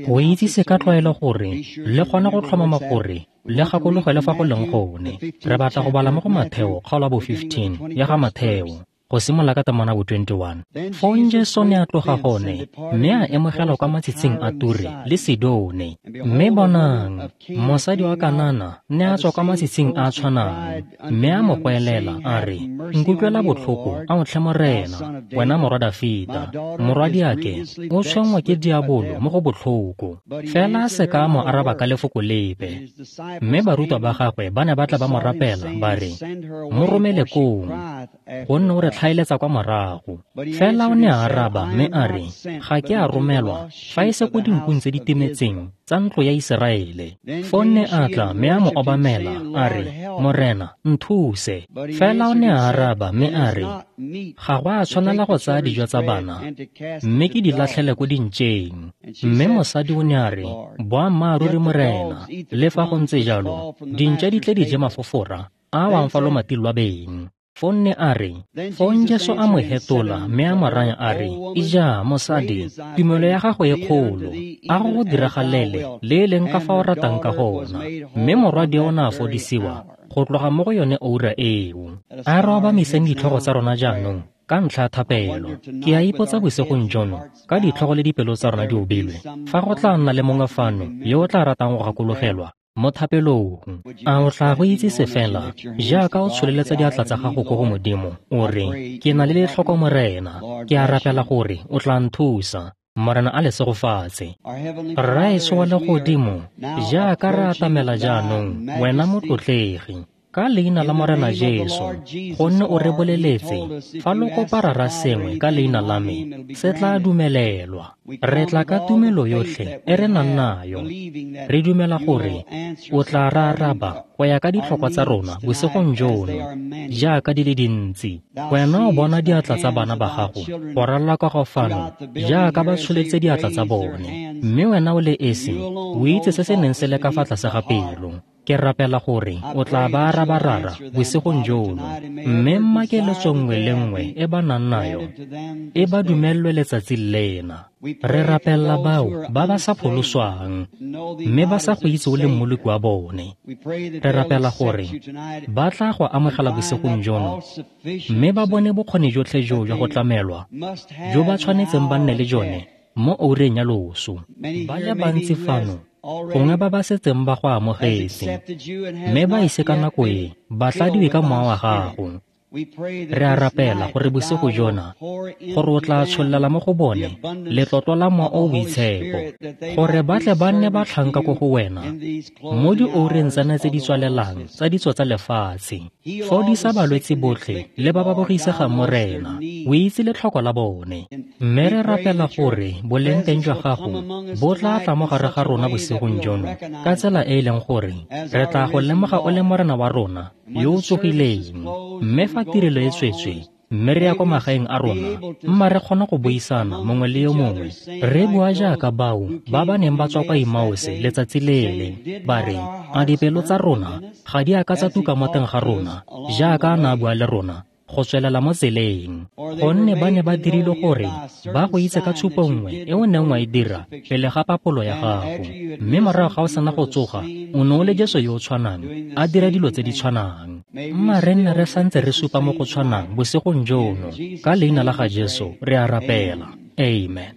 Go itsise ka tlwaelo gore le kgone go tlhomama gore le gakologele fa go leng gone. Re batla go bala mo go Matheo kgaolo ya bo 15 ya ga Matheo, go simolola ka temana bo 21. Fong Jesu ne a tloga gone mme a emogela kwa matshitshing a Ture le Sidone. Mme bonang, mosadi wa Kanana ne a tswa kwa matshitshing a a tshwanang, mme a mo goelela a re, "Nkutlwela botlhoko, ao tlhe Morena, wena morwa Dafita, morwadiake o tshwenngwa ke diabolo mo go botlhoko." Fela a se ka a mo araba ka lefoko lepe. Mme barutwa ba gagwe ba ne ba tla ba mo rapela ba re, "Mo romele kong, gonne o re tlhaeletsa kwa morago." Fela o ne a araba mme a re, "Ga ke a romelwa fa e se ko dinkung tse di timetseng tsa ntlo ya Iseraele." Foo ne a tla mme a mo obamela a re, "Morena, nthuse." Fela o ne a araba mme a re, "Ga go a tshwanela go tsaya dijo tsa bana mme ke di latlhele ko dintšeng." Mme mosadi o ne a re, "Boammaaruri Morena, le fa go ntse jalo, dintša di tle di je mafofora a a wang fa lomating lwa beng." Foo ne a re, fong Jesu a mo hetola mme a mo raya a re, "Ija, mosadi, tumelo ya gago e kgolo, a go go diragalele le e leng ka fa o ratang ka gona." Mme morwadi o ne a fodisiwa go tloga mo go yone oura eo. A re obamiseng ditlhogo tsa rona jaanong ka ntlha ya thapelo. Ke a ipotsa bosigong jono, ka ditlhogo le dipelo tsa rona di obilwe, fa go tla nna le mongwe fano yo o tla ratang go gakologelwa mo thapelong. A o tla go itsise fela jaaka o tsholeletsa diatla tsa gago ko go Modimo, o re, "Ke na le letlhoko Morena, ke a rapela gore o tla nthusa." Morena a le segofatse. Rraetsho wa legodimo, jaaka re atamela jaanong, wena motlotlegi, ka leina la Morena Jesu, gonne o re boleletse, fa lo kopa Rara sengwe ka leina la me, se tla dumelelwa. Re tla ka tumelo yotlhe e re nang nayo. Re dumela gore o tla re araba go ya ka ditlhokwa tsa rona bosigong jono, jaaka di le dintsi. Wena o bona diatla tsa bana ba gago go ralala kwa go fano jaaka ba tsholetse diatla tsa bone, mme wena o le esi o itse se se neng se le ka fa tlase ga pelo. Ke rapela gore o tla ba araba Rara bosigong jono, mme mma keletso nngwe le nngwe e ba nang nayo e ba dumelelwe letsatsi lena. Re rapella bao ba ba sa pholoswang mme ba sa go itse o le mmoloki wa bone. Re rapela gore ba tla go amogela bosigong jono mme ba bone bokgoni jotlhe jo jwa go tlamelwa jo ba tshwanetseng ba nne le jone mo oureng ya loso. Ba le bantsi fano gongwe ba ba setseng ba go amogetse mme ba ise ka nako e ba tladiwe ka mowa wa gago. Re a rapela gore bosigo jona gore o tla tshollela mo go bone letlotlo la mowa o boitshepo, gore ba tle ba nne batlhanka ko go wena mo dioureng tsena tse di tswalelang tsa ditso tsa lefatshe. Fodisa balwetse botlhe le ba ba bogisegang Morena, o itse letlhoko la bone. Mme re rapela gore boleng teng jwa gago bo tla tla mo gare ga rona bosigong jono ka tsela e e leng gore re tla go lemoga o le Morena wa rona yo o tsogileng. Mme fa tirelo e tswetswe mme re ya kwa magaeng a rona, mma re kgona go buisana mongwe le yo mongwe, re bua jaaka bao ba ba neng ba tswa kwa Emause letsatsi lele, ba re, "A dipelo tsa rona ga di a ka tsa tuka mo teng ga rona jaaka a ne a bua le rona go tswelela mo tseleng?" Gonne ba ne ba dirile gore ba go itse ka tshupo nngwe e o neng wa e dira pele ga papolo ya gago, mme morago ga o sena go tsoga o ne o le Jesu yo o tshwanang a dira dilo tse di tshwanang. Mma re nne re santse re supa mo go tshwanang bosigong jono. Ka leina la ga Jesu re a rapela. Amen.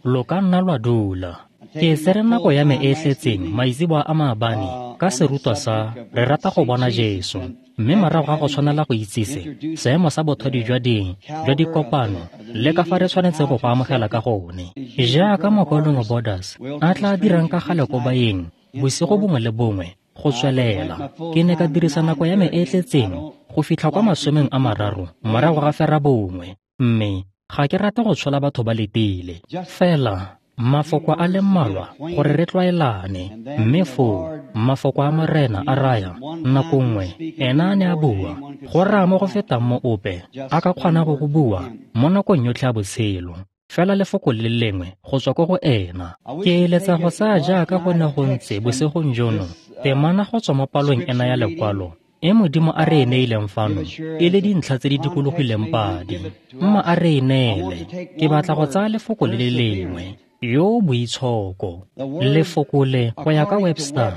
Lo ka nna lwa dula. Ke tsere nako ya me e tletseng maitseboa a maabane ka serutwa sa Re rata go bona Jesu, mme morago ga go tshwanela go itsise seemo sa bothadi jwa jwa dikopano le ka fa re tshwanetse go go amogela ka gone. Jaaka mokaulengwe Borders a tla dirang ka gale ko baeng bosigo bongwe le bongwe go tswelela, ke ne ka dirisa nako ya me e tletseng go fitlha kwa 30 morago ga 9, mme ga ke rate go tshola batho ba letile. Fela mafoko a le mmalwa gore re tlwaelane, mme foo mafoko a Morena a raya nako nngwe ena a ne a bua go raya mo go fetang mo ope a ka kgona go go bua mo nakong yotlhe ya botshelo, fela lefoko le lengwe go tswa ko go ena. Ke eletsa go tsaya jaaka go ne go ntse bosigong jono temana go tswa mo palong ena ya lekwalo e Modimo a re e neileng fano e le dintlha tse di dikologileng padi. Mma a re e neele. Ke batla go tsaya lefoko le le lengwe, yo boitshoko. Lefoko le, go ya ka Webster,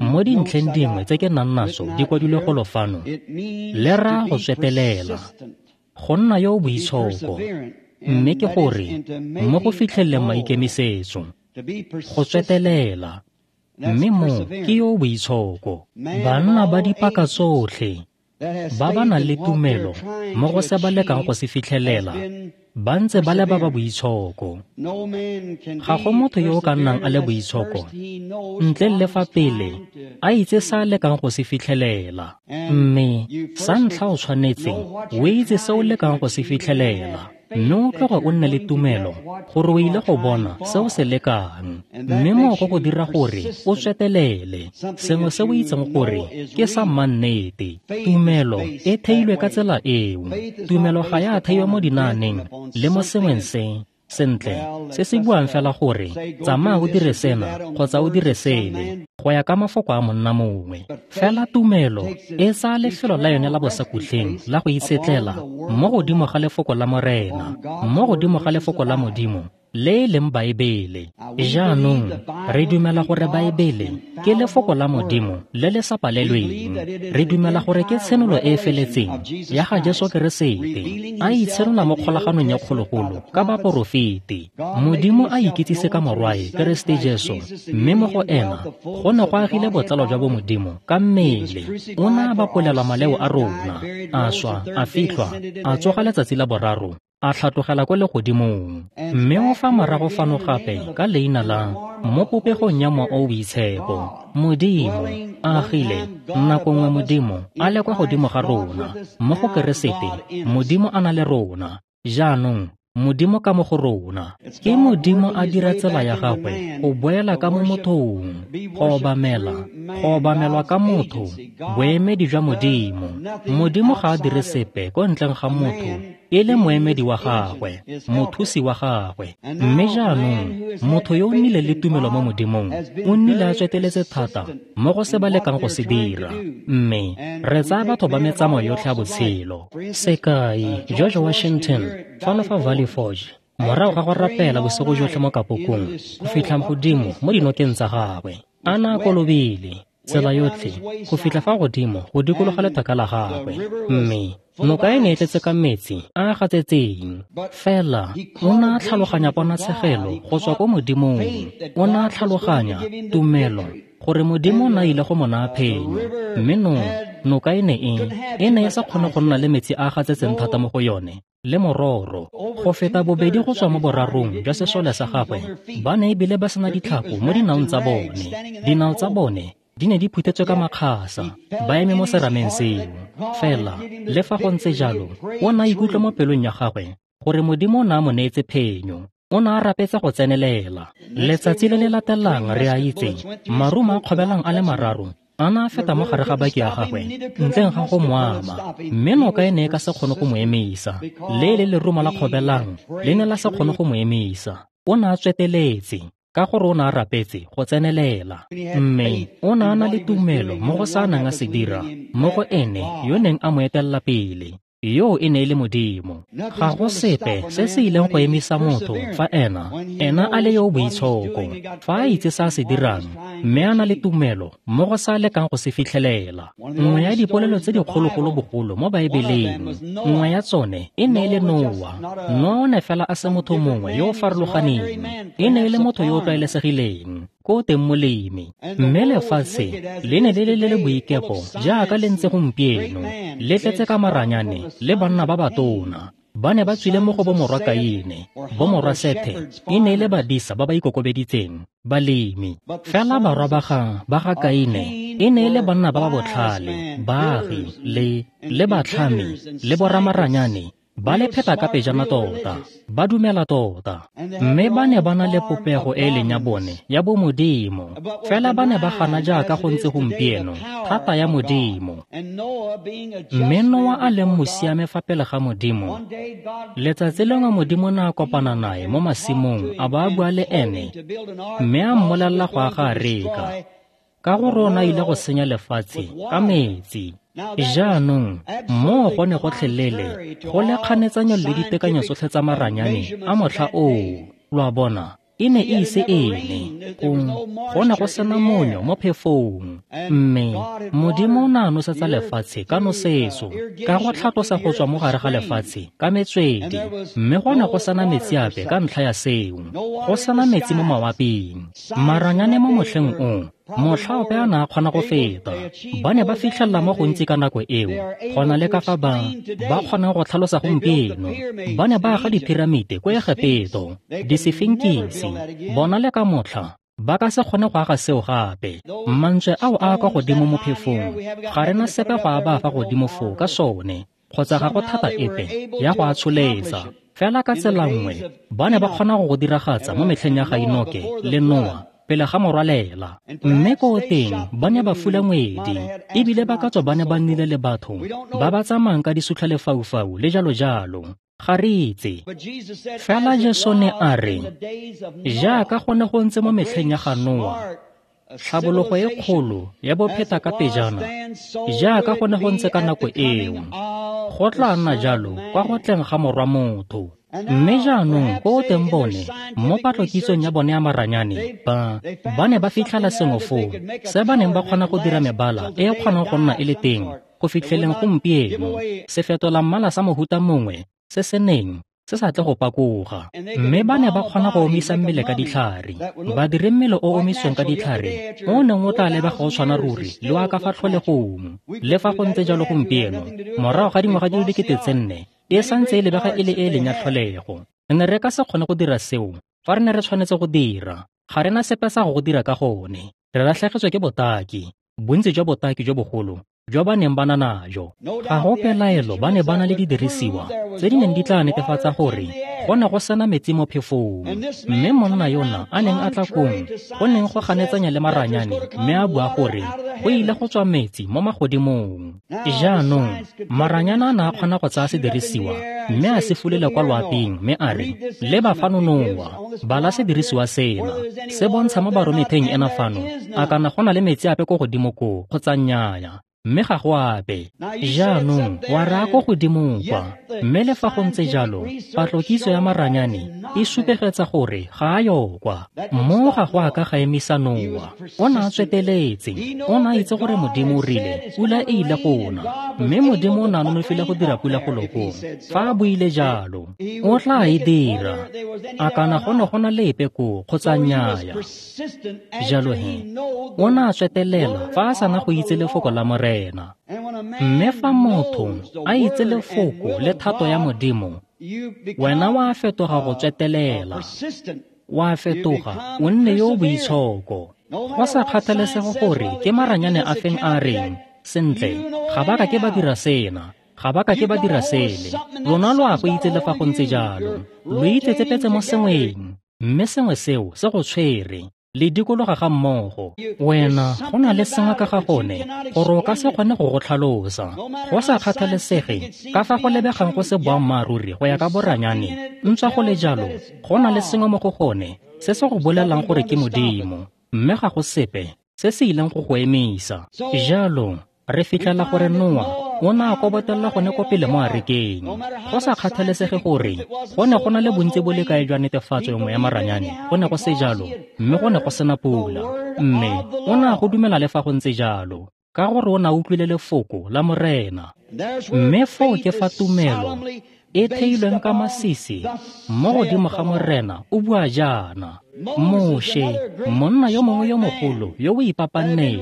mo dintlheng dingwe tse ke nang naso di kwadilwe golo fano, le raya go tswetelela, go nna yo boitshoko, mme ke gore mo go fitlheleleng maikemisetso, go tswetelela, mme mo ke yo boitshoko. Banna ba dipaka tsotlhe ba ba nang le tumelo mo go se ba lekang go se fitlhelela ba ntse ba le ba ba boitshoko. Ga go motho yo o ka nnang a le boitshoko ntle le fa pele a itse sa lekang go se fitlhelela. Mme sa ntlha o tshwanetse o itse se o lekang go se fitlhelela, mme o tloge o nne le tumelo gore o ile go bona se o se lekang, mme moo go go dira gore o tswetelele sengwe se o itseng gore ke sa mannete. Tumelo e theilwe ka tsela eo. Tumelo ga ya theiwa mo dinaaneng le mo sengweng se sentle se se buang fela gore tsamaya o dire sena kgotsa o dire sele go ya ka mafoko a monna mongwe. Fela tumelo e tsaya lefelo la yone la bosakutleng la go itshetlela mo godimo ga lefoko la Morena, mo godimo ga lefoko la Modimo le e leng Baebele. Jaanong re dumela gore Baebele ke lefoko la Modimo le le sa palelweng. Re dumela gore ke tshenolo e e feletseng ya ga Jesu Keresete a itshenola mo kgolaganong ya kgologolo ka baporofeti. Modimo a ikitsise ka Morwae Keresete Jesu, mme mo go ena go ne go agile botlalo jwa bomodimo ka mmele. O ne a bapolelwa maleo a rona, a swa, a fitlhwa, a tsoga letsatsi la boraro, a tlhatlogela kwa legodimong, mme o fa morago fano gape ka leina la mo popegong ya Mowa o o Boitshepo. Modimo a agile nako nngwe Modimo a le kwa godimo ga rona mo go Keresete, Modimo a na le rona. Jaanong Modimo ka mo go rona. Ke Modimo a dira tsela ya gagwe go boela ka mo mothong, go obamela, go obamelwa ka motho, boemedi jwa Modimo. Modimo ga a dire sepe ko ntleng ga motho e le moemedi wa gagwe, mothusi wa gagwe. Mme jaanong motho yo o nnile le tumelo mo Modimong o nnile a tsweteletse thata mo go se ba lekang go se dira. Mme re tsaya batho ba metsamao yotlhe ya botshelo. Sekai, George Washington fano fa Valley Forge, morago ga go rapela bosigo jotlhe mo kapokong go fitlha godimo mo dinokeng tsa gagwe, a na a kolobile tsela yotlhe go fitlha fa godimo go dikologa lethaka la gagwe, mme noka e ne e tletse ka metsi a a gatsetseng. Fela o ne a tlhaloganya ponatshegelo go tswa ko Modimong. O ne a tlhaloganya tumelo gore Modimo o ne a ile go mo naya phenyo, mme noka e ne e sa kgone go nna le metsi a a gatsetseng thata mo go yone. Le mororo go feta bobedi go tswa mo borarong jwa sesole sa gagwe ba ne ebile ba sena ditlhako mo dinaong tsa bone. Dinao tsa bone di ne di phuthetswe ka makgasa, ba eme mo serameng seo. Fela le fa go ntse jalo, o ne a ikutlwa mo pelong ya gagwe gore Modimo o ne a mo neetse phenyo. O ne a rapetse go tsenelela. Letsatsi le le latelang re a itse marumo a kgobelang a le mararo a ne a feta mo gare ga baki ya gagwe ntleng ga go mo ama, mme noka e ne e ka se kgone go mo emisa. Le le lerumo la kgobelang le ne la se kgone go mo emisa. O ne a tsweteletse ka gore o ne a rapetse go tsenelela, mme o ne a na le tumelo mo go sa nang a se dira mo go ene yo neng a mo etelela pele, yo e ne e le Modimo. Ga go sepe se se ileng go emisa motho fa ena a le yo boitshoko, fa a itse sa se dirang, mme a na le tumelo mo go sa lekang go se fitlhelela. Nngwe ya dipolelo tse dikgologolo bogolo mo Baebeleng, nngwe ya tsone e ne e le Noa. Noa o ne fela a se motho mongwe yo o farologaneng, e ne e le motho yo o tlwaelesegileng ko teng molemi, mme lefatshe le ne le le boikepo jaaka le ntse gompieno, le tletse ka maranyane le banna ba batona. Ba ne ba tswile mo go bomorwa Kaine, bomorwa Sethe e ne e le badisa ba ba ikokobeditseng, balemi. Fela barwa ba ga Kaine e ne e le banna ba ba botlhale, baagi le batlhami le boramaranyane, ba le pheta ka pejana tota, ba dumela tota, mme ba ne ba na le popego e leng ya bone ya bomodimo. Fela ba ne ba gana jaaka go ntse gompieno thata ya Modimo. Mme Noa a leng mosiame fa pele ga Modimo, letsatsi lengwe Modimo ne a kopana nae mo masimong a ba a bua le ene, mme a mmolelela go aga areka. ka gore o ne a ile go senya lefatshe ka metsi. Jaanong moo go ne gotlhelele go le kganetsanyo le ditekanyo tsotlhe tsa maranyane a motlha oo. Lo a bona, e ne e ise e ne, go ne go sena monyo mo phefong. Mme Modimo o ne a nosetsa lefatshe ka nosetso, ka go tlhatlosa go tswa mo gare ga lefatshe ka metswedi, mme go ne go sena metsi ape ka ntlha ya seo, go sena metsi mo mawaping. Maranyane mo motlheng o, motlha ope a ne a kgona go feta. Ba ne ba fitlhelela mo gontsi ka nako eo, go na le ka fa ba kgonang go tlhalosa gompieno. Ba ne ba aga diphiramite ko Egepeto, disefinkisi. Bona le ka motlha ba ka se kgone go aga seo gape. Mantswe ao a kwa godimo mo phefong, ga re na sepe go a ba fa godimo foo ka sone, kgotsa ga go thata epe ya go a tsholetsa. Fela ka tsela nngwe ba ne ba kgona go go diragatsa mo metlheng ya ga Enoke le Noa pele ga morwalela. Mme ko teng ba ne ba fula ngwedi, ebile ba ka tswa ba ne ba nnile le batho ba ba tsamayang ka disutlhalefaufau le jalo jalo. Ga re itse. Fela Jesu ne a re, jaaka go ne go ntse mo metlheng ya ga Noa, tlhabologo e kgolo ya bopheta ka pejana, jaaka go ne go ntse ka nako eo, go tla nna jalo kwa go tleng ga Morwa Motho. Mme jaanong ko teng bone, mo patlokitsong ya bone ya maranyane, ba ne ba fitlhela sengwe foo se ba neng ba kgona go dira mebala e e kgonang go nna e le teng go fitlheleng gompieno, se fetola mmala sa mohuta mongwe se se neng se sa tle go pakoga. Mme ba ne ba kgona go omisa mmele ka ditlhare, ba dire mmele o omisweng ka ditlhare o neng o tla lebega o tshwana ruri le wa ka fa tlholegong. Le fa go ntse jalo gompieno, morago ga dingwaga di le 4,000, e santse e lebega e le e leng ya tlholego. Re ne re ka se kgone go dira seo fa re ne re tshwanetse go dira. Ga re na sepe sa go dira ka gone. Re latlhegetswe ke botaki, bontsi jwa botaki jo bogolo jwa ba neng ba na najo. Ga go pelaelo ba ne ba na le didirisiwa tse di neng di tla netefatsa gore go ne go sena metsi mo phefong. Mme monna yona a neng a tla kong go neng go ganetsanya le maranyane, mme a bua gore go ile go tswa metsi mo magodimong. Jaanong maranyane a ne a kgona go tsaya sedirisiwa mme a se fulela kwa loaping, mme a re, leba fano Noa, bala sedirisiwa sena, se bontsha mo barometheng ena fano, a kana go na le metsi ape ko godimo koo kgotsa nnyaya. Mme ga go ape. Jaanong wa raya ko godimo kwa. Mme le fa go ntse jalo, patlokitso ya maranyane e supegetsa gore ga a yo kwa. Mo ga go a ka ga emisa Noa. O ne a tsweteletse. O ne a itse gore Modimo o rile pula e ile go na, mme Modimo o ne a nonofile go dira pula go lokong. Fa a buile jalo, o tla e dira. A kana go ne go na le epe koo kgotsa nnyaya. Jalo he, o ne a tswetelela fa a sana go itse lefoko la Morena. Mme fa motho a itse lefoko le thato ya Modimo, wena wa fetoga go tswetelela, wa fetoga o nne yo o boitshoko. Go sa kgathalesege gore ke maranyane a feng a reng, sentle, ga ba ka ke ba dira sena, ga ba ka ke ba dira sele. Lona lo a go itse le fa go ntse jalo. Lo itsetsepetse mo sengweng, mme sengwe seo se go tshwere. Le dikologa ga mmogo. Wena go na le sengwe ka ga gone gore o ka se kgone go go tlhalosa. Go sa kgathalesege ka fa go lebegang go se boammaaruri go ya ka boranyane, ntswa go le jalo, go na le sengwe mo go gone se se go bolelang gore ke Modimo, mme ga go sepe se se ileng go go emisa. Jalo re fitlhela gore Noa o ne a kobotelela gone ko pele mo arekeng. Go sa kgathalesege gore go ne go na le bontsi bo le kae jwa netefatso nngwe ya maranyane, go ne go se jalo, mme go ne go sena pula. Mme o ne a go dumela le fa go ntse jalo, ka gore o ne a utlwile lefoko la Morena. Mme foo ke fa tumelo e theilweng ka masisi mo godimo ga Morena o bua jaana. Moshe, monna yo mongwe yo mogolo yo o ipapanneng,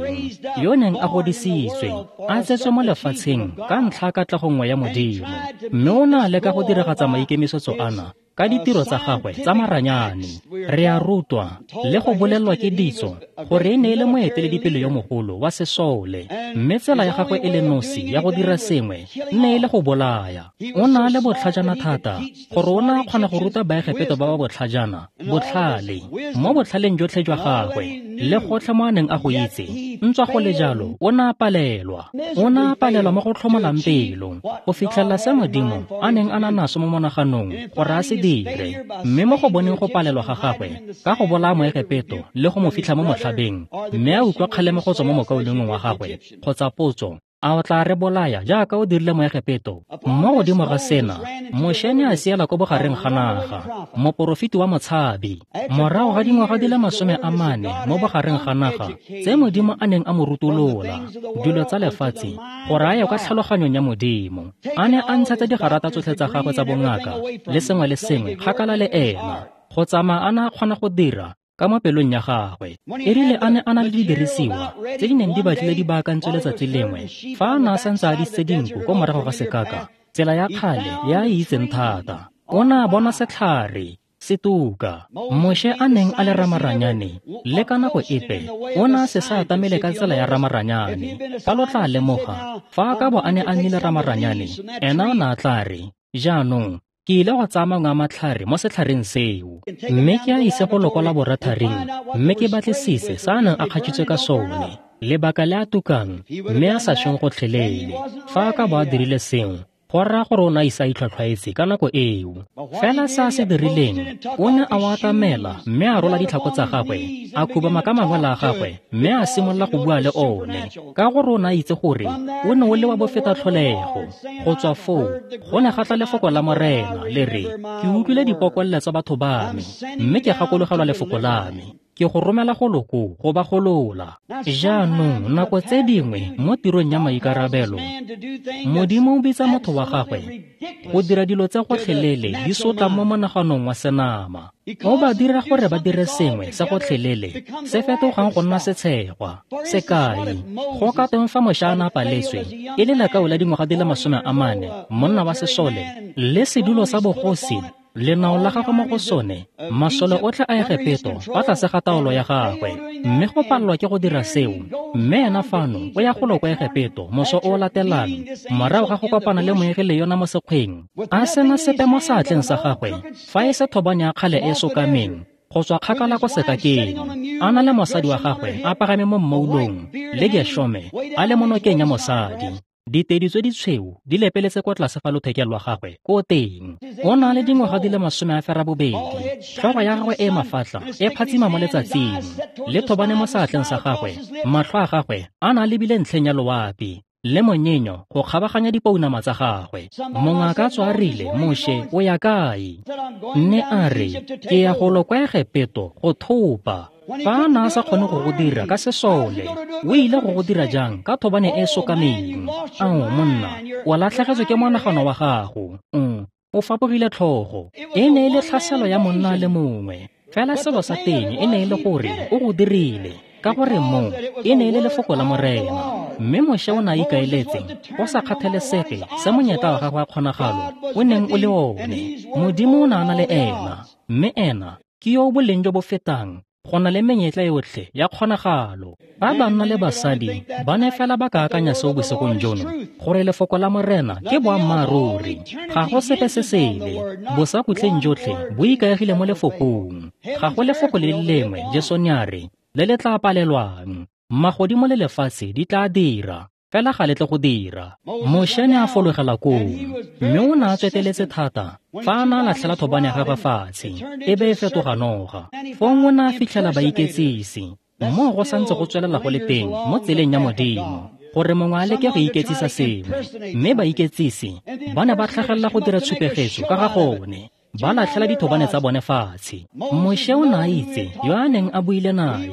yo neng a godisitswe, a tsetswe mo lefatsheng ka ntlha ya katlego nngwe ya Modimo, mme o ne a leka go diragatsa maikemisetso ana ka ditiro tsa gagwe tsa maranyane. Re a rutwa le go bolelwa ke ditso gore e ne e le moeteledipele yo mogolo wa sesole, mme tsela ya gagwe e le nosi ya go dira sengwe ne e le go bolaya. O ne a le botlhajana thata gore o ne a kgona go ruta Baegepeto ba ba botlhajana botlhale mo botlhaleng jotlhe jwa gagwe le gotlhe mo a neng a go itse, ntswa go le jalo o ne a palelwa. O ne a palelwa mo go tlhomolang pelo go fitlhelela se Modimo a neng a na naso mo monaganong gore a se dire. Mme mo go boneng go palelwa ga gagwe ka go bolaya Moegepeto le go mo fitlha mo motlhabeng, mme a utlwa kgalemo go tswa mo mokaulengweng wa gagwe kgotsa potso, a o tla re bolaya jaaka o dirile Moegepeto? Mo godimo ga sena, Moshe ne a siela ko bogareng ga naga, moporofeti wa motshabi, morago ga dingwaga di le 40 mo bogareng ga naga tse Modimo a neng a mo rutolola dilo tsa lefatshe gore a ye kwa tlhaloganyong ya Modimo. A ne a ntshetsa digarata tsotlhe tsa gagwe tsa bongaka le sengwe le sengwe kgakala le ena, go tsamaya a ne a kgona go dira ka mo pelong ya gagwe. E rile a ne a na le didirisiwa tse di neng di batlile di baakantswe letsatsi lengwe, fa a ne a santse a disitse dinku ko morago ga sekaka, tsela ya kgale ya a itseng thata, o ne a bona setlhare se tuka. Moshe a neng a le ramaranyane le ka nako epe o ne a se sa atamele ka tsela ya ramaranyane. Fa lo tla lemoga, fa a ka bo a ne a nnile ramaranyane, ena o ne a tla re, jaanong ke ile go tsaya mangwe a matlhare mo setlhareng seo, mme ke a ise go loko laboratoring, mme ke batlisise se a neng a kgatšhitswe ka sone, lebaka le a tukang mme a sa šweng gotlhelele. Fa a ka bo a dirile sengwe, go raya gore o ne a ise a itlhwatlhwaetse ka nako eo. Fela se a se dirileng, o ne a o atamela mme a rola ditlhako tsa gagwe, a khubama ka mangwele a gagwe mme a simolola go bua le one, ka gore o ne a itse gore o ne o le wa bofeta tlholego. Go tswa foo go ne ga tla lefoko la Morena le re, ke utlwile dipokolelo tsa batho ba me, mme ke gakologelwa lefoko la me, ke go romela go loko go ba golola. Jaanong nako tse dingwe mo tirong ya maikarabelo, Modimo o bitsa motho wa gagwe go dira dilo tse gotlhelele di sotlang mo monaganong wa senama. O ba dira gore ba dire sengwe se gotlhelele se fetogang go nna setshegwa. Sekai, go ka teng fa Moshe a ne a paletswe e le lekau la dingwaga di le 40, monna wa sesole, le sedulo sa bogosi, lenao la gagwe mo go sone, masole otlhe a Egepeto fa tlase ga taolo ya gagwe, mme go palelwa ke go dira seo. Mme ena fano o ya golo kwa Egepeto moso o latelang, morago ga go kopana le moengele yona mo sekgweng, a sena sepe mo seatleng sa gagwe fa e se thobane ya kgale e sokameng go tswa kgakala ko sekakeng, a na le mosadi wa gagwe a pagame mo mmoulong le Geshome a le mo nokeng ya mosadi. Ditedi tse ditshweu di lepeletse kwa tlase fa lothekeng lwa gagwe ko teng. O na le dingwaga di le 80, tlhogo ya gagwe e mafatla e phatsima mo letsatsing, le thobane mo seatleng sa gagwe, matlho a gagwe a na lebile ntlheng ya loapi le monyenyo go kgabaganya dipounama tsa gagwe. Mongwe a ka tswa a rile, Moshe o ya kae? Mme a re, ke ya golo kwa Egepeto go thopa. Fa a ne a sa kgone go go dira ka sesole, o ile go go dira jang ka thobane e sokameng? Ao monna, o latlhegetswe ke monagano wa gago. O fapogile tlhogo. E ne e le tlhaselo ya monna le mongwe. Fela selo sa teng e ne e le gore o go dirile, ka gore mo e ne e le lefoko la Morena. Mme Moshe o ne a ikaeletse go sa kgathalesege se monyetla wa gagwe wa kgonagalo o neng o le one. Modimo o ne a na le ena, mme ena ke yo o boleng jo bo fetang go na le menyetla yotlhe ya kgonagalo. Ba banna le basadi ba ne fela ba ka akanya seo bosigong jono, gore lefoko la Morena ke boammaaruri, ga go sepe se sele. Bosakhutleng jotlhe bo ikaegile mo lefokong. Ga go lefoko le le lengwe, Jesu ne a re, le le tla palelwang. Magodimo le lefatshe di tla dira, fela ga le tle go dira. Moshe ne a fologela koo, mme o ne a tsweteletse thata fa a ne a latlhela thobane ya gagwe fatshe, e be e fetoga noga. Fong o ne a fitlhela baiketsisi, moo go santse go tswelela go le teng mo tseleng ya Modimo, gore mongwe a leke go iketsisa sengwe. Mme baiketsisi ba ne ba tlhagelela go dira tshupegetso ka ga gone, ba latlhela dithobane tsa bone fatshe. Moshe o ne a itse yo a neng a buile nae,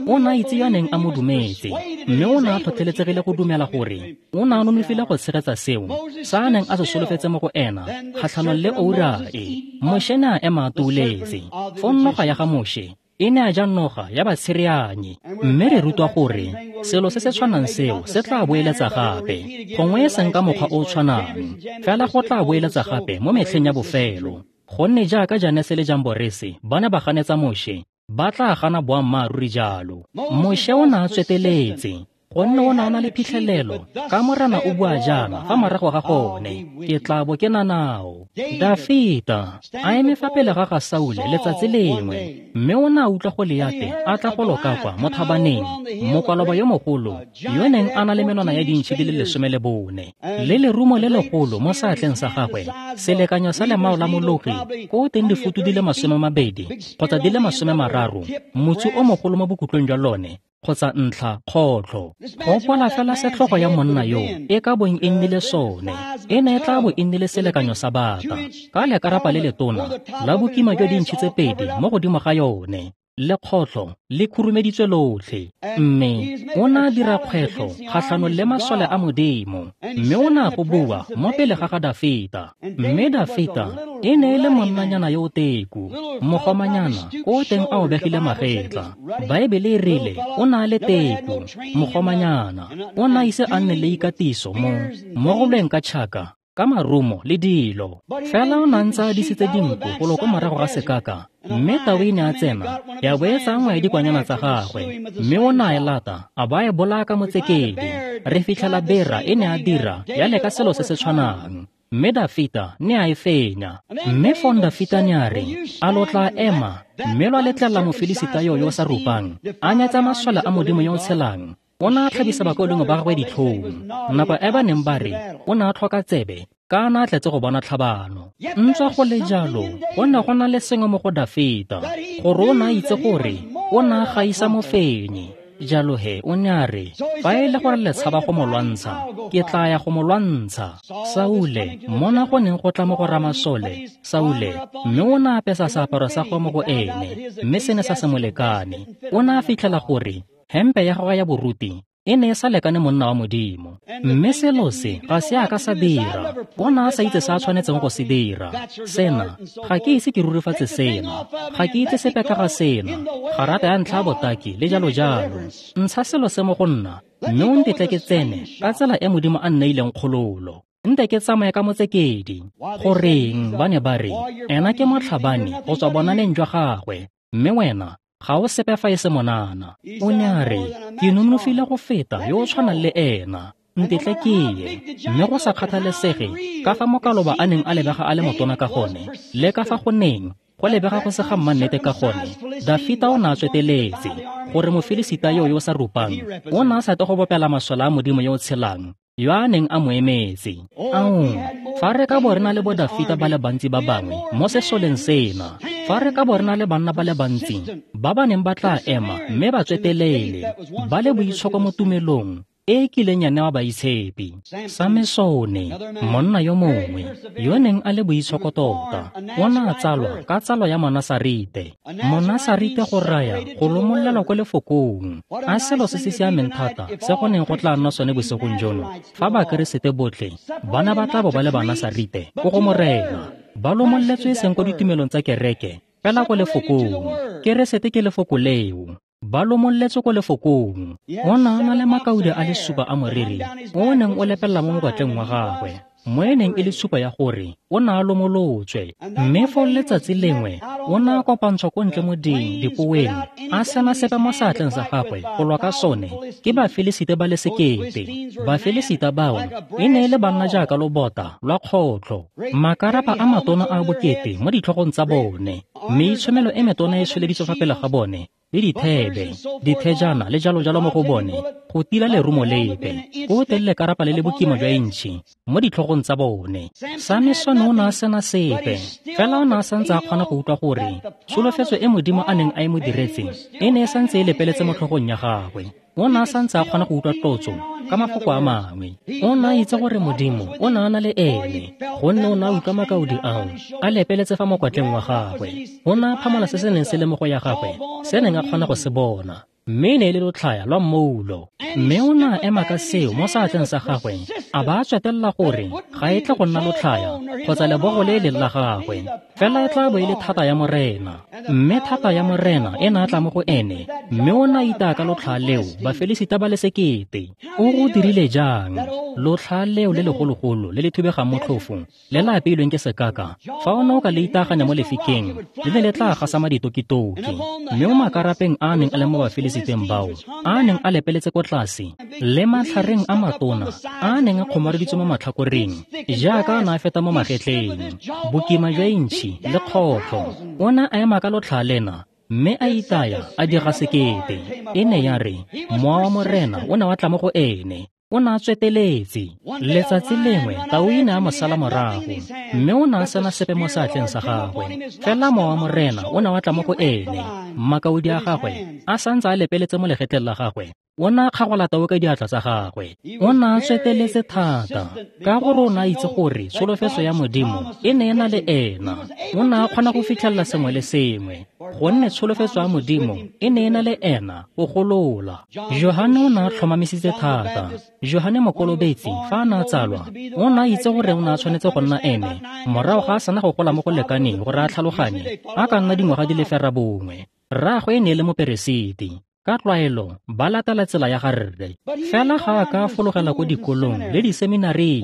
o ne a itse yo a neng a mo dumetse, mme o ne a tlhotlheletsegile go dumela gore o ne a nonofile go tshegetsa seo sa a neng a se solofetse mo go ena kgatlhanong le oura e. Moshe ne a ema a tuuletse. Fong noga ya ga Moshe e ne a ja noga ya batshereanyi. Mme re rutwa gore selo se se tshwanang seo se tla boeletsa gape, gongwe e seng ka mokgwa o o tshwanang, fela go tla boeletsa gape mo metlheng ya bofelo. Gonne jaaka Janese le Jamborese ba ne ba ganetsa Moshe, ba tla gana boammaaruri jalo. Moshe o ne a tsweteletse Gonne o ne a na le phitlhelelo ka Morena o bua jaana fa morago ga gone, ke tla bo ke na nao. Dafita a eme fa pele ga ga Saule letsatsi lengwe, mme o ne a utlwa Goliate a tla go loka kwa mo thabaneng, mokwaloba yo mogolo yo neng a na le menwana ya dintšhi di le 14 le lerumo le legolo mo seatleng sa gagwe, selekanyo sa lemao la mologi ko teng difutu di le 20 kgotsa di le 30, motsu o mogolo mo bokhutlong jwa lone kgotsa ntlha kgotlho. Gopola fela setlhogo ya monna yo e ka bong e nnile sone, e ne e tla bo e nnile selekanyo sa bata ka lekarapa le letona la bokima jwa dintšhi tse 2 mo godimo ga yone, le kgotlho le khurumeditswe lotlhe. Mme o ne a dira kgwetlho kgatlhanong le masole a Modimo, mme o ne a go bua mo pele ga ga Dafita. Mme Dafita e ne e le monnanyana yo o teku, mogomanyana ko teng a obegile magetla. Baebele e rile o ne a le teku, mogomanyana, o ne a ise a nne le ikatiso mo go lweng ka tšhaka, ka marumo le dilo. Fela o ne a ntse a disitse dinku golo ko morago ga sekaka, mme tau e ne a tsena ya bo e tsaya nngwe ya dikwanyana tsa gagwe, mme o ne a e lata a ba e bolaya ka motsekedi. Re fitlhela bera e ne a dira ya leka selo se se tshwanang, mme Dafita ne a e fenya. Mme fong Dafita ne a re, a lo tla ema mme lwa letlelela Mofilisita yo yo sa rupang a nyatsa masole a Modimo yo o tshelang? O ne a tlhabisa bakaulengwe ba gagwe ditlhong nako e ba neng ba re o ne a tlhoka tsebe ka a ne a tletse go bona tlhabano. Ntswa go le jalo, go ne go na le sengwe mo go Dafita gore o ne a itse gore o ne a gaisa mofenyi. Jalo he o ne a re, fa e le gore le tshaba go mo lwantsha, ke tla ya go mo lwantsha. Saule, mona go neng go tla mo go ramasole, Saule, mme o ne a apesa seaparo sa gagwe mo go ene, mme se ne sa se mo lekane. O ne a fitlhela gore hempe ya gagwe ya boruti e ne e sa lekane monna wa Modimo. Mme selo se ga se a ka sa dira. O ne a sa itse se a tshwanetseng go se dira. Sena, ga ke ise ke rurifatse sena, ga ke itse sepe ka ga sena, garata ya ntlha ya botaki le jalo jalo. Ntsha selo se mo go nna, mme o ntetle ke tsene ka tsela e Modimo a nneileng kgololo. Nte ke tsamaye ka motsekedi. Goreng ba ne ba re, ena ke motlhabani go tswa bonaneng jwa gagwe, mme wena ga o sepe fa e se monana. O ne a re, ke nonofile go feta yo o tshwanang le ena, ntetle ke ye. Mme go sa kgathalesege ka fa mokaloba a neng a lebega a le motona ka gone, le ka fa go neng go lebega go se ga mmannete ka gone, Dafita o ne a tsweteletse gore Mofilisita yo yo sa rupang o ne a sa tle go bopela masole a Modimo yo o tshelang yo a neng a mo emetse. Ao, fa re ka bo re na le bo Dafita ba le bantsi ba bangwe mo sesoleng sena, fa re ka bo re na le banna ba le bantsi ba ba neng ba tla ema mme ba tswetelele ba le boitshoko mo tumelong e e kileng ya newa baitshepi. Samesone, monna yo mongwe yo neng a le boitshoko tota, o ne a tsalwa ka tsalo ya Monasarite. Monasarite go raya go lomolelwa ko lefokong. A selo se se siameng thata se go neng go tla nna sone bosigong jono fa Bakeresete botlhe ba ne ba tla bo ba le Banasarite ko go Morena, ba lomolletswe e seng ko ditumelong tsa kereke, fela ko lefokong. Keresete ke lefoko leo. Ba lomolletswe ko lefokong. O ne a na le makaude a le 7 a moriri o neng o lepelela mo mokwatleng wa gagwe, mo e neng e le tshupo ya gore o ne a lomolotswe. Mme foo letsatsi lengwe o ne a kopantshwa ko ntle mo dipoweng, a sena sepe mo seatleng sa gagwe go lwa ka sone ke Bafilisita ba le 1,000. Bafilisita bao e ne e le banna jaaka lobota lwa kgotlho, makarapa a matona a bokete mo ditlhogong tsa bone, meitshomelo e metona e tsholeditswe fa pele ga bone, le dithebe, dithejana le jalo jalo mo go bone go tila lerumo lepe, ko teng lekarapa le le bokima jwa intšhi mo ditlhogong tsa bone. Samesone o ne a sena sepe, fela o ne a santse a kgona go utlwa gore tsholofetso e Modimo a neng a e mo diretse e ne e santse e lepeletse mo tlhogong ya gagwe. O ne a santse a kgona go utlwa tlotso ka mafoko a mangwe. O ne a itse gore Modimo o ne a na le ene, gonne o ne a utlwa makaodi ao a lepeletse fa mokwatleng wa gagwe. O ne a phamola se se neng se le mo go ya gagwe, se neng a kgona go se bona, mme e ne e le lotlhaya lwa mmoulo. Mme o ne a ema ka seo mo seatleng sa gagwe, a ba a tswetelela gore ga e tle go nna lotlhaya kgotsa lebogo le e leng la gagwe, fela e tla bo e le thata ya Morena. Mme thata ya Morena e ne a tla mo go ene, mme o ne a itaya ka lotlhaya leo Bafilisita ba le 1,000. O go dirile jang? Lotlhaya leo le legologolo le le thubegang motlhofo le le apeilweng ke sekaka, fa o ne o ka le itaganya mo lefikeng, le ne le tla gasama ditokitoki. Mme mo makarapeng a a neng a le mo Bafilisita bafilisiteng bao a neng a lepeletse ko tlase le matlhareng a matona a neng a kgomareditswe mo matlhakoreng jaaka a ne a feta mo magetleng, bokima jwa intšhi le kgotlho. O ne a ema ka lotlhaa lena mme a itaya a diga sekete. E ne ya re mowa wa Morena o ne wa tla mo go ene. O ne a tsweteletse. Letsatsi lengwe tau e ne a mo sala morago, mme o ne a sena sepe mo seatleng sa gagwe. Fela mowa wa Morena o ne wa tla mo go ene. Makaodi a gagwe a santse a lepeletse mo legetleng la gagwe. O ne a kgagola tau ka diatla tsa gagwe. O ne a tsweteletse thata ka gore o ne a itse gore tsholofetso ya Modimo e ne e na le ena. O ne a kgona go fitlhelela sengwe le sengwe, gonne tsholofetso ya Modimo e ne e na le ena go golola. Johane o ne a tlhomamisitse thata. Johane Mokolobetsi fa a ne a tsalwa, o ne a itse gore o ne a tshwanetse go nna ene morago ga a sena go gola mo go lekaneng gore a tlhaloganye a ka nna dingwaga di le 9. Rraagwe e ne e le moperesiti. Ka tlwaelo ba latela tsela ya ga rre. Fela ga a ka fologela ko dikolong le diseminaring,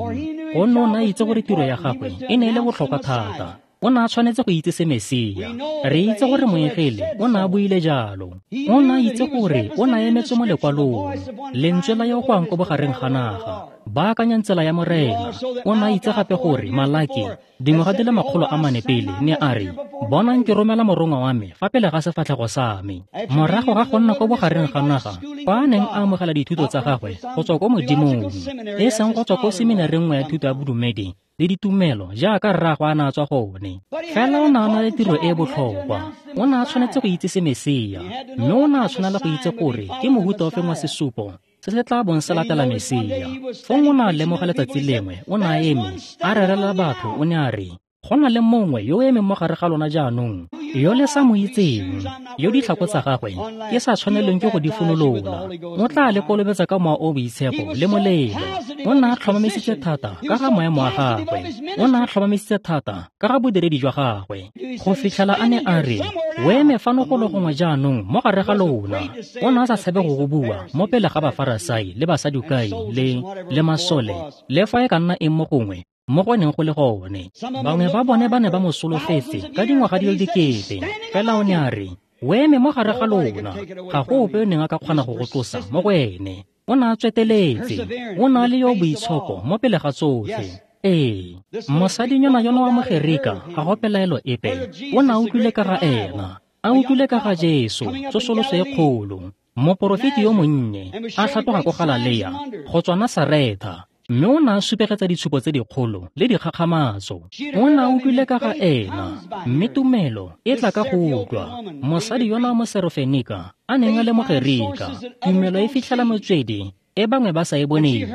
gonne o ne a itse gore tiro ya gagwe e ne e le botlhokwa thata. O ne a tshwanetse go itse se Mesia. Re itse gore moengele o ne a buile jalo. O ne a itse gore o ne a emetswe mo lekwalong, lentswe la yo go yang ko bogareng ga naga, baakanyang tsela ya Morena. O ne a itse gape gore Malaki dingwaga di le 400 pele ne a re, bonang ke romela morongwa wa me fa pele ga sefatlhego sa me. Morago ga go nna ko bogareng ga naga, fa a neng a amogela dithuto tsa gagwe go tswa ko Modimong, e seng go tswa ko seminareng nngwe ya thuto ya bodumedi le ditumelo jaaka rraagwe a ne a tswa gone. Fela o ne a na le tiro e e botlhokwa. O ne a tshwanetse go itse se Mesia, mme o ne a tshwanela go itse gore ke mohuta ofe wa sesupo se se tla bong se latela Mesia. Fong o ne a lemoga letsatsi lengwe, o ne a eme a rerela batho, o ne a re, go na le mongwe yo o emeng mo gare ga lona jaanong, yo le sa mo itseng, yo ditlhako tsa gagwe ke sa tshwanelweng ke go di funolola. O tla le kolobetsa ka mowa o boitshepo le molelo. O ne a tlhomamisitse thata ka ga maemo a gagwe. O ne a tlhomamisitse thata ka ga bodiredi jwa gagwe, go fitlhela a ne a re, o eme fano golo gongwe jaanong mo gare ga lona. O ne a sa tshabe go go bua mo pele ga Bafarasai le Basadukai le masole, le fa e ka nna eng mo gongwe mo go neng go le gone. Bangwe ba bone ba ne ba mo solofetse ka dingwaga di le dikete. Fela o ne a re, o eme mo gare ga lona, ga go ope o neng a ka kgona go go tlosa mo go ene. O ne a tsweteletse. O ne a le yo boitshoko mo pele ga tsotlhe. Ee, mosadinyana yono wa Mogerika ga go pelaelo epe, o ne a utlwile ka ga ena, a utlwile ka ga Jesu, tsosoloso e kgolo, moporofeti yo monnye a tlhatloga ko Galalea go tswa Nasaretha, mme o ne a supegetsa ditshupo tse dikgolo le dikgakgamatso. O ne a utlwile ka ga ena, mme tumelo e tla ka go utlwa. Mosadi yona wa Moserofenika a neng a le Mogerika, tumelo e fitlhela motswedi e bangwe ba sa e boneng.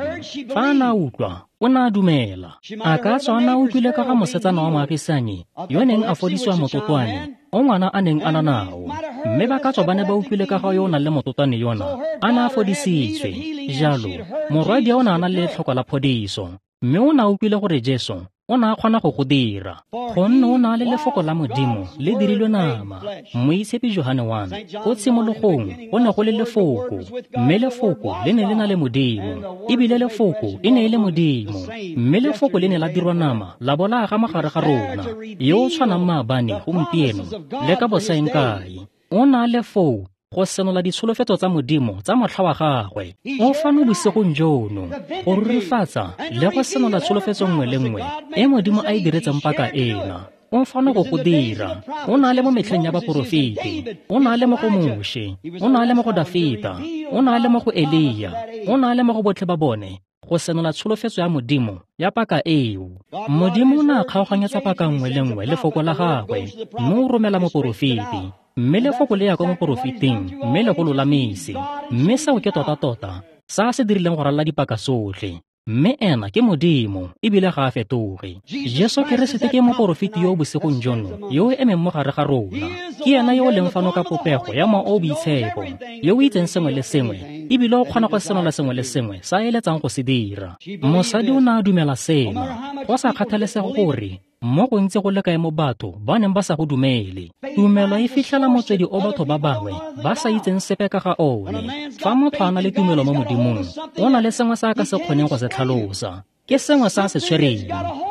Fa a ne a utlwa, o ne a dumela. A ka tswa a ne a utlwile ka ga mosetsana wa moagisanyi yo neng a fodisiwa mototwane o ngwana a neng a na nao, mme ba ka tswa ba ne ba utlwile ka ga yo o nang le mototwane yona a ne a fodisitswe. Jalo morwadi o ne a na le letlhoko la phodiso, mme o ne a utlwile gore Jesu o ne a kgona go go dira, gonne o ne a le lefoko la Modimo le dirilwe nama. Moitshepi Johane 1, ko tshimologong go ne go le lefoko, mme lefoko le ne le na le Modimo, ebile lefoko e ne e le Modimo, mme lefoko le ne la dirwa nama la bo la aga mo gare ga rona, yo o tshwanang maabane, gompieno le ka bosaeng kae. O ne a le foo go senola ditsholofetso tsa Modimo tsa motlha wa gagwe. O fano bosigong jono go rurifatsa le go senola tsholofetso nngwe le nngwe e Modimo a e diretseng paka ena. O fano go go dira. O ne a le mo metlheng ya baporofeti, o ne a le mo go Moshe, o ne a le mo go Dafita, o ne a le mo go Elia, o ne a le mo go botlhe ba bone, go senola tsholofetso ya Modimo ya paka eo. Modimo o ne a kgaoganyetsa paka nngwe le nngwe lefoko la gagwe, mme o romela moporofeti, mme lefoko le ya kwa moporofeting mme le go lolamise. Mme seo ke tota-tota sa se dirileng go ralala dipaka tsotlhe. Mme ena ke Modimo, ebile ga a fetoge. Jesu Keresete ke moporofeti yo o bosigong jono, yo o emeng mo gare ga rona. Ke ena yo o leng fano ka popego ya mowa o boitshepo, yo o itseng sengwe le sengwe, ebile o kgona go senola sengwe le sengwe sa a eletsang go se dira. Mosadi o ne a dumela sena, go sa kgathalesege gore mo gontsi go le kae mo batho ba neng ba sa go dumele. Tumelo e fitlhela motswedi o batho ba bangwe ba sa itseng sepe ka ga one. Fa motho a na le tumelo mo Modimong, o na le sengwe se a ka se kgoneng go se tlhalosa. Ke sengwe sa se tshwereng.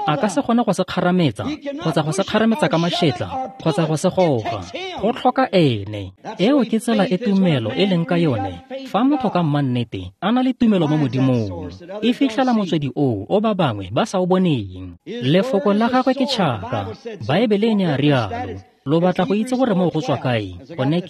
A ka se kgone go se kgarametsa, kgotsa go se kgarametsa ka mašetla, kgotsa go se goga. Go tlhoka ene. Eo ke tsela e tumelo e leng ka yone. Fa motho ka mmannete a na le tumelo mo Modimong, e fitlhela motswedi oo o ba bangwe ba sa o boneng. Lefoko la gagwe ke tšhaka. Baebele e ne a rialo. Lo batla go itse gore moo go tswa kae? Gone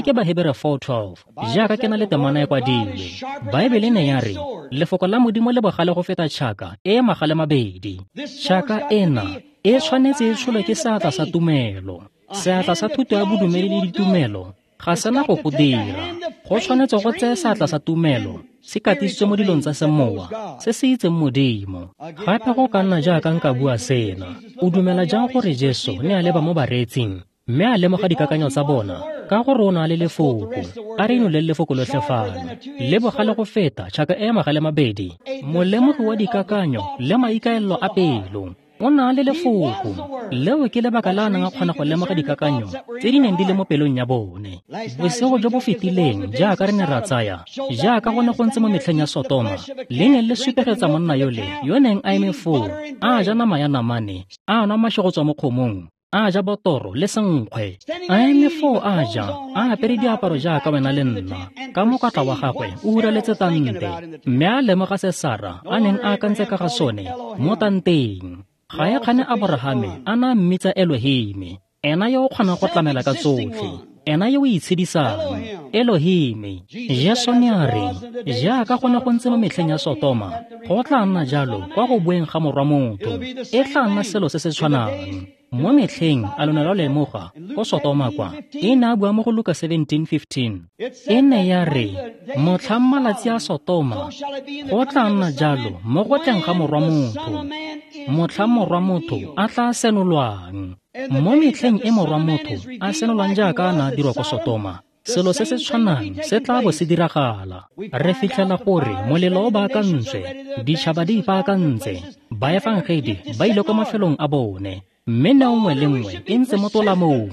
ke Bahebere 4:12. Jaaka ke na le temana e kwadilwe. Baebele ne ya re, lefoko la Modimo le bogale go feta tšhaka e magale mabedi. Tšhaka ena e tshwanetse e tsholwe ke seatla sa tumelo. Seatla sa thuto ya bodumedi le ditumelo ga sena go go dira. Go tshwanetse go tseye seatla sa tumelo se katisitswe mo dilong tsa semowa se se itseng Modimo. Gape go ka nna jaaka nka bua sena. O dumela jang gore Jesu ne a leba mo bareetsing mme a lemoga dikakanyo tsa bona ka gore o na le lefoko? A re inoleng lefoko lotlhe fano. Le bogale go feta tšhaka e magale mabedi, molemogi wa dikakanyo le maikaelelo a pelo. O na le lefoko. Leo ke lebaka la a neng a kgona go lemoga dikakanyo tse di neng di le mo pelong ya bone. Bosigo jo bo fetileng jaaka re ne ra tsaya, jaaka go ne go ntse mo metlheng ya Sotoma, le neng le supegetsa monna yole yo neng a eme foo, a ja nama ya namane, a nwa maši go tswa mo kgomong, a ja botoro le senkgwe, a eme foo a ja, a apere diaparo jaaka wena le nna, ka mokwatla wa gagwe o huraletse tante, mme a lemoga se Sara a neng a akantse ka ga sone mo tanteng. Ga e kgane Aborahame a na mmitsa Elohime, ena yo o kgonang go tlamela ka tsotlhe, ena yo o itshedisang, Elohime. Jesu ne a re, jaaka go ne go ntse mo metlheng ya Sotoma, go tla nna jalo kwa go boeng ga Morwa Motho. E tla nna selo se se tshwanang. Mo metlheng a lo ne lwa lemoga ko Sotoma kwa, e ne a bua mo go Luka 17:15. E ne ya re, motlhang malatsi a Sotoma, go tla nna jalo mo go tleng ga Morwa Motho. Motlhang Morwa Motho a tla senolwang. Mo metlheng e Morwa Motho a senolwang jaaka a ne a dirwa ko Sotoma, selo se se tshwanang se tla bo se diragala. Re fitlhela gore molelo o baakantswe, ditšhaba di ipaakantse, baefangedi ba ile kwa mafelong a bone, mme neo nngwe le nngwe e ntse mo tolamong.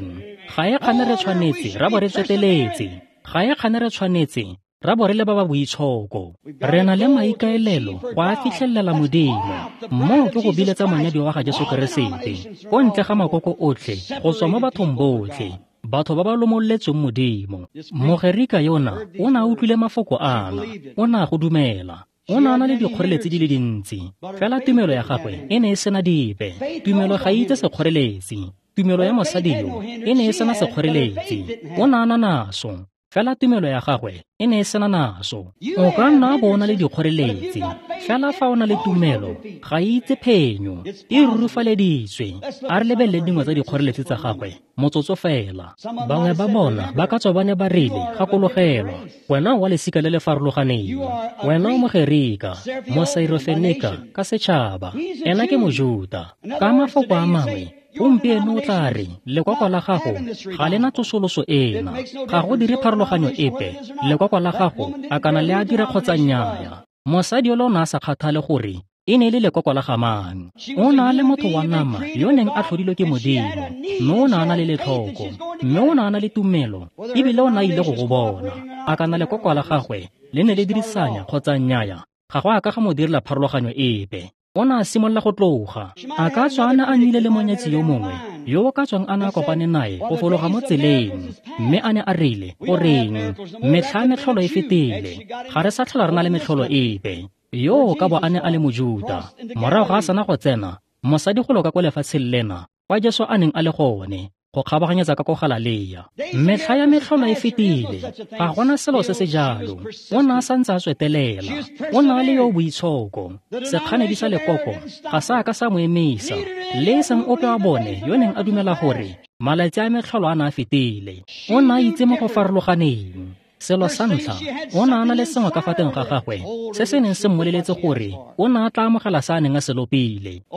Ga e kgane re tshwanetse ra bo re tsweteletse. Ga e kgane re tshwanetse ra bo re le ba ba boitshoko. Re na le maikaelelo go a fitlhelela Modimo. Moo ke go biletsa monyadiwa wa ga Jesu Keresete ko ntle ga makoko otlhe go tswa mo bathong botlhe, batho ba ba lomoletsweng Modimo. Mogerika yona o ne a utlwile mafoko ana, o ne a go dumela. O ne a na le dikgoreletsi di le dintsi, fela tumelo ya gagwe e ne e sena dipe. Tumelo ga e itse sekgoreletsi. Tumelo ya mosadi yo e ne e sena sekgoreletsi. O ne a na naso, fela tumelo ya gagwe e ne e sena naso. O ka nna bo o na le dikgoreletsi, fela fa o na le tumelo ga e itse phenyo, e rurufaleditswe. A re lebelele dingwe tsa dikgoreletsi tsa gagwe motsotso fela. Bangwe ba bona ba ka tswa ba ne ba rile, gakologelwa, wena wa lesika le le farologaneng, wena o Mogerika, Mosairofenika ka setšhaba, ena ke Mojuta. Ka mafoko a mangwe, gompieno o tla re, lekoko la gago ga le na tsosoloso ena, ga go dire pharologanyo epe, lekoko la gago a kana le a dira kgotsa nnyaya. Mosadi yole o ne a sa kgathale gore e ne e le lekoko la ga mang. O ne a le motho wa nama yo neng a tlhodilwe ke Modimo, mme o ne a na le letlhoko, mme o ne a na le tumelo, ebile o ne a ile go go bona. A kana lekoko la gagwe le ne le dirisanya kgotsa nnyaya, ga go a ka ga mo direla pharologanyo epe. O ne a simolola go tloga. A ka tswa a ne a nnile le monyetsi yo mongwe yo o ka tswang a ne a kopane nae go fologa mo tseleng, mme a ne a rile, goreng, metlha metlholo e fetile, ga re sa tlhola re na le metlholo epe. Yo ka bo a ne a le Mojuta. Morago ga a sena go tsena, mosadi go loka ko lefatsheng lena kwa Jesu a neng a le gone, go kgabaganyetsa ka ko Galalea. Metlha ya metlholo e fetile, ga gona selo se se jalo. O ne a santse a tswetelela. O ne a le yo boitshoko. Sekganedi sa lekoko ga sa ka sa mo emisa, le e seng ope wa bone yo neng a dumela gore malatsi a metlholo a ne a fetile. O ne a itse mo go farologaneng. Selo sa ntlha, o ne a na le sengwe ka fa teng ga gagwe se se neng se mmoleletse gore o ne a tla amogela se a neng a se lopile.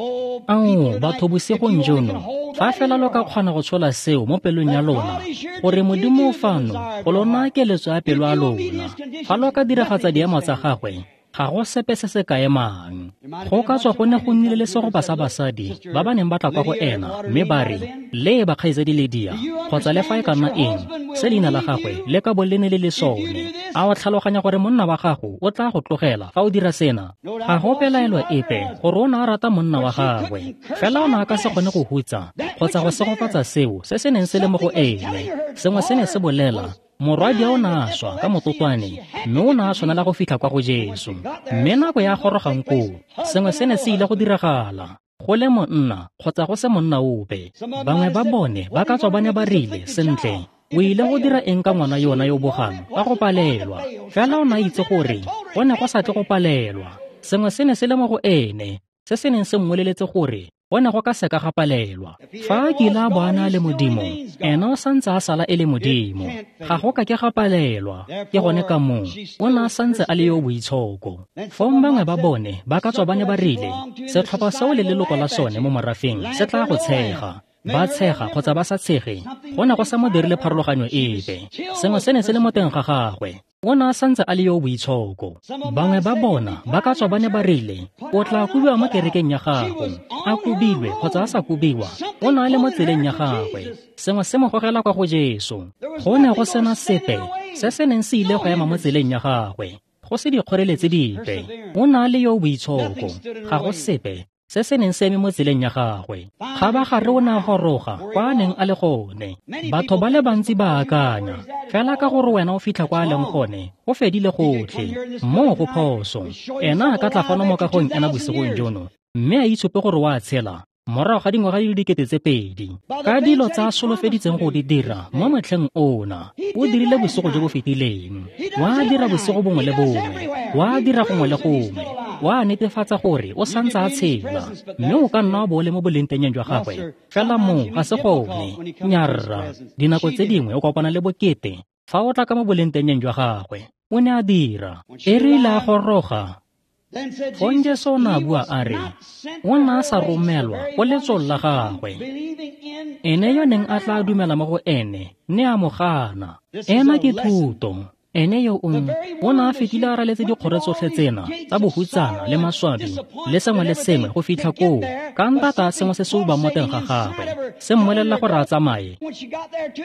Ao, batho bosigong jono, fa fela lo ka kgona go tshola seo mo pelong ya lona, gore Modimo o fano go lo naya keletso ya pelo ya lona, fa lo ka diragatsa diemo tsa gagwe, Ga go sepe se se ka emang. Go ka tswa go ne go nnile le segopa sa basadi ba ba neng ba tla kwa go ena mme ba re, "Leba kgaitsadi Lydia," kgotsa le fa e ka nna eng se leina la gagwe le ka bo le ne le le sone. A o tlhaloganya gore monna wa gago o tla go tlogela fa o dira sena? Ga go pelaelo epe gore o ne a rata monna wa gagwe, fela o ne a ka se kgone go hutsa kgotsa go segofatsa seo se se neng se le mo go ene. Sengwe se ne se bolela, morwadia o ne a swa ka mototwane, mme o ne a tshwanela go fitlha kwa go Jesu. Mme nako ya gorogang koo, sengwe se ne se ile go diragala, go le monna kgotsa go se monna ope. Bangwe ba bone ba ka tswa ba ne ba rile, "Sentle, o ile go dira eng ka ngwana yona yo bogang ka go palelwa?" Fela o ne a itse gore go ne go sa tle go palelwa. Sengwe se ne se le mo go ene se se neng se mmoleletse gore go ne go ka seka ga palelwa. Fa a kile a bo a na le Modimo, ena o santse a sala e le Modimo. Ga go ka ke ga palelwa. Ke gone ka moo o ne a santse a le yo boitshoko. Fong bangwe ba bone ba ka tswa ba ne ba rile, "Setlhopha seo le leloko la sone mo morafeng se tla go tshega." Ba tshega kgotsa ba sa tshege, go ne go sa mo dirile pharologanyo epe. Sengwe se ne se le mo teng ga gagwe. O ne a santse a le yo boitshoko. Bangwe ba bona ba ka tswa ba ne ba rile, "O tla kobiwa mo kerekeng ya gago." A kobilwe kgotsa a sa kobiwa, o ne a le mo tseleng ya gagwe. Sengwe se mo gogela kwa go Jesu. Go ne go sena sepe se se neng se ile go ema mo tseleng ya gagwe, go se dikgoreletsi dipe. O ne a le yo boitshoko. Ga go sepe se se neng se eme mo tseleng ya gagwe. Kgabagare o ne a goroga kwa a neng a le gone. Batho ba le bantsi ba akanya fela ka gore wena o fitlha kwa a leng gone, go fedile gotlhe. Moo go phoso. Ena a ka tla fano mo kagong ena bosigong jono, mme a itshupe gore o a tshela morago ga dingwaga di le 2000 ka dilo tsa a solofeditseng go di dira mo motlheng ona. O dirile bosigo jo bo fetileng, wa dira bosigo bongwe le bongwe, wa dira gongwe le gongwe, wa netefatsa gore o santse a tshela, mme o ka nna wa bo o le mo bolengtengeng jwa gagwe. Fela moo ga se gone. Nyarra, dinako tse dingwe o kopana le bokete fa o tla ka mo bolengtengeng jwa gagwe. O ne a dira. E rile a goroga, fong Jesu o ne a bua a re, o ne a sa romelwa go letsong la gagwe. Ene yo neng a tla dumela mo go ene ne a mo gana. Ena ke thuto. Ene yo o ne a fetile a raletse dikgoro tsotlhe tsena tsa bohutsana le maswabi le sengwe le sengwe go fitlha koo, ka ntata sengwe se se ubang mo teng ga gagwe se mmolelela gore a tsamaye.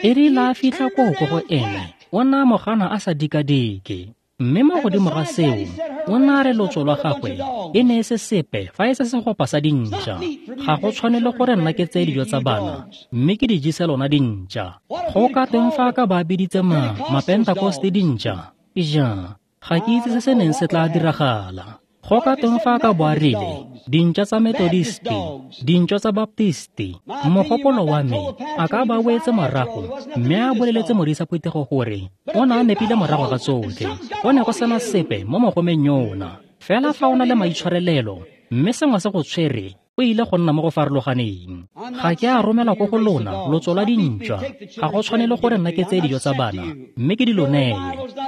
E rile a fitlha koo ko go ene, o ne a mo gana a sa dikadike. Mme mo godimo ga seo, o ne a re lotso lwa gagwe e ne e se sepe fa e se segopa sa dintša. Ga go tshwanele gore nna ke tseye dijo tsa bana mme ke di jese lona dintša. Go ka teng fa a ka ba biditse Mapentakoste dintša? Ija, ga ke itse se se neng se tla diragala. Go ka teng fa a ka bo a rile, dintša tsa Methodisti, dintša tsa Baptisti. Mogopolo wa me a ka ba wetse morago mme a boleletse modisa phuthego gore o ne a nepile morago ga tsotlhe. Go ne go sena sepe mo mogomeng yona. Fela fa o na le maitshwarelelo mme sengwe se go tshwere, o ile go nna mo go farologaneng. Ga ke a romela ko go lona lotso lwa dintšwa. Ga go tshwanele gore nna ke tseye dijo tsa bana mme ke di lo neye.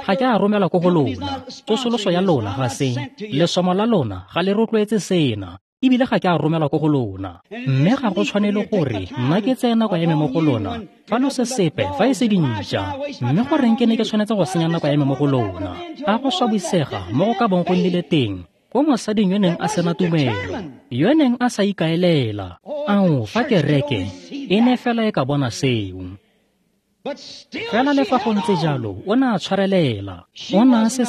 Ga ke a romela ko go lona. Tsosoloso ya lona ga se, lesomo la lona ga le rotloetse sena, ebile ga ke a romela ko go lona. Mme ga go tshwanele gore nna ke tseye nako ya me mo go lona fa lo se sepe fa e se dintšwa. Mme goreng ke ne ke tshwanetse go senya nako ya me mo go lona? A go swabisega mo go ka bong go nnile teng ko mosading yo neng a sena tumelo, yo neng a sa ikaelela. Ao, fa kereke e ne fela e ka bona seo. Fela le fa go ntse jalo, o ne a tshwarelela. O ne a se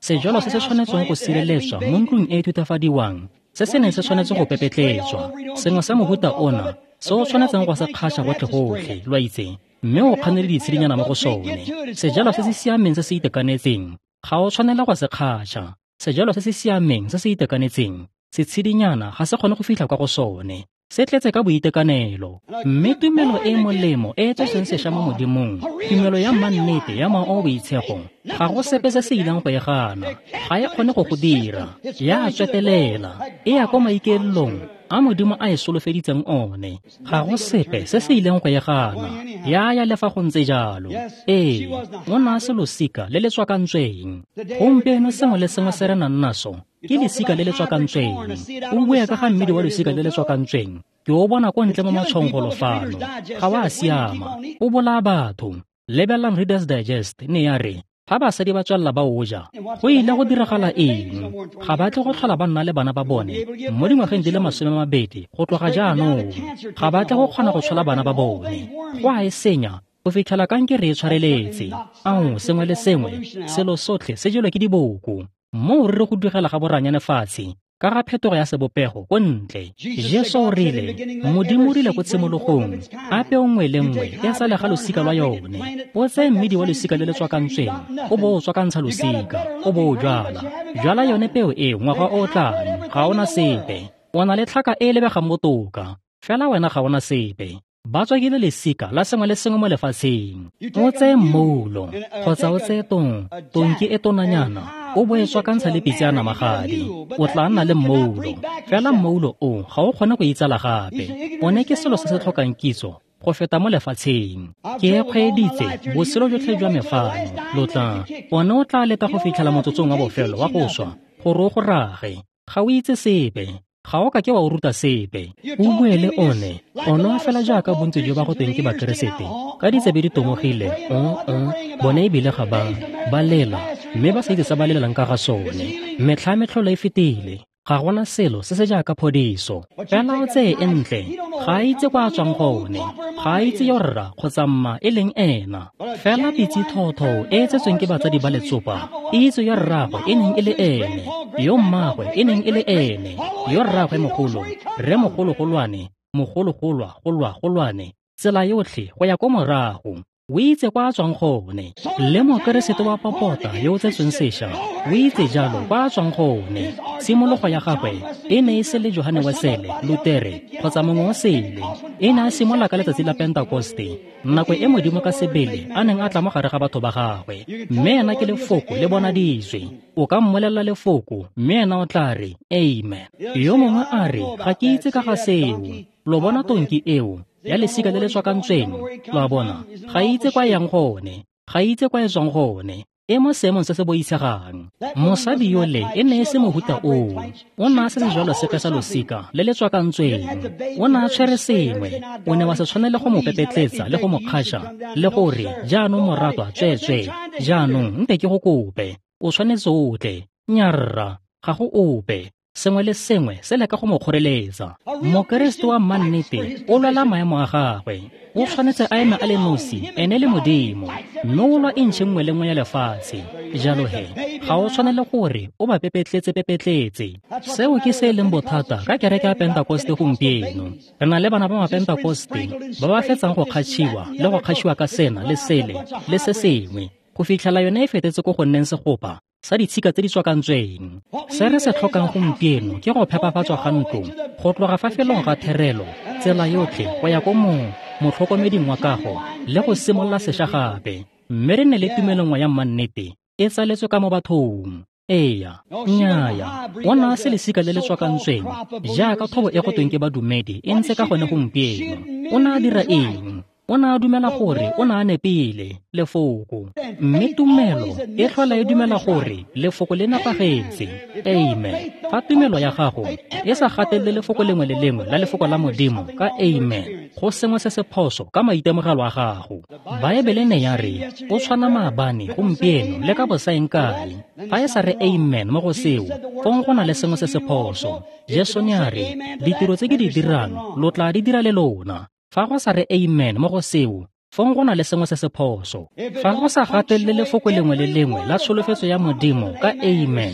sejalo se se tshwanetseng go sireletswa mo ntlong e e thutafadiwang, se se neng se tshwanetse go pepetletswa. Sengwe sa mohuta ona se o tshwanetseng go se kgaša gotlhe-gotlhe, lo a itse, mme o kganele ditshedinyana mo go sone. Sejalo se se siameng se se itekanetseng ga o tshwanela go se kgaša. Sejalo se se siameng se se itekanetseng, setshedinyana ga se kgone go fitlha kwa go sone. Se tletse ka boitekanelo. Mme tumelo e molemo e e tsoseng sešwa mo Modimong, tumelo ya mannete ya mowa o boitshego, ga go sepe se se ileng go e gana. Ga e kgone go go dira. Ya tswetelela, e ya kwa maikaelelong a Modimo a e solofeditseng one. Ga go sepe se se ileng go e gana. Ya ya le fa go ntse jalo. Ee, o ne a se losika le le tswakantsweng. Gompieno sengwe le sengwe se re nang naso ke lesika le le tswakantsweng. O bua ka ga mmidi wa losika le le tswakantsweng, ke o bona ko ntle mo matshwao fano. Ga wa siama, o bolaya batho. Lebelang Reader's Digest ne ya re Fa basadi ba tswelela ba o ja, go ile go diragala eng? Ga ba tle go tlhola ba nna le bana ba bone mo dingwageng di le 20 go tloga jaanong. Ga ba tle go kgona go tshola bana ba bone. Go a e senya go fitlhela kankere e tshwareletse. Ao, sengwe le sengwe, selo sotlhe se jelwe ke diboko. Moo re re go digela ga boranyane fatshe ka ga phetogo ya sebopego ko ntle. Jesu o rile, Modimo o rile ko tshimologong, a peo nngwe le nngwe e sale ga losika lwa yone. O tseye mmidi wa losika le le tswakantsweng, o bo o tswakantsha losika, o bo o jwala. Jwala yone peo eo ngwaga o o tlang, ga ona sepe. O na le tlhaka e e lebegang botoka, fela wena ga ona sepe. Ba tswakile lesika la sengwe le sengwe mo lefatsheng. O tseye mmoulo, kgotsa o tseye tonki e tonanyana, o bo e tswakantsha le pitse ya namagadi, o tla nna le mmoulo. Fela mmoulo o ga o kgone go itsala gape. One ke selo se se tlhokang kitso go feta mo lefatsheng. Ke e kgweeditse botshelo jotlhe jwa me fano. Lo tla, one o tla leta go fitlhela motsotsong wa bofelo wa go swa gore o go rage. Ga o itse sepe. Ga o ka ke wa o ruta sepe. O bue le one, ono fela jaaka bontsi jo ba go tweng ke Bakeresete, ka ditsebe di tomogile, bone ebile ga ba lela, mme ba sa itse se ba lelelang ka ga sone. Metlha metlholo e fetile, ga gona selo se se jaaka phodiso. Fela o tseye e ntle, ga a itse kwa a tswang gone, ga a itse yo rra kgotsa mma e leng ena. Fela pitse thotho e e tsetsweng ke batsadi ba letsopa, e itse yo rraagwe e neng e le ene, yo mmaagwe e neng e le ene, yo rraagwe mogolo, rre mogologolwane, mogologolwa golwa golwane, tsela yotlhe go ya ko morago. O itse kwa a tswang gone. Le Mokeresete wa popota yo o tsetsweng sešwa o itse jalo kwa a tswang gone. Tshimologo ya gagwe e ne e se le Johane Wesele, Lutere kgotsa mongwe o sele. E ne a simolola ka letsatsi la Pentekoste, nako e Modimo ka sebele a neng a tla mo gare ga batho ba gagwe. Mme ena ke lefoko le bonaditswe. O ka mmolelela lefoko, mme ena o tla re amen. Yo mongwe a re, ga ke itse ka ga seo. Lo bona tonki eo ya lesika le le tswakantsweng, lo a bona, ga itse kwa e yang gone, ga itse kwa e tswang gone, e mo seemong se se boitshegang. Mosadi yole e ne e se mohuta oo. O ne a se sejwalo sepe sa losika le le tswakantsweng. O ne a tshwere sengwe. O ne wa se tshwanele go mo pepetletsa le go mo kgaša, le gore jaanong moratwa tsweetswe, jaanong nte ke go kope, o tshwanetse o tle. Nyarra, ga go ope. Sengwe le sengwe se leka go mo kgoreletsa. Mokeresete wa mannete o lwela maemo a gagwe. O tshwanetse a eme a le nosi, ene le Modimo, mme o lwa intšhe nngwe le nngwe ya lefatshe. Jalo he, ga o tshwanele gore o ba pepetletse. Seo ke se e leng bothata ka kereke ya Pentekoste gompieno. Re na le bana ba Mapentekoste ba ba fetsang go kgatšhiwa le go kgatšhiwa ka sena le sele le se sengwe, go fitlhela yone e fetetse ko go nneng segopa sa ditshika tse di tswakantsweng. Se re se tlhokang gompieno ke go phepafatswa ga ntlo, go tloga fa felong ga therelo, tsela yotlhe go ya ko motlhokomeding wa kago, le go simolola sešwa gape. Mme re nne le tumelo nngwe ya mannete e tsaletswe ka mo bathong. Eya, nnyaya, o ne a se lesika le le tswakantsweng jaaka thobo e go tweng ke badumedi e ntse ka gone gompieno. O ne a dira eng? O ne a dumela gore o ne a nepile lefoko, mme tumelo e tlhola e dumela gore lefoko le nepagetse. Amen. Fa tumelo ya gago e sa gatelele lefoko lengwe le lengwe la lefoko la Modimo ka amen, go sengwe se se phoso ka maitemogelo a gago. Baebele ne ya re o tshwana maabane, gompieno le ka bosaeng kae. Fa e sa re amen mo go seo, fong go na le sengwe se se phoso. Jesu ne a re, ditiro tse ke di dirang lo tla di dira le lona. Fa go sa re amen mo go seo, fong go na le sengwe se se phoso. Fa go sa gatelele lefoko lengwe le lengwe la tsholofetso ya Modimo ka amen,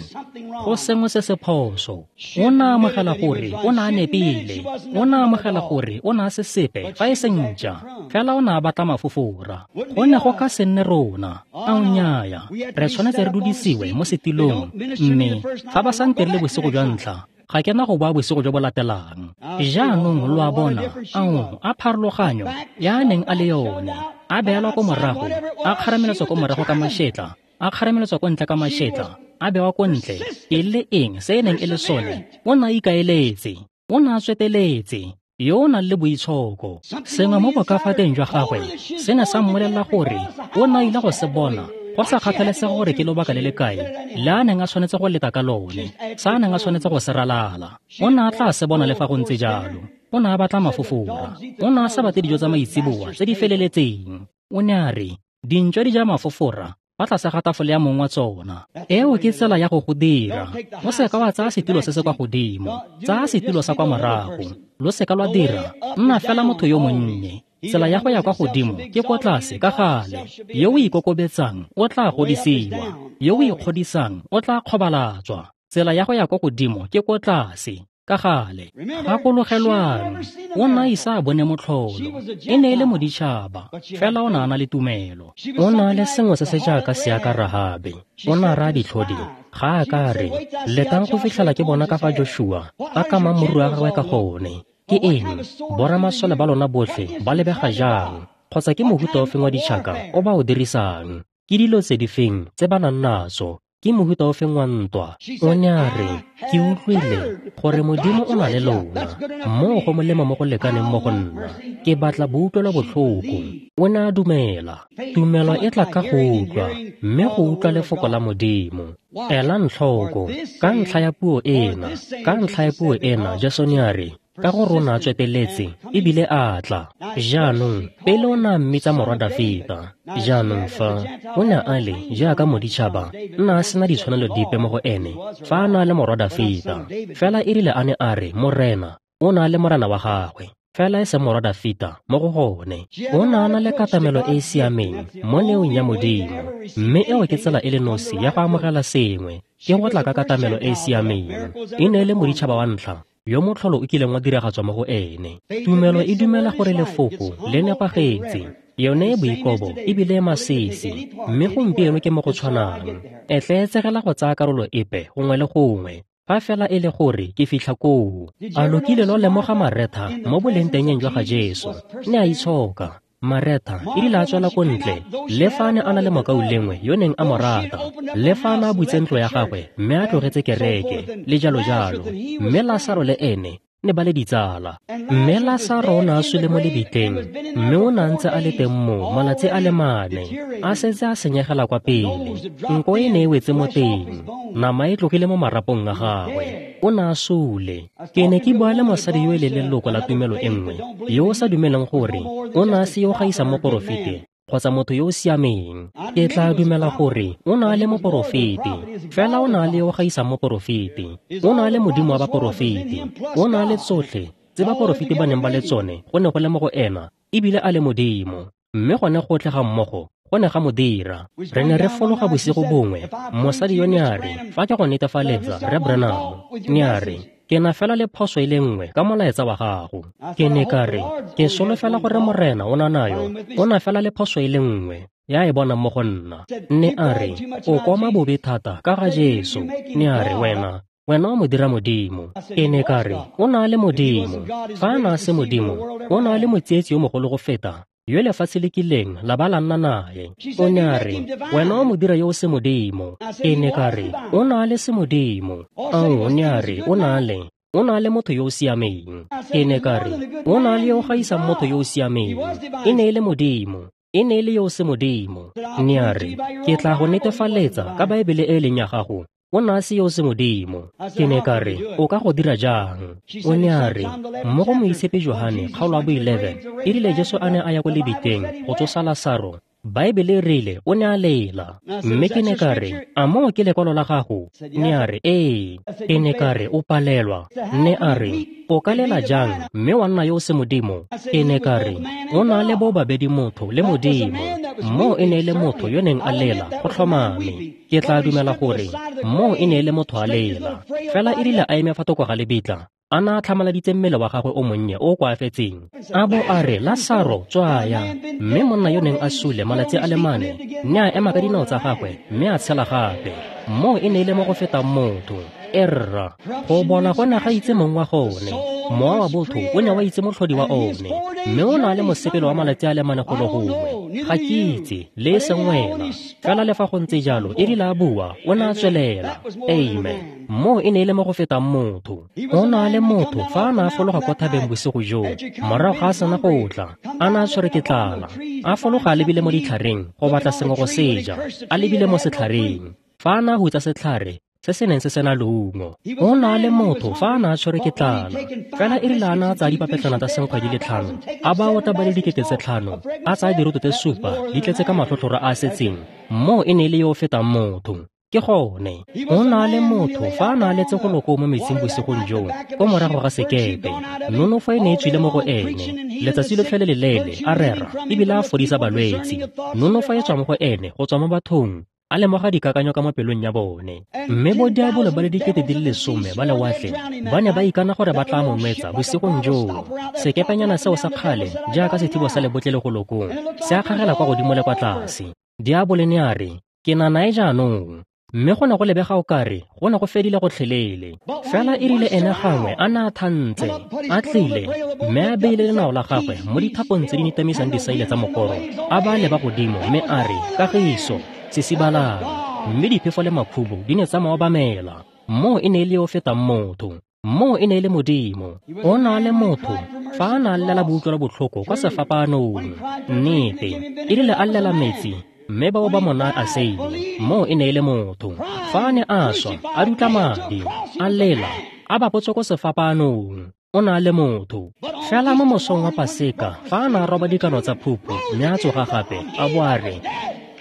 go sengwe se se phoso. O ne a amogela gore o ne a nepile. O ne a amogela gore o ne a se sepe fa e se ntša, fela o ne a batla mafofora. Go ne go ka se nne rona. Ao nnyaya, re tshwanetse re dudisiwe mo setilong, mme fa ba sa ntirile bosigo jwa ntlha, ga ke na go boa bosigo jo bo latelang. Jaanong lo a bona, ao a pharologanyo ya neng a le yone, a beelwa ko morago, a kgarameletswa ko morago ka mašetla, a kgarameletswa ko ntle ka mašetla, a bewa ko ntle. E le eng se e neng e le sone? O ne a ikaeletse, o ne a tsweteletse, yo o nang le boitshoko. Sengwe mo bokafateng jwa gagwe se ne sa mmolelela gore o ne a ile go se bona, go sa kgathalesege gore ke lobaka le le kae le a neng a tshwanetse go leta ka lone, sa a neng a tshwanetse go se ralala. O ne a tla se bona le fa go ntse jalo. O ne a batla mafofora. O ne a sa batle dijo tsa maitseboa tse di feleletseng. O ne a re, dintšwa di ja mafofora fa tlase ga tafole ya mong wa tsona. Eo ke tsela ya go go dira. O seka wa tsaya setilo se se kwa godimo, tsaya setilo sa kwa morago. Lo seka lwa dira, nna fela motho yo monnye. Tsela ya go ya kwa godimo ke ko tlase ka gale. Yo o ikokobetsang o tla godisiwa, yo o ikgodisang o tla kgobalatswa. Tsela ya go ya kwa godimo ke ko tlase ka gale. Gakologelwang, o ne a ise a bone motlholo. E ne e le moditšhaba, fela o ne a na le tumelo. O ne a le sengwe se se jaaka seaka Rahabe. O ne a raya ditlhodi, ga a ka re, letang go fitlhela ke bona ka fa Joshua a kamang moriri wa gagwe ka gone. Ke eng? Boramasole ba lona botlhe ba lebega jang? Kgotsa ke mohuta ofeng wa ditšhaka o ba o dirisang? Ke dilo tse di feng tse ba nang natso? Ke mohuta ofeng wa ntwa? O ne a re, ke utlwile gore Modimo o na le lona, moo go molemo mo go lekaneng mo go nna. Ke batla boutlwelo botlhoko. O ne a dumela. Tumelo e tla ka go utlwa, mme go utlwa lefoko la Modimo. Elang tlhoko, ka ntlha ya puo ena, ka ntlha ya puo ena, Jesu ne a re, ka gore o ne a tsweteletse ebile a tla. Jaanong pele o ne a mmitsa morwa Dafita. Jaanong fa o ne a le jaaka moditšhaba, nna a sena ditshwanelo dipe mo go ene fa a na le morwa Dafita. Fela e rile a ne a re Morena, o ne a le morena wa gagwe, fela e se morwa Dafita mo go gone. O ne a na le katamelo e e siameng mo neong ya Modimo, mme eo ke tsela e le nosi ya go amogela sengwe, ke go tla ka katamelo e e siameng. E ne e le moditšhaba wa ntlha yo motlholo o kileng wa diragatswa mo go ene. Tumelo e dumela gore lefoko le nepagetse, yone e boikobo ebile e masisi, mme gompieno ke mo go tshwanang. E tleetsegela go tsaya karolo epe gongwe le gongwe, fa fela e le gore ke fitlha koo. A lo kile lo lemoga Maretha mo bolengtengeng jwa ga Jesu? Ne a itshoka. Maretha e rile a tswela ko ntle, le fa a ne a na le mokaulengwe yo neng a mo rata, le fa a ne a butse ntlo ya gagwe mme a tlogetse kereke, le jalo jalo. Mme Lasaro le ene ne ba le ditsala. Mme Lasaro o ne a sule mo lebitleng, mme o ne a ntse a le teng mo malatsi a le mane, a setse a senyegela kwa pele. Nko e ne e wetse mo teng, nama e tlogile mo marapong a gagwe. O ne a sule. Ke ne ke bua le mosadi yo e leng leloko la tumelo e nngwe, yo o sa dumeleng gore o ne a se yo gaisang moporofete kgotsa motho yo o siameng. Ke tla dumela gore o ne a le moporofete, fela o ne a le yo gaisang moporofete. O ne a le Modimo wa baporofete. O ne a le tsotlhe tse baporofete ba neng ba le tsone go ne go le mo go ena, ebile a le Modimo. Mme gone gotlhe ga mmogo go ne ga mo dira. Re ne re fologa bosigo bongwe, mosadi yo ne a re, fa ke go netefaletsa Rre Branham, ne a re, ke na fela le phoso e le nngwe ka molaetsa wa gago. Ke ne ka re, ke solofela gore Morena o na nayo, o na fela le phoso e le nngwe ya e bonang mo go nna. Ne a re, o koma bobe thata ka ga Jesu. Ne a re, wena o mo dira Modimo. Ke ne ka re, o na le Modimo. Fa a na se Modimo, o na le motsietsi yo mogolo go feta yo lefatshe le kileng la ba la nna nae. O ne a re, wena o mo dira yo o se Modimo. Ke ne ka re, o na le se Modimo. Ao, ne a re, o na le motho yo o siameng. Ke ne ka re, o na le yo gaisang motho yo o siameng. E ne e le Modimo, e ne e le yo o se Modimo. Ne a re, ke tla go netefaletsa ka Baebele e leng ya gago, o ne a se yo se Modimo. Ke ne ka re, o ka go dira jang? O ne a re, mo go Moitshepi Johane kgaolo ya bo 11, e rile Jesu a ne a ya ko lebitleng go tsosa Lasaro, Baebele e rile o ne a lela. Mme ke ne ka re, a moo ke lekwalo la gago? Ne a re, ee. Ke ne ka re, o palelwa. Ne a re, o ka lela jang mme wa nna yo o se Modimo? Ke ne ka re, o na le bo babedi motho le Modimo. Moo e ne e le motho yo neng a lela go tlhomame. Ke tla dumela gore moo e ne e le motho a lela. Fela e rile a eme fa thoko ga lebitla, a na a tlhamaladitse mmele wa gagwe o monnye o koafetseng, a bo a re, Lasaro, tswaya. Mme monna yo neng a sule malatsi a le mane ne a ema ka dinao tsa gagwe mme a tshela gape. Moo e ne e le mo go fetang motho. Erra, go bona go ne ga itse mong wa gone. Mowa wa botho o ne wa itse motlhodi wa one, mme o na le mosepelo wa malatsi a le mane golo gongwe. Ga ke itse, le e seng wena. Fela le fa go ntse jalo, e rile a bua, o ne a tswelela. Amen. Moo e ne e le mo go fetang motho. O na le motho fa a ne a fologa kwa thabeng bosigo joo, morago ga a sena go tla, a ne a tshwere ke tlala. A fologa a lebile mo ditlhareng go batla sengwe go se ja, a lebile mo setlhareng. Fa a ne a hutsa setlhare, se se neng se sena leungo. O na le motho fa a ne a tshwerwe ke tlala. Fela e rile a ne a tsaya dipapetlana tsa senkgwe di le 5, a ba otla ba le 5,000, a tsaya diroto tse 7 di tletse ka matlhotlhoro a a setseng, moo e ne e le yo o fetang motho. Ke gone, o na le motho fa a ne a letse go loko mo metsing bosigong joo, ko morago ga sekepe. Nonofo e ne e tswile mo go ene, letsatsi lotlhe le leleele, a rera, ebile a fodisa balwetsi. Nonofo e tswa mo go ene, go tswa mo bathong, a lemoga dikakanyo ka mo pelong ya bone. Mme bodiabolo ba le 10,000 ba lewatle ba ne ba ikana gore ba tla mo nwetsa bosigong joo. Sekepenyana seo sa kgale, jaaka sethibo sa lebotle le go lokong, se a kgagela kwa godimo le kwa tlase. Diabolo ne a re, ke na nae jaanong. Mme go ne go lebega o kare go ne go fedile gotlhelele. Fela e rile ene gangwe a ne a thantse, a tlile, mme a beile lenao la gagwe mo dithapong tse di nitamisang disaile tsa mokoro, a ba leba godimo mme a re, kagiso, sisibalang. Mme diphefo le makhubu di ne tsa mo obamela. Moo e ne e le yo o fetang motho. Moo e ne e le Modimo. O na le motho fa a ne a llela boutlwelo botlhoko kwa sefapaanong. Nnete, e rile a llela metsi, mme bao ba mo naya aseine. Moo e ne e le motho. Fa a ne a swa, a dutla madi, a lela, a bapotswe ko sefapaanong. O na le motho. Fela mo mosong wa Paseka, fa a ne a roba dikano tsa phupu, mme a tsoga gape, a bo a re,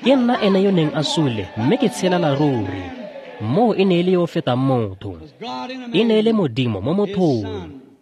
ke nna ene yo neng a sule, mme ke tshelela ruri. Moo e ne e le yo o fetang motho. E ne e le Modimo mo mothong,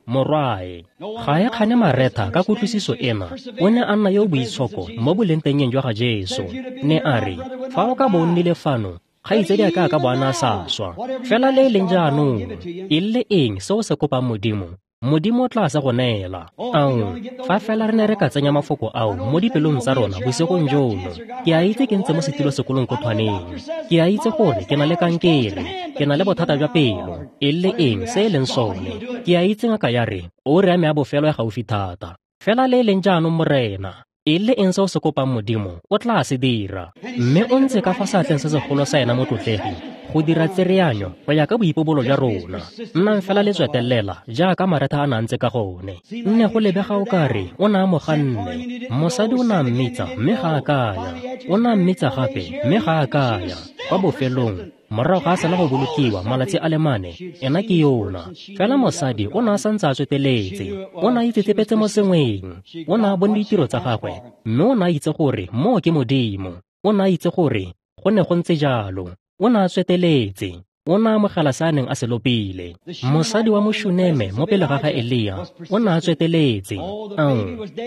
morwae. Ga e kgane Maretha ka kutlwisiso ena, o ne a nna yo o boitshoko mo bolengtengeng jwa ga Jesu. Ne a re, fa o ka bo o nnile fano, kgaitsedi a ka bo a ne a sa swa. Fela le e leng jaanong, e le eng se o se kopang Modimo? Modimo o tla se go neela. Ao, fa fela re ne re ka tsenya mafoko ao mo dipelong tsa rona bosigong jono. Ke a itse ke ntse mo setilo sekolong ko thwaneng. Ke a itse gore ke na le kankere, ke na le bothata jwa pelo, e le eng se e leng sone. Ke a itse ngaka ya re, oura ya me ya bofelo e gaufi thata. Fela le e leng jaanong Morena, e le eng se o se kopang Modimo, o tla se dira. Mme o ntse ka fa seatleng se segolo sa ena motlotlegi, go dira tsereanyo go ya ka boipobolo jwa rona. Nnang fela le tswetelela jaaka Maretha a na ntse ka gone. Nne go lebega o kare o ne a mo ganne. Mosadi o ne a mmitsa mme ga a kaya. O ne a mmitsa gape mme ga a kaya. Kwa bofelong, morago ga a sena go bolokiwa malatsi a le 4, ena ke yona. Fela mosadi o ne a santse a tsweteletse. O ne a itsetsepetse mo sengweng. O ne a bone ditiro tsa gagwe, mme o ne a itse gore moo ke Modimo. O ne a itse gore go ne go ntse jalo. O ne a tsweteletse. O ne a amogela se a neng a se lopile. Mosadi wa Moshuneme mo pele ga ga Elia o ne a tsweteletse. Ao,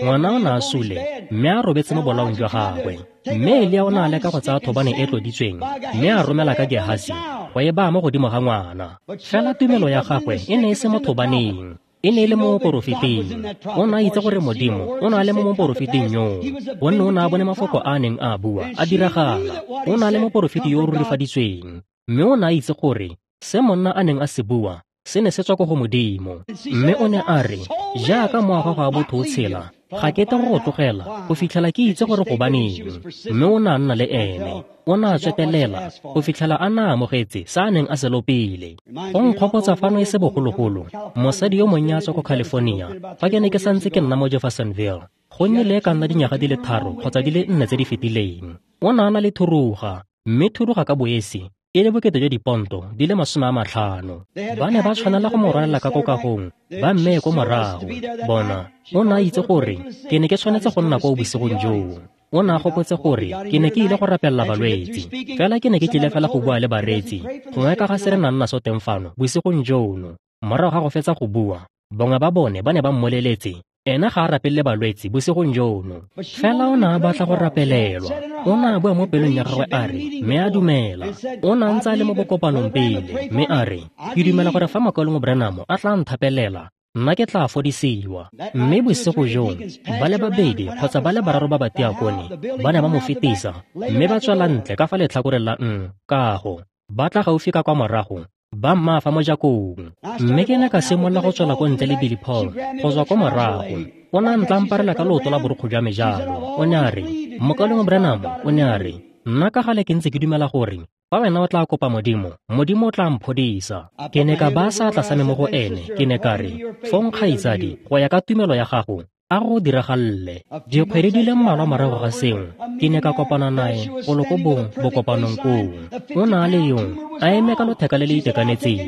ngwana o ne a sule, mme a robetse mo bolaong jwa gagwe. Mme Elia o ne a leka go tsaya thobane e tloditsweng, mme a romela ka Gehasi go e baya mo godimo ga ngwana. Fela tumelo ya gagwe e ne e se mo thobaneng. E ne e le mo moporofeting. O ne a itse gore Modimo o ne a le mo moporofeting yoo, gonne o ne a bone mafoko a a neng a bua a diragala. O ne a le moporofeti yo o rurifaditsweng, mme o ne a itse gore se monna a neng a se bua se ne se tswa ko go Modimo. Mme o ne a re, jaaka mowa wa gago wa botho o tshela, ga ke tle go go tlogela go fitlhela ke itse gore gobaneng. Mme o ne a nna le ene. O ne a tswetelela go fitlhela a na amogetse se a neng a se lopile. Go nkgopotsa fano e se bogologolo, mosadi yo monnye a tswa ko California, fa ke ne ke santse ke nna mo Jeffersonville, go nnile e ka nna dinyaga di le 3 kgotsa di le 4 tse di fetileng. O ne a na le thuruga, mme thuruga ka boesi e le bokete jwa diponto di le 50. Ba ne ba tshwanela go mo rwalela ka kokagong, ba mmeye ko morago. Bona, o ne a itse gore ke ne ke tshwanetse go nna koo bosigong joo. O ne a gopotse gore ke ne ke ile go rapelela balwetsi, fela ke ne ke tlile fela go bua le bareetsi, gongwe ka ga se re nang naso teng fano bosigong jono. Morago ga go fetsa go bua, bangwe ba bone ba ne ba mmoleletse, ena ga a rapelele balwetsi bosigong jono. Fela o ne a batla go rapelelwa. O ne a bua mo pelong ya gagwe a re, mme a dumela. O ne a ntse a le mo bokopanong pele, mme a re, ke dumela gore fa Mokaulengwe Branham a tla nthapelela, nna ke tla fodisiwa. Mme bosigo joo, ba le 2 kgotsa ba le 3 ba batiakone ba ne ba mo fetisa, mme ba tswela ntle ka fa letlhakoreng la kago, ba tla gaufi ka kwa morago, ba mmaa fa mojakong. Mme ke ne ka simolola go tswela ko ntle le Billy Paul go tswa ko morago. O ne a ntlamparela ka leoto la borokgo jwa me jalo. O ne a re, Mokaulengwe Branham, o ne a re, nna ka gale ke ntse ke dumela gore fa wena o tla kopa Modimo, Modimo o tla mphodisa. Ke ne ka baya seatla sa me mo go ene, ke ne ka re, fong kgaitsadi, go ya ka tumelo ya gago, A go diragalle. Dikgwedi di le mmalwa morago ga seo, ke ne ka kopana nae golo ko bokopanong koo. O ne a le yo, a eme ka lotheka le le itekanetseng.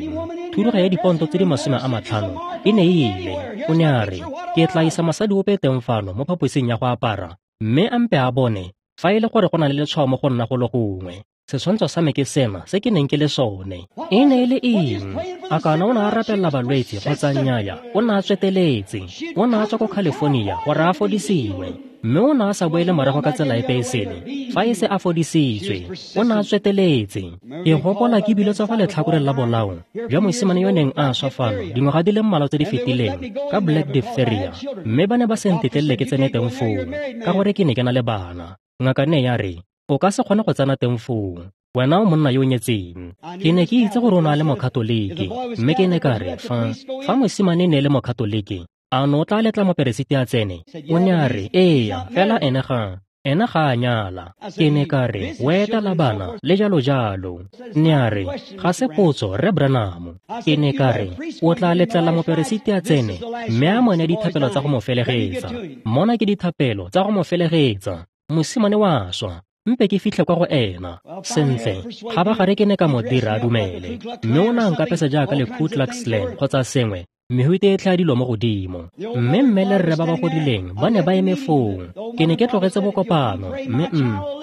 Thuruga ya diponto tse di 50 e ne e ile. O ne a re, ke tla isa mosadi ope teng fano mo phaposing ya go apara, mme a mpe a bone fa e le gore go na le letshwao mo go nna go le gongwe. Setshwantsho sa me ke sena se ke neng ke le sone. E ne e le eng? A kana o ne a rapelela balwetse kgotsa nnyaya, o ne a tsweteletse. O ne a tswa ko California gore a fodisiwe, mme o ne a sa boele morago ka tsela epe e sele fa e se a fodisitswe. O ne a tsweteletse. Ke gopola ke bile tswa fa letlhakoreng la bolao jwa mosimane yo neng a swa fano dingwaga di le mmalwa tse di fetileng ka black diphtheria, mme ba ne ba se ntetlelele ke tsene teng foo ka gore ke ne ke na le bana. Ngaka ne ya re, o ka se kgone go tsena teng foo, wena o monna yo o nyetseng. Ke ne ke itse gore o ne a le mokatoliki, mme ke ne ka re fa mosimane ne e le mokatoliki, a no o tla letla moperesiti a tsene? O ne a re, eya, fela ene ga a nyala. Ke ne ka re, o etela bana le jalo jalo. Ne a re, ga se potso, Rre Branham. Ke ne ka re, o tla letlela moperesiti a tsene mme a mo neye dithapelo tsa go mo felegetsa. Mona ke dithapelo tsa go mo felegetsa. Mosimane wa swa. Mpe ke fitlhe kwa go ena. Sentle, kgabagare ke ne ka mo dira a dumele, mme o ne a nkapesa jaaka le Ku Klux Klan kgotsa sengwe, mehute e tlha dilo mo godimo. Mme mme le rre ba ba godileng ba ne ba eme foo. Ke ne ke tlogetse bokopano, mme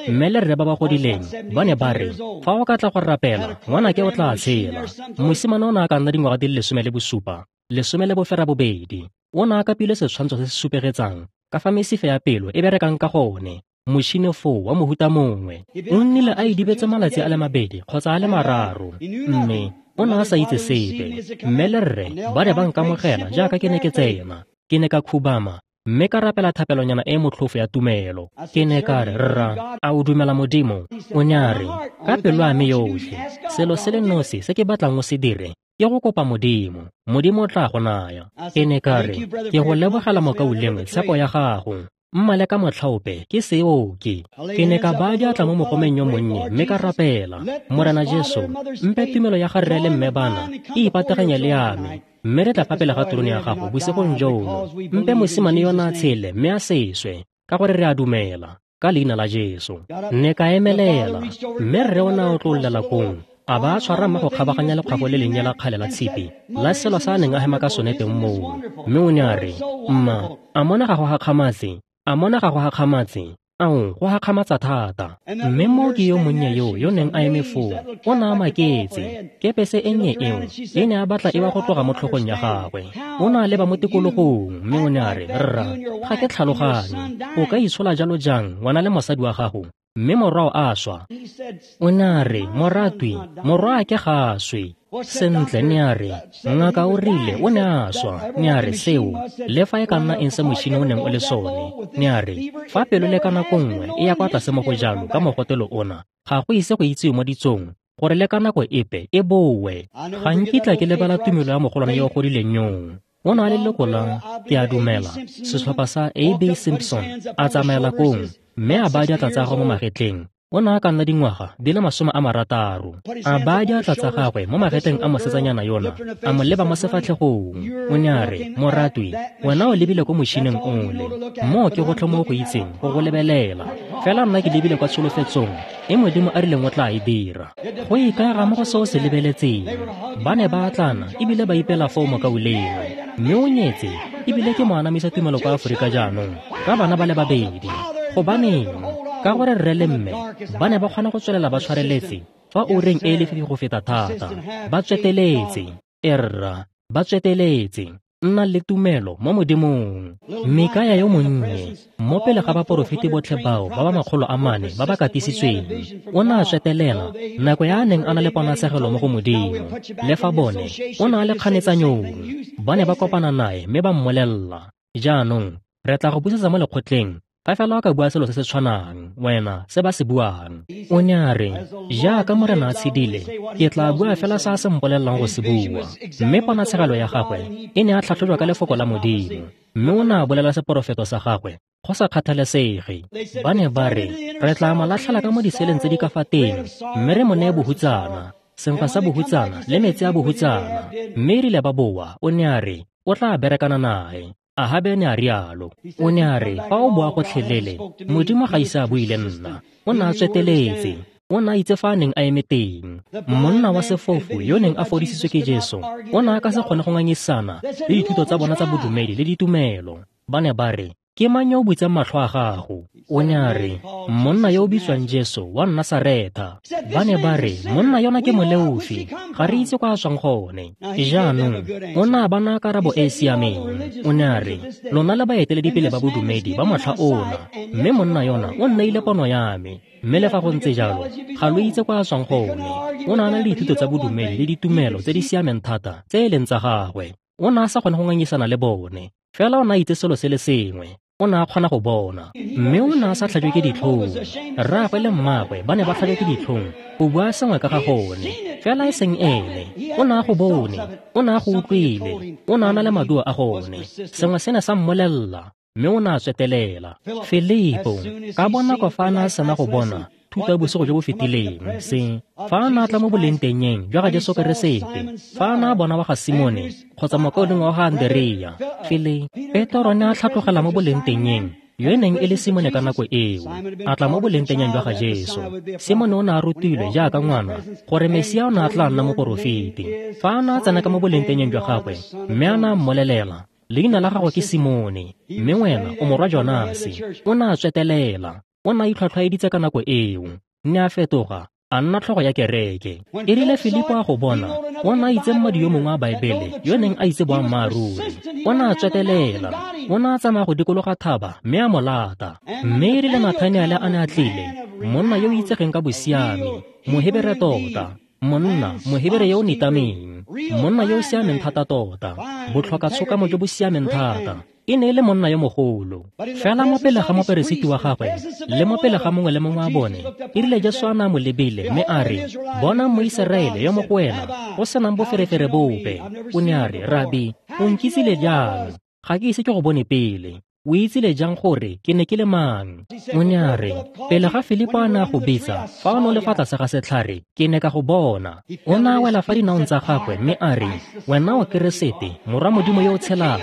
mme le rre ba ba godileng ba ne ba re, fa o ka tla go rapela, ngwanake o tla tshela. Mosimane o ne a ka nna dingwaga di le 17, 18. O ne a kapile setshwantsho se se supegetsang ka fa mesifa ya pelo e berekang ka gone. Motšhini foo wa mohuta mongwe. O nnile a idibetse malatsi a le 2 kgotsa a le 3, mme o ne a sa itse sepe. Mme le rre ba ne ba nkamogela jaaka ke ne ke tsena. Ke ne ka khubama mme ka rapela thapelonyana e motlhofo ya tumelo. Ke ne ka re, rra, a o dumela Modimo? O ne a re, ka pelo ya me yotlhe, selo se le nosi se ke batlang o se dire ke go kopa Modimo. Modimo o tla go naya. Ke ne ka re, ke go lebogela mokaulengwe tshepo ya gago. Mma le ka motlhaope ke seoke. Ke ne ka baya diatla mo mogomeng yo monnye mme ka rapela, Morena Jesu, mpe tumelo ya ga rre le mme bana e ipateganye le ya me, mme re tla fa pele ga terone ya gago bosigong jono. Mpe mosimane yona a tshele mme a seswe, ka gore re a dumela, ka leina la Jesu. Ne ka emelela, mme rre o ne a otlololela kong, a ba a tshwara mma go kgabaganya lekgwafo le lennye la kgale la tshipi la selo sa a neng a hema ka sone teng moo. Mme o ne a re, mma, a mona ga go gakgamatse? A mona ga go gakgamatse? Ao, go gakgamatsa thata. Mme mooki yo monnye yo neng a eme foo, o ne a maketse. Kepese e nnye eo e ne a batla e wa go tloga mo tlhogong ya gagwe. O ne a leba mo tikologong, mme o ne a re, rra, ga ke tlhaloganye. O ka itshola jalo jang wena le mosadi wa gago, mme morwao a swa? O ne a re, moratwi, morwaake ga a swe. Sentle, ne a re, ngaka o rile o ne a swa. Ne a re, seo, le fa e ka nna eng se motšhini o neng o le sone. Ne a re, fa pelo le ka nako nngwe e ya kwa tlase mo go jalo ka mogotelo ona, ga go ise go itsiwe mo ditsong gore le ka nako epe e bowe. Ga nkitla ke lebala tumelo ya mogolwane yo o godileng yoo. O ne a le leloko la, ke a dumela, setlhopha sa A.B. Simpson, a tsamaela kong mme a baya diatla tsa gagwe mo magetleng. O ne a ka nna dingwaga di le 60. A baya diatla tsa gagwe mo magetleng a mosetsanyana yona, a mo leba mo sefatlhegong. O ne a re, moratwi, wena o lebile ko motšhineng ole. Moo ke gotlhe mo go itseng go go lebelela. Fela nna ke lebile kwa tsholofetsong e Modimo a rileng o tla e dira. Go ikaega mo go se o se lebeletseng. Ba ne ba atlana ebile ba ipela foo mokaulengwe. Mme o nyetse ebile ke mo anamisa tumelo kwa Aforika jaanong ka bana ba le 2. Gobaneng? Ka gore rre le mme ba ne ba kgona go tswelela ba tshwareletse fa oureng e lefifi go feta thata. Ba tsweteletse. Erra, ba tsweteletse. Nna le tumelo mo Modimong. Mikaya yo monnye, mo pele ga baporofeti botlhe bao ba ba 400 ba ba katisitsweng, o ne a tswetelela nako ya a neng a na le ponatshegelo mo go Modimo. Le fa bone, o ne a le kganetsanyong. Ba ne ba kopana nae mme ba mmolelela, jaanong re tla go busetsa mo lekgotleng fa fela o ka bua selo se se tshwanang wena se ba se buang. O ne a re, jaaka Morena a tshedile, ke tla bua fela se a se mpolelelang go se bua. Mme ponatshegelo ya gagwe e ne a tlhatlhojwa ka lefoko la Modimo, mme o ne a bolela seporofeto sa gagwe go sa kgathalesege. Ba ne ba re, re tla mo latlhela ka mo diseleng tse di ka fa teng, mme re mo neye bohutsana, senkgwa sa bohutsana le metsi a bohutsana. Mme erile ba boa, o ne a re, o tla berekana nae. Ahabe ne a rialo. O ne a re, fa o boa gotlhelele, Modimo ga ise a bue le nna. O ne a tsweteletse. O ne a itse fa a neng a eme teng. Monna wa sefofu yo neng a fodisitswe ke Jesu, o ne a ka se kgone go ngangisana le dithuto tsa bona tsa bodumedi le ditumelo. Ba ne ba re, ke mang yo o butseng matlho a gago? O ne a re, monna yo o bitswang Jesu wa Nasaretha. Ba ne ba re, monna yona ke moleofi, ga re itse kwa a tswang gone. Jaanong, o ne a ba naya karabo e e siameng. O ne a re, lona le baeteledipele ba bodumedi ba motlha ona, mme monna yona o nneile pono ya me. Mme le fa go ntse jalo, ga lo itse kwa a tswang gone. O ne a na le dithuto tsa bodumedi le ditumelo tse di siameng thata tse e leng tsa gagwe. O ne a sa kgone go ngangisana le bone. Fela o ne a itse selo se le sengwe. O ne a kgona go bona. Mme o ne a sa tlhajwe ke ditlhong. Rraagwe le mmaagwe ba ne ba tlhajwe ke ditlhong go bua sengwe ka ga gone. Fela e seng ene. O ne a go bone. O ne a go utlwile. O ne a na le maduo a gone. Sengwe se ne sa mmolelela. Mme o ne a tswetelela. Filipo, ka bonako fa a ne a sena go bona thuto ya bosigo jo bo fetileng, se fa a ne a tla mo bolengtengeng jwa ga Jesu Keresete, fa a ne a bona wa ga Simone kgotsa mokaulengwe wa ga Anderea, Petro ne a tlhatlogela mo bolengtengeng yo e neng e le Simone ka nako eo, a tla mo bolengtengeng jwa ga Jesu. Simone o ne a rutilwe jaaka ngwana gore Mesia o ne a tla nna moporofeti. Fa a ne a tsena ka mo bolengtengeng jwa gagwe, mme a ne a mmolelela, leina la gago ke Simone, mme wena o morwa Jonase. O ne a tswetelela. O ne a itlhwatlhwaeditse ka nako eo. Ne a fetoga, a nna tlhogo ya kereke. E rile Filipo a go bona, o ne a itse mmadi yo mongwe wa Baebele yo neng a itse boammaaruri. O ne a tswetelela. O ne a tsamaya go dikologa thaba mme a mo lata. Mme e rile Nathaniele a ne a tlile, monna yo o itsegeng ka bosiami, Mohebere tota, monna, Mohebere yo o nitameng, monna yo o siameng thata tota, botlhoka tshokamo jo bo siameng thata. E ne e le monna yo mogolo. Fela mo pele ga moperesiti wa gagwe le mo pele ga mongwe le mongwe wa bone, e rile Jesu a ne a mo lebile mme a re, bonang Moiseraele yo mo go wena go senang boferefere bope. O ne a re, Rabi, o nkitsile jang? Ga ke ise ke go bone pele. O itsile jang gore ke ne ke le mang? O ne a re, pele ga Filipo a ne a go bitsa, fa o ne o le fa tlase ga setlhare, ke ne ka go bona. O ne a wela fa dinaong tsa gagwe mme a re, wena o Keresete, morwa Modimo yo o tshelang.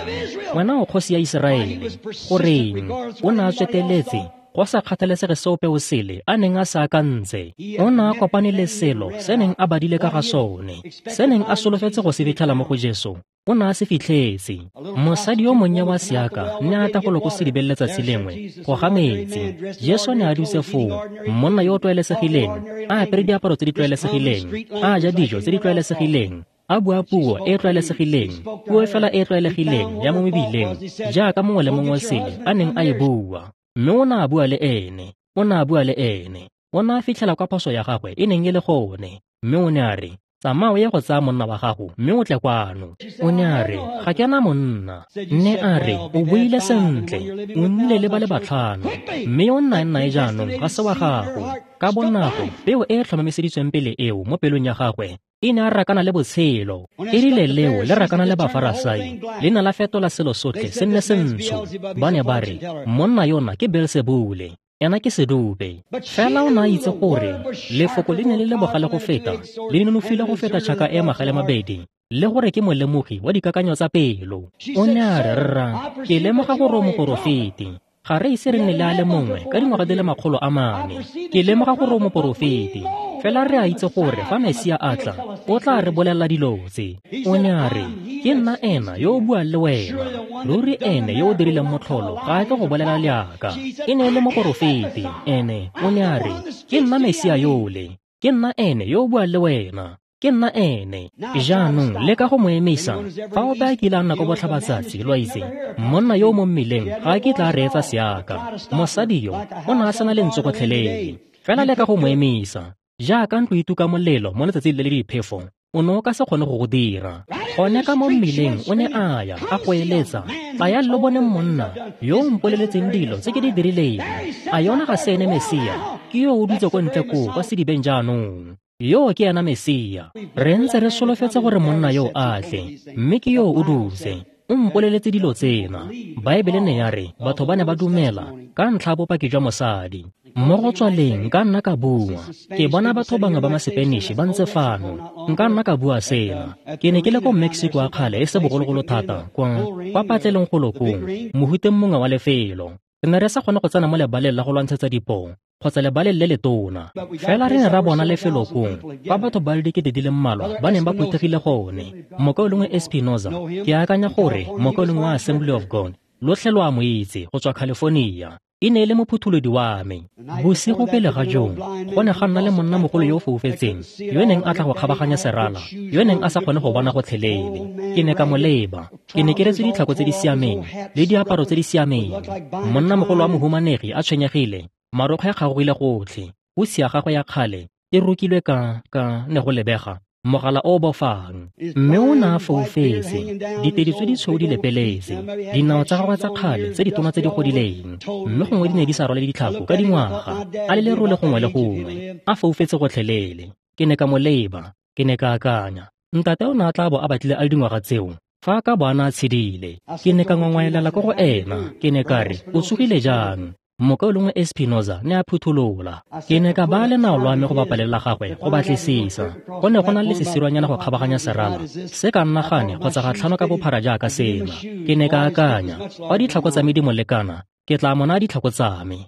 Wena o kgosi ya Iseraele. Goreng? O ne a tsweteletse, go sa kgathalesege seope o sele a neng a se akantse. O ne a kopane le selo se neng a badile ka ga sone, se neng a solofetse go se fitlhela mo go Jesu. O ne a se fitlhetse. Mosadi yo monnye wa seaka ne a tla go lo ko sedibeng letsatsi lengwe go ga metsi. Jesu ne a dutse foo, monna yo o tlwaelesegileng, a apere diaparo tse di tlwaelesegileng, a ja dijo tse di tlwaelesegileng, a bua puo e e tlwaelesegileng, puo fela e e tlwaelegileng ya mo mebileng, jaaka mongwe le mongwe sele a neng a e bua. Mme o ne a bua le ene, o ne a bua le ene. O ne a fitlhela kwa phoso ya gagwe e neng e le gone, mme o ne a re, tsamaya o ye go tsaya monna wa gago mme o tle kwano. O ne a re, ga ke na monna. Ne a re, o buile sentle, o nnile le ba le batlhano, mme yo o nnang nae jaanong ga se wa gago. Ka bonako, peo e e tlhomamiseditsweng pele eo mo pelong ya gagwe e ne a rakana le botshelo. E rile leo le rakana le Bafarasai, le ne la fetola selo sotlhe se nne sentsho. Ba ne ba re, monna yona ke Beelsebule, ena ke sedupe. Fela o ne a itse gore lefoko le ne le le bogale go feta, le nonofile go feta tšhaka e magale mabedi, le gore ke molemogi wa dikakanyo tsa pelo. O ne a re, rra, ke lemoga gore o moporofeti. Ga re ise re nne le a le mongwe ka dingwaga di le 400. Ke lemoga gore o moporofeti. Fela re a itse gore fa Mesia a tla, o tla re bolelela dilo tse. O ne a re, ke nna ena yo o buang le wena. Ruri ene yo o dirileng motlholo ga a tle go bolela leaka. E ne e le moporofeti. Ene o ne a re, ke nna Mesia yole. Ke nna ene yo o buang le wena. Ke nna ene. Jaanong leka go mo emisa. Fa ope a kile a nna ko botlhabatsatsi, lo a itse, monna yo o mo mmileng ga a kitla a reetsa seaka. Mosadi yo o ne a sena lentswe gotlhelele. Fela leka go mo emisa. Jaaka ntlo e tuka molelo mo letsatsing le le diphefo, o ne o ka se kgone go go dira. Gone ka mo mmileng o ne a ya, a goeletsa, tlayang lo boneng monna yo o mpoleletseng dilo tse ke di dirileng. A yona ga se ene Mesia? Ke yo o dutse ko ntle koo kwa sedibeng jaanong. Yo ke ena Mesia. Re ntse re solofetse gore monna yo a tle, mme ke yo o dutse. O mpoleletse dilo tsena. Baebele ne ya re batho ba ne ba dumela ka ntlha ya bopaki jwa mosadi. Mo go tswaleng nka nna ka bua. Ke bona batho bangwe ba Masepeniši ba ntse fano. Nka nna ka bua sena. Ke ne ke le ko Mexico a kgale e se bogologolo thata kwa patlelong golo kong, mohuteng mongwe wa lefelo. Re ne re sa kgone go tsena mo lebaleng la go lwantshetsa dipoo kgotsa lebaleng le letona. Fela re ne ra bona lefelo kong kwa batho ba le 20 di le mmalwa ba neng ba phuthegile gone. Mokaulengwe Espinoza, ke akanya gore mokaulengwe wa Assembly of God, lotlhe lo a mo itse go tswa California. E ne e le mophutholodi wa me. Bosigo pele ga joo, go ne ga nna le monnamogolo yo o foufetseng yo neng a tla go kgabaganya serala, yo neng a sa kgone go bona gotlhelele. Ke ne ka mo leba. Ke ne ke retswe ditlhako tse di siameng le diaparo tse di siameng. Monnamogolo wa mohumanegi a tshwenyegile, marokgwe a kgagogile gotlhe, hutshe ya gagwe ya kgale e rokilwe ka ne go lebega mogala o bofang. Mme o ne a foufetse, ditedi tse di tshweu di lepeletse, dinao tsa gagwe tsa kgale tse ditona tse di godileng, mme gongwe di ne di sa rwale ditlhako ka dingwaga, a le lerole gongwe le gongwe, a foufetse gotlhelele. Ke ne ka mo leba, ke ne ka akanya, ntate o ne a tla bo a batlile a le dingwaga tseo fa a ka bo a ne a tshedile. Ke ne ka ngongwaelela ko go ena, ke ne ka re, o tsogile jang? Mokaulengwe Espinoza ne a phutholola. Ke ne ka baya lenao lwa me go bapa le la gagwe go batlisisa. Go ne go na le sesirwanyana go kgabaganya serala se ka nna gane kgotsa ga tlhano ka bophara jaaka sena. Ke ne ka akanya, fa ditlhako tsa me di mo lekana, ke tla mo naya ditlhako tsa me.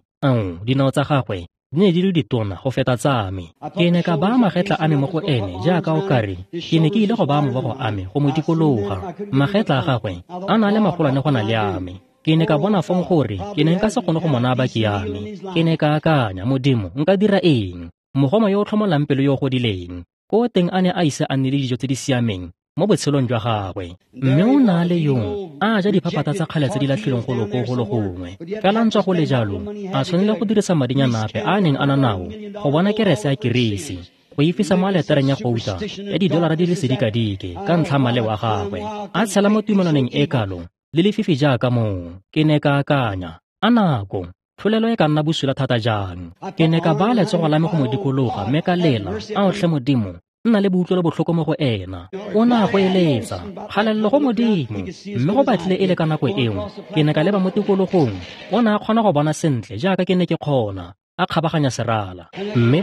Dinao tsa gagwe di ne di le ditona go feta tsa me. Ke ne ka baya magetla a me mo go ene jaaka o kare ke ne ke ile go baya mabogo a me go mo dikologa. Magetla a gagwe a na le magolwane go na le a me. Ke ne ka bona fong gore ke ne nka se kgone go mo naya baki ya me. Ke ne ka akanya, Modimo, nka dira eng? Mogoma yo o tlhomolang pelo yo o godileng, ko teng a ne a ise a nne le dijo tse di siameng mo botshelong jwa gagwe. Mme o na le yo a ja diphaphatha tsa kgale tse di latlhilweng golo ko golo gongwe. Fela ntswa go le jalo, a tshwanela go dirisa madinyana ape a neng a na nao go bona kerese ya kirisi, go ifisa mo aletareng ya gouta ya didolara di le sedikadike ka ntlha maleo a gagwe, a tshela mo tumelwaneng e kalo le lefifi jaaka moo. Ke ne ka akanya, a nako tlholelo e ka nna bosula thata jang. Ke ne ka baya letsogo la me go mo dikologa mme ka lela, ao tlhe Modimo, nna le boutlwelo botlhoko mo go ena. O ne a go eletsa, kgalelelo go Modimo. Mme go batlile e le ka nako eo, ke ne ka leba mo tikologong, o ne a kgona go bona sentle jaaka ke ne ke kgona, a kgabaganya serala. Mme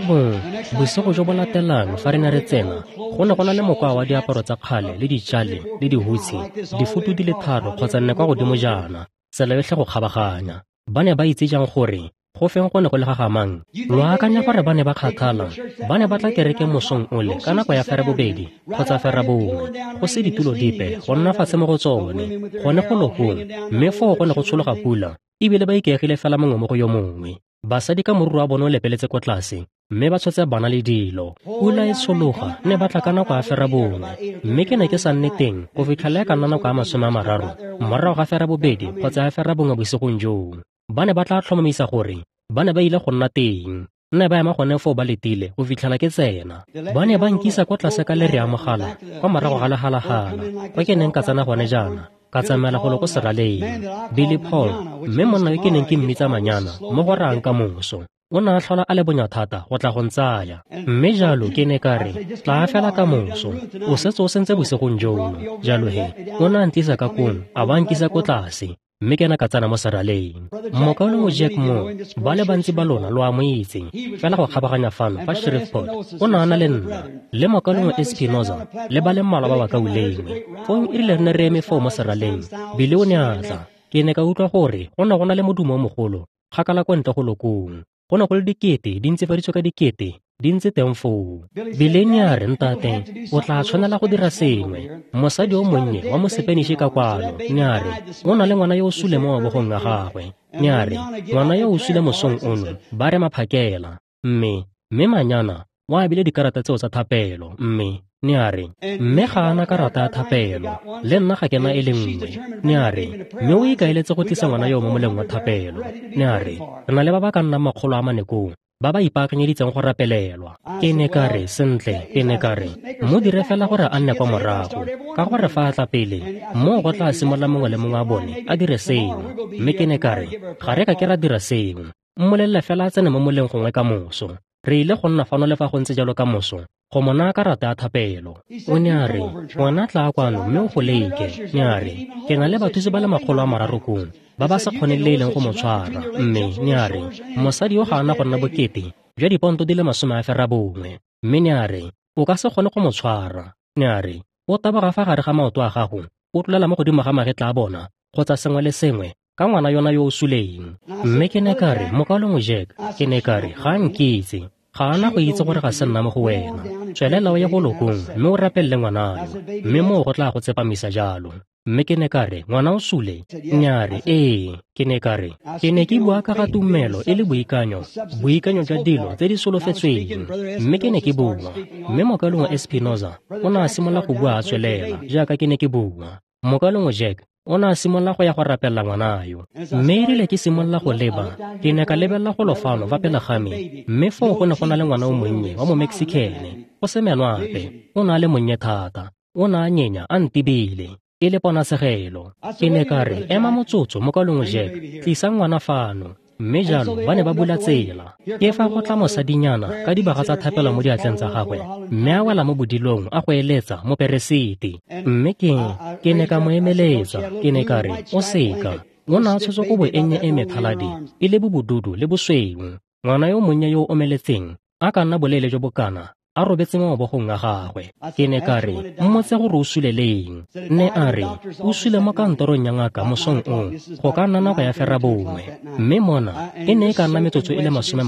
bosigo jo bo latelang fa re ne re tsena, go ne go na le mokwa wa diaparo tsa kgale le ditšale le dihutshe, difutu di le 3 kgotsa 4 kwa godimo jaana, tsela yotlhe go kgabaganya. Ba ne ba itse jang gore go feng go ne go le gagamang? Lo akanya gore ba ne ba kgathala? Ba ne ba tla kerekeng mosong ole ka nako ya 2:30 kgotsa 1:30, go se ditulo dipe go nna fatshe mo go tsone, gone go lokong, mme foo go ne go tshologa pula, ebile ba ikaegile fela mongwe mo go yo mongwe. Basadi ka moruru wa bone o lepeletse ko tlase, mme ba tshotse bana le dilo. Pula e tshologa, ne ba tla ka nako ya 1:30, mme ke ne ke sa nne teng go fitlhela e ka nna nako ya 30 morago ga 2:30 kgotsa ya 1:30 bosigong joo. Ba ne ba tla tlhomamisa gore ba ne ba ile go nna teng. Nne ba ema gone foo ba letile go fitlhela ke tsena. Ba ne ba nkisa kwa tlase ka lere ya mogala kwa morago ga lehalagala, kwa ke neng ka tsena gone jaana, ka tsamaela golo ko seraleng. Billy Paul, mme monna yo ke neng ke mmitsa Manyana mo go rang ka moso, o ne a tlhola a le bonya thata go tla go ntsaya. Mme jalo ke ne ka re, tla fela ka moso, o setse o sentse bosigong jono. Jalo he, o ne a ntlisa ka kong, a ba nkisa ko tlase, mme ke ne ka tsena mo seraleng. Mokaulengwe Jack Moore, ba le bantsi ba lona lo a mo itse, fela go kgabaganya fano fa Shreveport, o ne a na le nna, le mokaulengwe Espinoza, le ba le mmalwa ba bakaulengwe. Fong e rile re ne re eme foo mo seraleng, Billy o ne a tla. Ke ne ka utlwa gore go ne go na le modumo o mogolo kgakala kwa ntle go lokong. Go ne go le dikete di ntsifaditswe ka dikete di ntse teng foo. Billy ne a re, ntate, o tla tshwanela go dira sengwe. Mosadi o monnye wa Mosepeniši ka kwano, ne a re, o na le ngwana yo o sule mo mabogong a gagwe. Ne a re, ngwana yo o sule mosong ono, ba re maphakela. Mme Manyana o abile dikarata tseo tsa thapelo, mme ne a re, mme ga ana karata ya thapelo, le nna ga ke na e le nngwe. Ne a re, mme o ikaeletse go tlisa ngwana yo mo moleng wa thapelo. Ne a re, re na le ba ba ka nnang 400 koo, ba ba ipaakanyeditseng go rapelelwa. Ke ne ka re, sentle, ke ne ka re, mo dire fela gore a nne kwa morago, ka gore fa a tla pele, moo go tla simolola mongwe le mongwe wa bone a dire sengwe. Mme ke ne ka re, ga re ka ke ra dira sengwe. Mmolelele fela a tsene mo moleng gongwe ka moso. Re ile go nna fano le fa go ntse jalo ka moso, go mo naya karata ya thapelo. O ne a re, "Ngwana tla kwano mme o go leke." Ne a re, "Ke na le bathusi ba le 300 kong ba ba sa kgoneng le e leng go mo tshwara." Mme ne a re, "Mosadi yo ga ana go nna bokete jwa diponto di le 90." Mme ne a re, "O ka se kgone go mo tshwara." Ne a re, "O taboga fa gare ga maoto a gago, o tlolela mo godimo ga magetla a bona, kgotsa sengwe le sengwe, ka ngwana yona yo o suleng." Mme ke ne ka re, "Mokaulengwe Jack," ke ne ka re, "ga nkitse, ga ana go itse gore ga se nna mo go wena. Tswelela o ye go lokong mme o rapelele ngwana yo, mme moo go tla go tsepamisa jalo." Mme ke ne ka re, "Ngwana o sule?" Ne a re, "Ee." Ke ne ka re, "Ke ne ke bua ka ga tumelo e le boikanyo, boikanyo jwa dilo tse di solofetsweng." Mme ke ne ke bua, mme mokaulengwe Espinoza o ne a simolola go bua a tswelela jaaka ke ne ke bua. Mokaulengwe Jack o ne a simolola go ya go rapelela ngwana yo. Mme erile ke simolola go leba, ke ne ka lebelela golo fano fa pele ga me, mme foo go ne go na le ngwana o monnye wa Momeksikene, go se menwape. O ne a le monnye thata, o ne a nyenya a ntibile, e le ponatshegelo. Ke ne ka re, "Ema motsotso, mokaulengwe Jack, tlisa ngwana fano." Mme jalo ba ne ba bula tsela. Ke fa go tla mosadinyana ka dibaga tsa thapelo mo diatleng tsa gagwe, mme a wela mo bodilong a go eletsa moperesiti. Mme ke ne ka mo emeletsa, ke ne ka re, "O seka." O ne a tshotse kobo e nnye e methaladi, e le bobodudu le bosweu. Ngwana yo monnye yo o omeletseng, a ka nna boleele jo bokana, a robetse mo mabogong a gagwe. Ke ne ka re, "Mmotse gore o sule leng." Ne a re, "O sule mo kantorong ya ngaka mosong o, go ka nna nako ya 9:30." Mme mona e ne e ka nna metsotso e le 30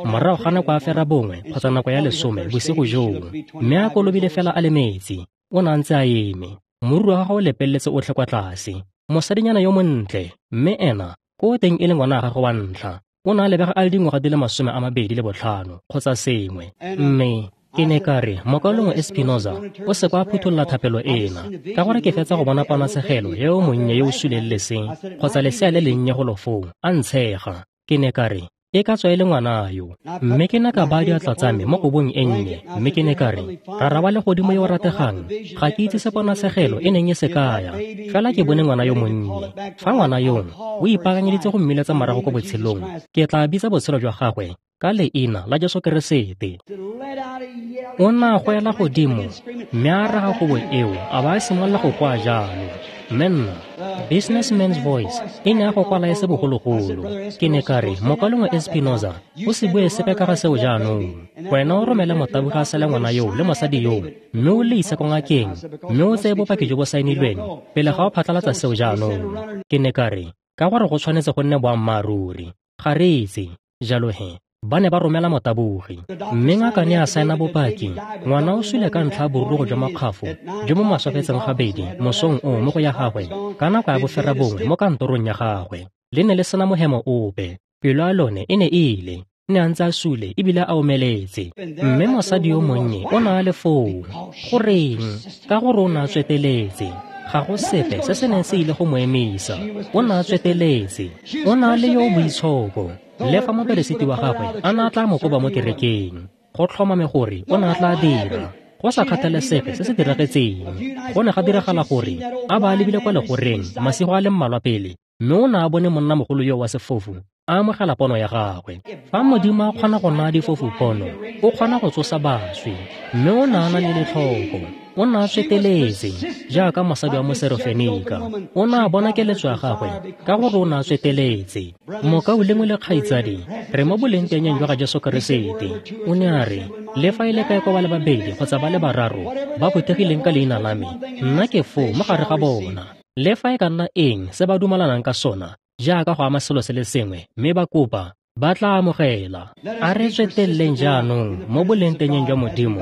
morago ga nako ya 9:30 kgotsa nako ya 10 bosigo joo. Mme a kolobile fela a le metsi, o ne a ntse a eme, moriri wa gagwe o lepeletse otlhe kwa tlase. Mosadinyana yo montle, mme ena ko teng e le ngwana wa gagwe wa ntlha. O ne a lebega a le dingwaga di le 25 kgotsa sengwe. Mme ke ne ka re, "Mokaulengwe Espinoza, o se kwa phuthulola thapelo ena, ka gore ke fetsa go bona ponatshegelo ya yo monnye yo o suleng leseng kgotsa lesea le lennye golo foo, a ntshega." Ke ne ka re, "E ka tswa e le ngwana yo." Mme ke ne ka baya diatla tsa me mo kobong e nnye, mme ke ne ka re, "Rara wa legodimo yo o rategang, ga ke itse se ponatshegelo e neng e se kaya, fela ke bone ngwana yo monnye. Fa ngwana yono o ipaakanyeditse go mmiletsa morago ko botshelong, ke tla bitsa botshelo jwa gagwe ka leina la Jesu Keresete." O ne a goela godimo mme a raga kobo eo a ba a simolola go goa jalo. Mme nna, businessman's voice e ne ya go kwala e se bogologolo. Ke ne ka re, "Mokaulengwe Espinoza, o se bue sepe ka ga seo jaanong. Wena o romele motabogi a sele ngwana yoo le mosadi yoo, mme o le ise ko ngakeng, mme o tseye bopaki jo bo saenilweng pele ga o phatlalatsa seo jaanong." Ke ne ka re, "Ka gore go tshwanetse go nne boammaaruri, ga re itse." Jalo he, ba ne ba romela motabogi, mme ngaka ne a saena bopaki. Ngwana o sule ka ntlha ya borurugo jwa makgwafo jo bo maswafetseng gabedi mosong o mo go ya gagwe ka nako ya 9:30 mo kantorong ya gagwe. Le ne le sena mohemo ope, pelo ya lone e ne e ile, ne a ntse a sule ebile a omeletse. Mme mosadi yo monnye o ne a le foo. Goreng? Ka gore o ne a tsweteletse. Ga go sepe se se neng se ile go mo emisa. O ne a tsweteletse. O ne a le yo o boitshoko. Le fa moperesiti wa gagwe a ne a tla mo koba mo kerekeng, go tlhomame gore o ne a tla dira, go sa kgathalesege se se diragetseng. Go ne ga diragala gore a ba a lebile kwa legoreng masigo a le mmalwa pele, mme o ne a bone monnamogolo yo wa sefofu a amogela pono ya gagwe. Fa Modimo a kgona go naya difofu pono, o kgona go tsosa baswi. Mme o ne a na le letlhoko, o ne a tsweteletse jaaka mosadi wa Moserofenika. O ne a bona keletso ya gagwe ka gore o ne a tsweteletse. Mokaulengwe le kgaitsadi, re mo bolengtengeng jwa ga Jesu Keresete. O ne a re, "Le fa e le kae kwa ba le babedi kgotsa ba le bararo ba phuthegileng ka leina la me, nna ke foo mo gare ga bona." Le fa e ka nna eng se ba dumalanang ka sona, jaaka go ama selo se le sengwe mme ba kopa, ba tla amogela. A re tsweteleleng jaanong mo bolengtengeng jwa Modimo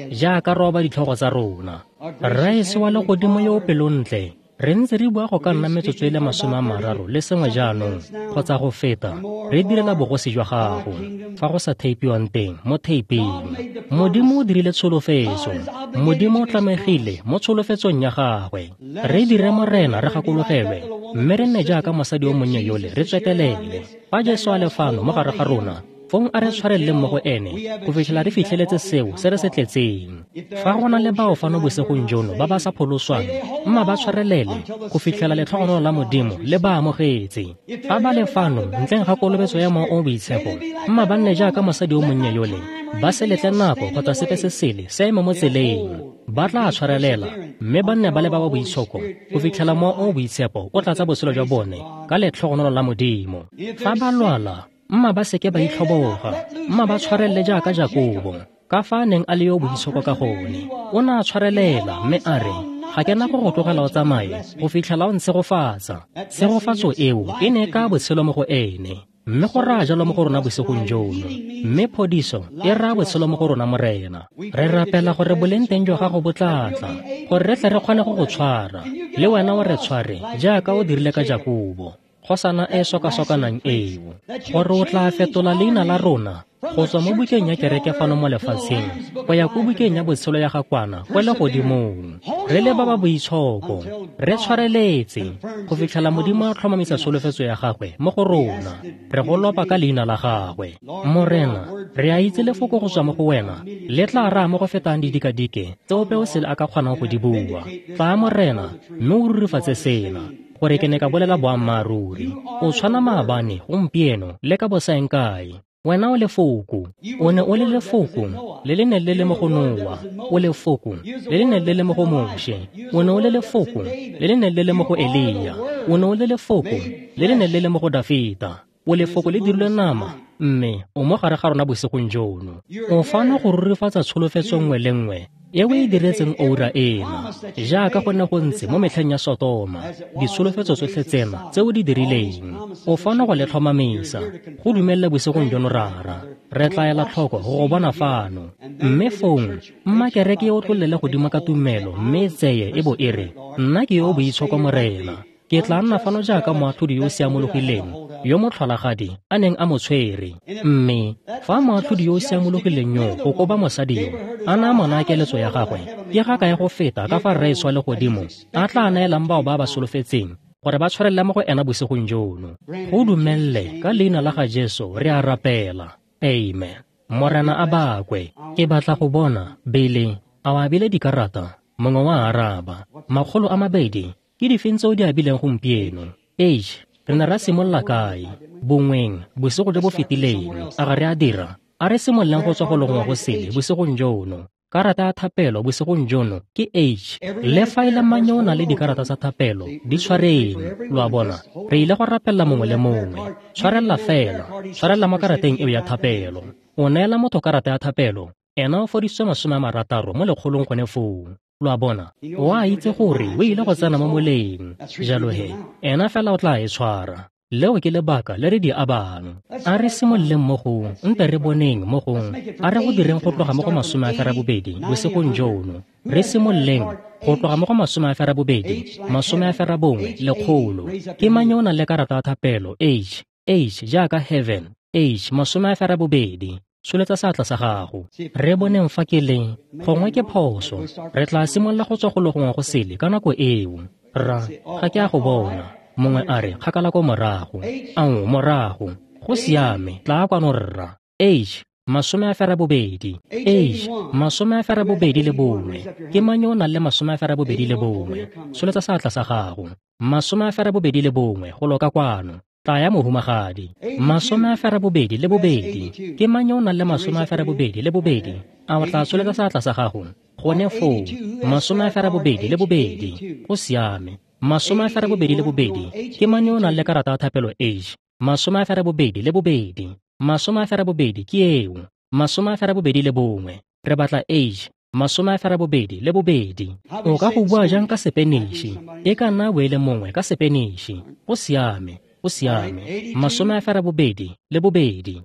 jaaka re oba ditlhogo tsa rona. Rraetsho wa legodimo yo o pelontle, re ntse re bua go ka nna metsotso e le 30 le sengwe jaanong kgotsa go feta, re direla bogosi jwa gago fa go sa theipiwang teng mo theiping. Modimo o dirile tsholofetso, Modimo o tlamegile mo tsholofetsong ya gagwe. Re dire Morena re gakologelwe, mme re nne jaaka mosadi yo monnye yole re tswetelele. Fa Jesu a le fano mo gare ga rona, Fong a re tshwareleleng mo go ene go fitlhela re fitlheletse seo se re se tletseng. Fa go na le bao fano bosigong jono ba ba sa pholoswang, mma ba tshwarelele go fitlhela letlhogonolo la Modimo le ba amogetse. Fa ba le fano ntleng ga kolobetso ya Mowa o o Boitshepo, mma ba nne jaaka mosadi yo monnye yole, ba se letle nako kgotsa sepe se sele se eme mo tseleng. Ba tla tshwarelela mme ba nne ba le ba ba boitshoko go fitlhela Mowa o o Boitshepo o tlatsa botshelo jwa bone ka letlhogonolo la Modimo. Fa ba lwala, mma ba seke ba itlhoboga, mma ba tshwarelele jaaka Jakobo, ka fa a neng a le yo boitshoko ka gone. O ne a tshwarelela mme a re, ga ke na go go tlogela o tsamaye go fitlhela o ntshegofatsa. Tshegofatso eo e ne ka botshelo mo go ene, mme go raya jalo mo go rona bosigong jono. Mme phodiso e raya botshelo mo go rona, Morena. Re rapela gore boleng teng jwa gago bo tla tla, gore re tle re kgone go go tshwara, le wena o re tshware jaaka o dirile ka Jakobo, kgosana e sokasokanang eo, gore o tla fetola leina la rona go tswa mo bukeng ya kereke fano mo lefatsheng go ya ko bukeng ya botshelo ya ga Kwana kwa legodimong. Re le ba ba boitshoko, re tshwareletse go fitlhela Modimo a tlhomamisa tsholofetso ya gagwe mo go rona. Re go lopa ka leina la gagwe. Morena, re a itse lefoko go tswa mo go wena le tla raya mo go fetang didikadike tse ope o sele a ka kgonang go di bua. Tlaa, Morena, mme o rurifatse sena, gore ke ne ka bolela boammaaruri. O tshwana maabane, gompieno le ka bosaeng kae. Wena o lefoko. O ne o le lefoko le le neng le le mo go Noa. O lefoko le le neng le le mo go Moshe. O ne o le lefoko le le neng le le mo go Elia. O ne o le lefoko le le neng le le mo go Dafita. O lefoko le dirilwe nama, mme o mo gare ga rona bosigong jono. O fano go rurifatsa tsholofetso nngwe le nngwe e o e diretseng oura ena, jaaka go ne go ntse mo metlheng ya Sotoma, ditsholofetso tsotlhe tsena tse o di dirileng. O fano go le tlhomamisa. Go dumelele bosigong jono, Rara. Re tla ela tlhoko go go bona fano. Mme fong, mma kereke e otlolele godimo ka tumelo mme e tseye e bo e re, nna ke yo o boitshoko, Morena. Ke tla nna fano jaaka moatlhodi yo o siamologileng yo motlholagadi a neng a mo tshwere. Mme fa moatlhodi yo o siamologileng yo go koba mosadi yo a na a mo naya keletso ya gagwe, ke ga kae go feta ka fa Rraetsho wa legodimo a tla neelang bao ba ba solofetseng gore ba tshwarelele mo go ena bosigong jono. Go dumelele ka leina la ga Jesu re a rapela. Amen. Morena a bakwe. Ke batla go bona Bele a o abile dikarata. Mongwe wa araba. 200. Ke difeng tse o di abileng gompieno? H, re ne ra simolola kae? Bongweng, bosigo jo bo fetileng. A ga re a dira? A re simololeng go tswa go longwe go sele bosigong jono. Karata ya thapelo bosigong jono ke H. Le fa e le mang yo o nang le dikarata tsa thapelo, di tshwareng. Lo a bona, re ile go rapelela mongwe le mongwe. Tshwarelela fela, tshwarelela mo karateng eo ya thapelo. O neela motho karata ya thapelo, ena o fodisitswe 60 mo lekgolong gone foo. Lo a bona, o a itse gore o ile go tsena mo moleng. Jalo he, ena fela o tla e tshwara. Leo ke lebaka le re di abang. A re simololeng mo go, nte re boneng mo go, a re go direng go tloga mo go 80 bosigong jono. Re simololeng go tloga mo go 80, 81, 100. Ke mang yo o nang le karata ya thapelo? H, H jaaka heaven, H 80. Tsholetsa seatla sa gago. Re boneng fa ke le, gongwe ke phoso. Re tla simolola go tswa go le gongwe go sele ka nako eo. Rra, ga ke a go bona. Mongwe a re, kgakala ko morago. Ao, morago. Go siame, tla kwano rra. H, 80. H, 81. Ke mang yo o nang le 81? Tsholetsa seatla sa gago. 81, go loka kwano. Tla ya mohumagadi. 82. Ke mang yo o nang le 82? A o tla tsholetsa seatla sa gago? Gone foo. 82. Go siame. 82. Ke mang yo o nang le karata ya thapelo H? 82. 82 ke eo. 81. Re batla H. 82. O ka go bua jang ka Sepeniši? E ka nna bo e le mongwe ka Sepeniši. Go siame. Go siame. 82. 83.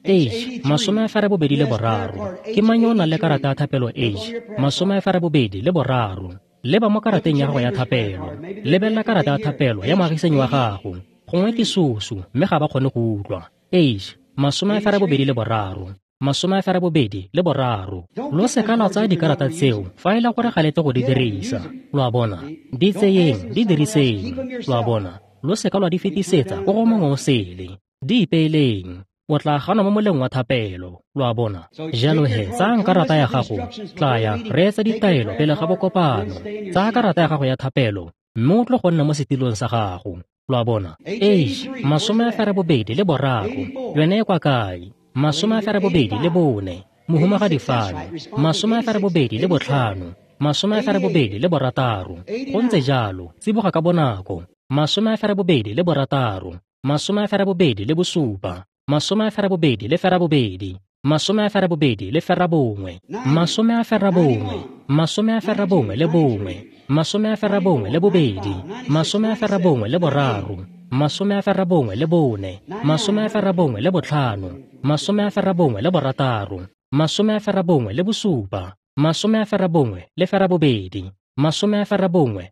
H, 83. Ke mang yo o nang le karata ya thapelo H? 83. Leba mo karateng ya gago ya thapelo. Lebelela karata ya thapelo ya moagisanyi wa gago. Gongwe ke susu mme ga ba kgone go utlwa. H, 83. 83. Lo seka la tsaya dikarata tseo fa e le gore ga le tle go di dirisa. Lo a bona, di tseyeng, di diriseng. Lo a bona, lo seka lwa di fetisetsa ko go mongwe o sele. Di ipeeleng. O tla gana mo moleng wa thapelo, lo a bona. Jalo he, tsayang karata ya gago, tlaya, reetsa ditaelo pele ga bokopano. Tsaya karata ya gago ya thapelo, mme o tlo go nna mo setilong sa gago, lo a bona. Eish, 83, yone e kwa kae? 84, mohumagadi fano, 85, 86, go ntse jalo, tsiboga ka bonako, 86, 87, 89, 91, 91, 92, 94, 95, 96, 97, 98, 99,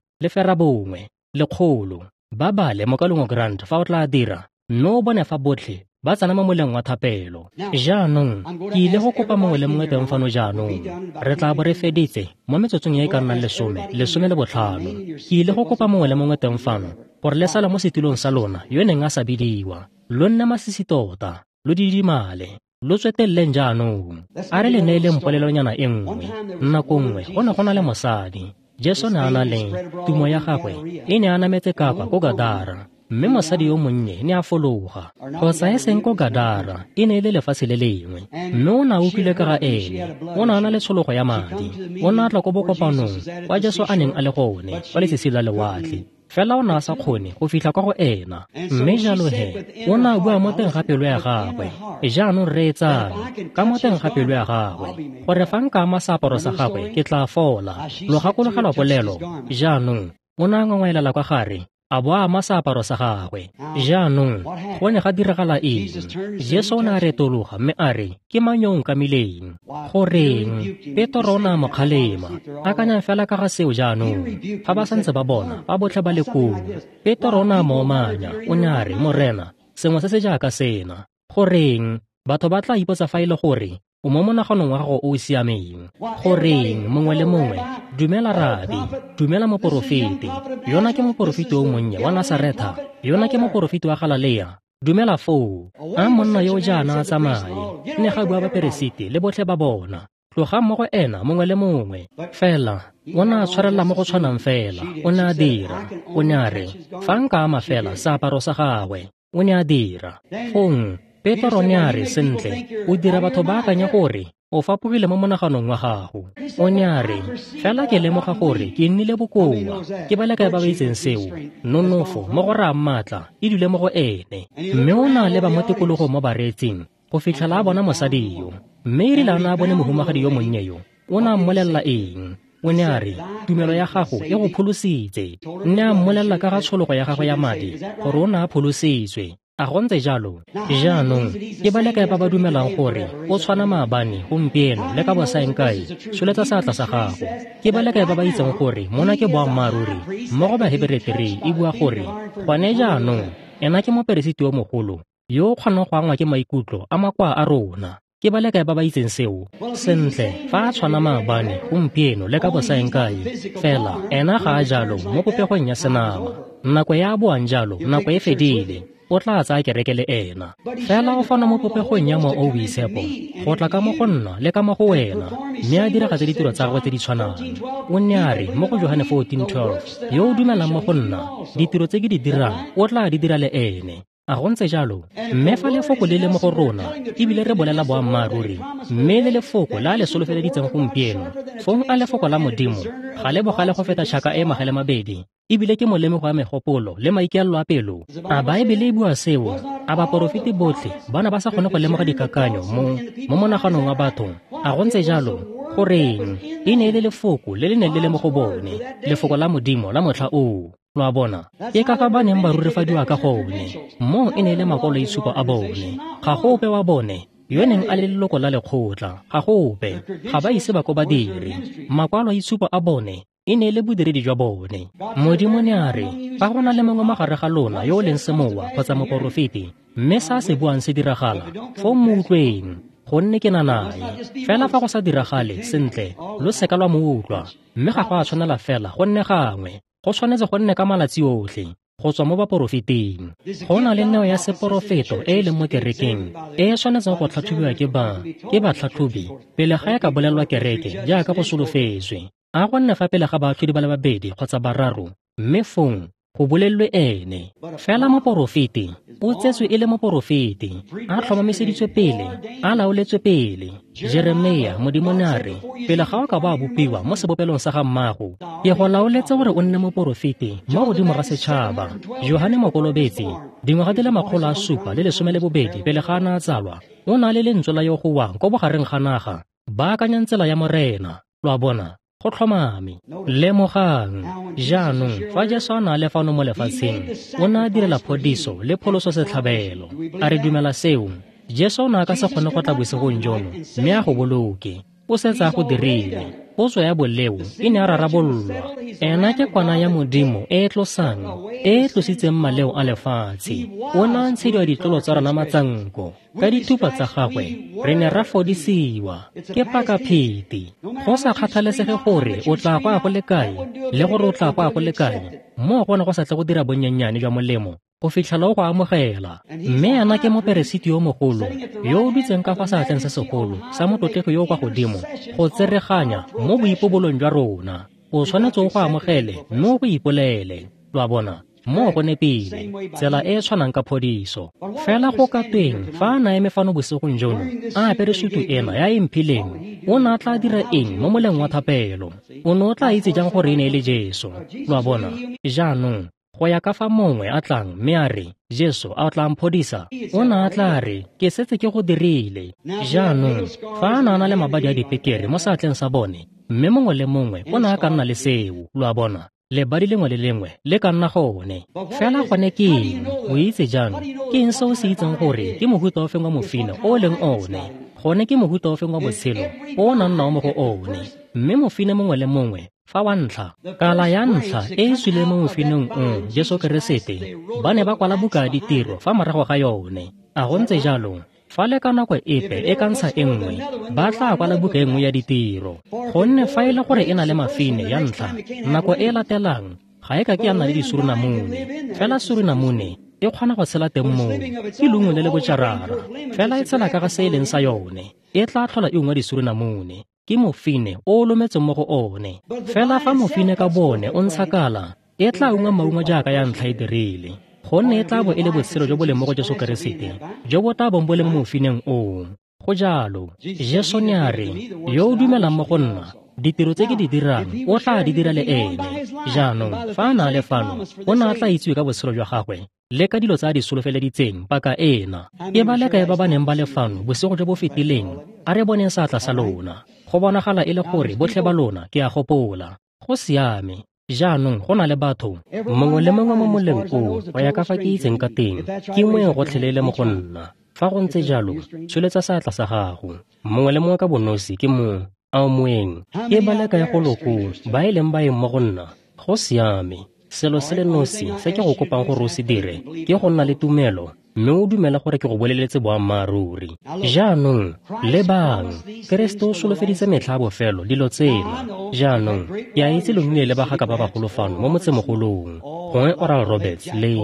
100. Ba bale mokalengwe Grant fa o tla dira, mme o bone fa botlhe ba tsena mo moleng wa thapelo. Jaanong ke ile go kopa mongwe le mongwe teng fano jaanong. Re tla bo re feditse mo metsotsong e e ka nnang 10, 15. Ke ile go kopa mongwe le mongwe teng fano gore le sale mo setilong sa lona yo neng a sa bidiwa. Lo nne masisi tota, lo didimale, lo tsweteleleng jaanong. A re le neeleng polelonyana e nngwe. Nako nngwe go ne go na le mosadi. Jesu ne a na le tumo ya gagwe e ne a nametse kapa ko Gadara. Mme mosadi yo monnye ne a fologa, kgotsa e seng ko Gadara, e ne e le lefatshe le lengwe. Mme o ne a utlwile ka ga ene, o ne a na le tshologo ya madi. O ne a tla ko bokopanong kwa Jesu a neng a le gone kwa letsatsi la lewatle. Fela o ne a sa kgone go fitlha kwa go ena. Mme jalo he, o ne a bua mo teng ga pelo ya gagwe. Jaanong reetsang, ka mo teng ga pelo ya gagwe, gore fa nka ama seaparo sa gagwe ke tla fola. Lo gakologelwa polelo? Jaanong o ne a ngongwaelela kwa gare, a bo a ama seaparo sa gagwe. Jaanong go ne ga diragala eng? Jesu o ne a retologa mme a re, ke mang yo o nkamileng? Goreng? Petro o ne a mo kgalema. Akanyang fela ka ga seo jaanong. Fa ba santse ba bona, ba botlhe ba le koo. Petro o ne a mo omanya, o ne a re, Morena, sengwe se se jaaka sena. Goreng? Batho ba tla ipotsa fa e le gore o mo monaganong wa gago o o siameng. Goreng, mongwe le mongwe, dumela rabi, dumela moporofeti. Yona ke moporofeti o monnye wa Nasaretha, yona ke moporofeti wa Galalea. Dumela foo. A monna yo jaana a tsamaye. Ne ga bua baperesiti le botlhe ba bona. Tlogang mo go ena mongwe le mongwe. Fela o ne a tshwarelela mo go tshwanang fela. O ne a dira. O ne a re, fa nka ama fela seaparo sa gagwe. O ne a dira. Fong Petro ne a re, sentle, o dira batho ba akanya gore o fapogile mo monaganong wa gago. O ne a re, fela ke lemoga gore ke nnile bokoa. Ke ba le kae ba ba itseng seo? Nonofo mo go raya maatla e dule mo go ene. Mme o ne a leba mo tikologong mo bareetsing go fitlhela a bona mosadi yo. Mme e rile a ne a bone mohumagadi yo monnye yo, o ne a mmolelela eng? O ne a re, tumelo ya gago e go pholositse. Ne a mmolelela ka ga tshologo ya gagwe ya madi gore o ne a pholositswe. A go ntse jalo? Jaanong ke ba le kae ba ba dumelang gore o tshwana maabane, gompieno le ka bosaeng kae? Tsholetsa seatla sa gago. Ke ba le kae ba ba itseng gore mona ke boammaaruri? Mo go Bahebere 3 e bua gore gone jaanong ena ke moperesiti yo mogolo yo o kgonang go angwa ke maikutlo a makoa a rona. Ke ba le kae ba ba itseng seo? Sentle, fa a tshwana maabane, gompieno le ka bosaeng kae, fela ena ga a jalo mo popegong ya senama. Nako ya boang jalo, nako e fedile. O tla tsaya kereke le ena. Fela o fana mo popegong ya Mowa o Boitshepo, go tla ka mo go nna le ka mo go wena, mme a diragatse ditiro tsa gagwe tse di tshwanang. O ne a re mo go Johane 14:12, yo o dumelang mo go nna, ditiro tse ke di dirang o tla di dira le ene. A go ntse jalo? Mme fa lefoko le le mo go rona, ebile re bolela boammaaruri, mme le lefoko la le solofeleditseng gompieno, fong a lefoko la Modimo ga le bogale go feta tšhaka e magale mabedi, ebile ke molemogo wa megopolo le maikaelelo a pelo. A Baebele e bua seo? A baporofeti botlhe ba ne ba sa kgone go lemoga dikakanyo mo monaganong wa batho? A go ntse jalo? Goreng? E ne e le lefoko le le neng le le mo go bone, lefoko la Modimo la motlha oo. Lo a bona? Ke ka fa ba neng ba rurifadiwa ka gone. Moo e ne e le makwaloitshupo a bone. Ga go ope wa bone yo neng a le leloko la lekgotla. Ga go ope. Ga ba ise ba ko ba dire. Makwaloitshupo a bone e ne e le bodiredi jwa bone. Modimo ne a re, fa go na le mongwe magare ga lona yo o leng semowa kgotsa moporofeti, mme sa se buang se diragala, foo mo utlweng, gonne ke na nae. Fela fa go sa diragale sentle, lo seka lwa mo utlwa. Mme ga go a tshwanela fela go nne gangwe, go tshwanetse go nne ka malatsi otlhe. go tswa mo baporofeting. Go na le neo ya seporofeto e e leng mo kerekeng e e tshwanetseng go tlhatlhobiwa ke batlhatlhobi pele ga e ka bolelwa kereke jaaka go solofetswe. A go nne fa pele ga baatlhodi ba le babedi kgotsa bararo, mme fong go bolelelwe ene. Fela moporofeti o tsetswe e le moporofeti, a tlhomamiseditswe pele, a laoletswe pele. Jeremia, Modimo ne a re, pele ga o ka ba bopiwa mo sebopelong sa ga mmago, ke go laoletse gore o nne moporofeti mo godimo ga setšhaba. Johane Mokolobetsi, dingwaga di le 712 pele ga a na a tsalwa, o na le lentswe la yo gowang ko bogareng ga naga, baakanyang tsela ya Morena. Lo a bona? Go tlhomame. Lemogang jaanong, fa Jesu a na le fano mo lefatsheng, o ne a direla phodiso le pholoso setlhabelo. A re dumela seo? Jesu o ne a ka se kgone go tla bosigong jono mme a go boloke. O setse a go dirile. Potso ya boleo e ne a rarabololwa. Ena ke kwana ya Modimo e e tlosang, e e tlositseng maleo a lefatshe. O ne a ntshediwa ditlolo tsa rona matsanko. Ka dithupa tsa gagwe re ne ra fodisiwa. Ke pakapheti. Go sa kgathalesege gore o tla go ya go le kae le gore o tla go ya go le kae, moo go ne go sa tle go dira bonnyennyane jwa molemo go fitlhela o go amogela. Mme ena ke moperesiti yo mogolo yo o dutseng ka fa seatleng se segolo sa motlotlegi yo o kwa godimo go tsereganya mo boipobolong jwa rona. O tshwanetse o go amogele mme o go ipolele. Lo a bona? Moo go nepile, tsela e e tshwanang ka phodiso. Fela go ka tweng fa a na eme fano bosigong jono a apere sutu ena ya e mphileng, o ne a tla dira eng mo moleng wa thapelo? O ne o tla itse jang gore e ne e le Jesu? Lo a bona? Jaanong, go ya ka fa mongwe a tlang mme a re, Jesu a o tla mphodisa? O ne a tla re, ke setse ke go dirile. Jaanong, fa a ne a na le mabadi a dipekere mo seatleng sa bone, mme mongwe le mongwe o ne a ka nna le seo. Lo a bona? Lebadi lengwe le lengwe le ka nna gone. Fela gone ke eng? O itse jang? Ke eng se o se itseng gore ke mohuta ofeng wa mofine o leng one? Gone ke mohuta ofeng wa botshelo o o nang nao mo go one? Mme mofine mongwe le mongwe fa wa ntlha, kala ya ntlha e e tswileng mo mofineng o, Jesu Keresete, ba ne ba kwala buka ya ditiro fa morago ga yone. A go ntse jalo? Fa le ka nako epe e ka ntsha e nngwe, ba tla kwala buka e nngwe ya ditiro. Gonne fa e le gore e na le mafine ya ntlha, nako e latelang ga e ka ke ya nna le disurunamune. Fela surunamune e kgona go tshela teng moo, ke leungo le le botšarara. Fela e tshela ka ga se e leng sa yone, e tla tlhola e ungwa disurunamune. Ke mofine o o lometseng mo go one. Fela fa mofine ka bone o ntsha kala, e tla ungwa maungo jaaka ya ntlha e dirile. Gonne e tla bo e le botshelo jo bo leng mo go Jesu Keresete jo bo tla bong bo le mo mofineng oo. Go jalo. Jesu ne a re, yo o dumelang mo go nna, ditiro tse ke di dirang o tla di dira le ene. Jaanong, fa a na le fano, o ne a tla itsiwe ka botshelo jwa gagwe le ka dilo tse a di solofeleditseng paka ena. Ke ba le kae ba ba neng ba le fano bosigo jo bo fetileng? A re boneng seatla sa lona. Go bonagala e le gore botlhe ba lona ke a gopola. Go siame. Jaanong go na le batho mongwe le mongwe mo moleng oo, go ya ka fa ke itseng ka teng, ke moeng gotlhelele mo go nna. Fa go ntse jalo, tsholetsa seatla sa gago. Mongwe le mongwe ka bonosi ke mo a o moeng. Ke ba le kae go loko ba e leng baeng mo go nna? Go siame. Selo se le nosi se ke go kopang gore o se dire ke go nna le tumelo mme o dumela gore ke go boleletse boammaaruri. Jaanong, lebang, Keresete o solofeditse metlha a bofelo dilo tsena. Jaanong, ke a itse lo nnile le bagaka ba bagolo fano mo motsemogolong, gongwe Oral Roberts le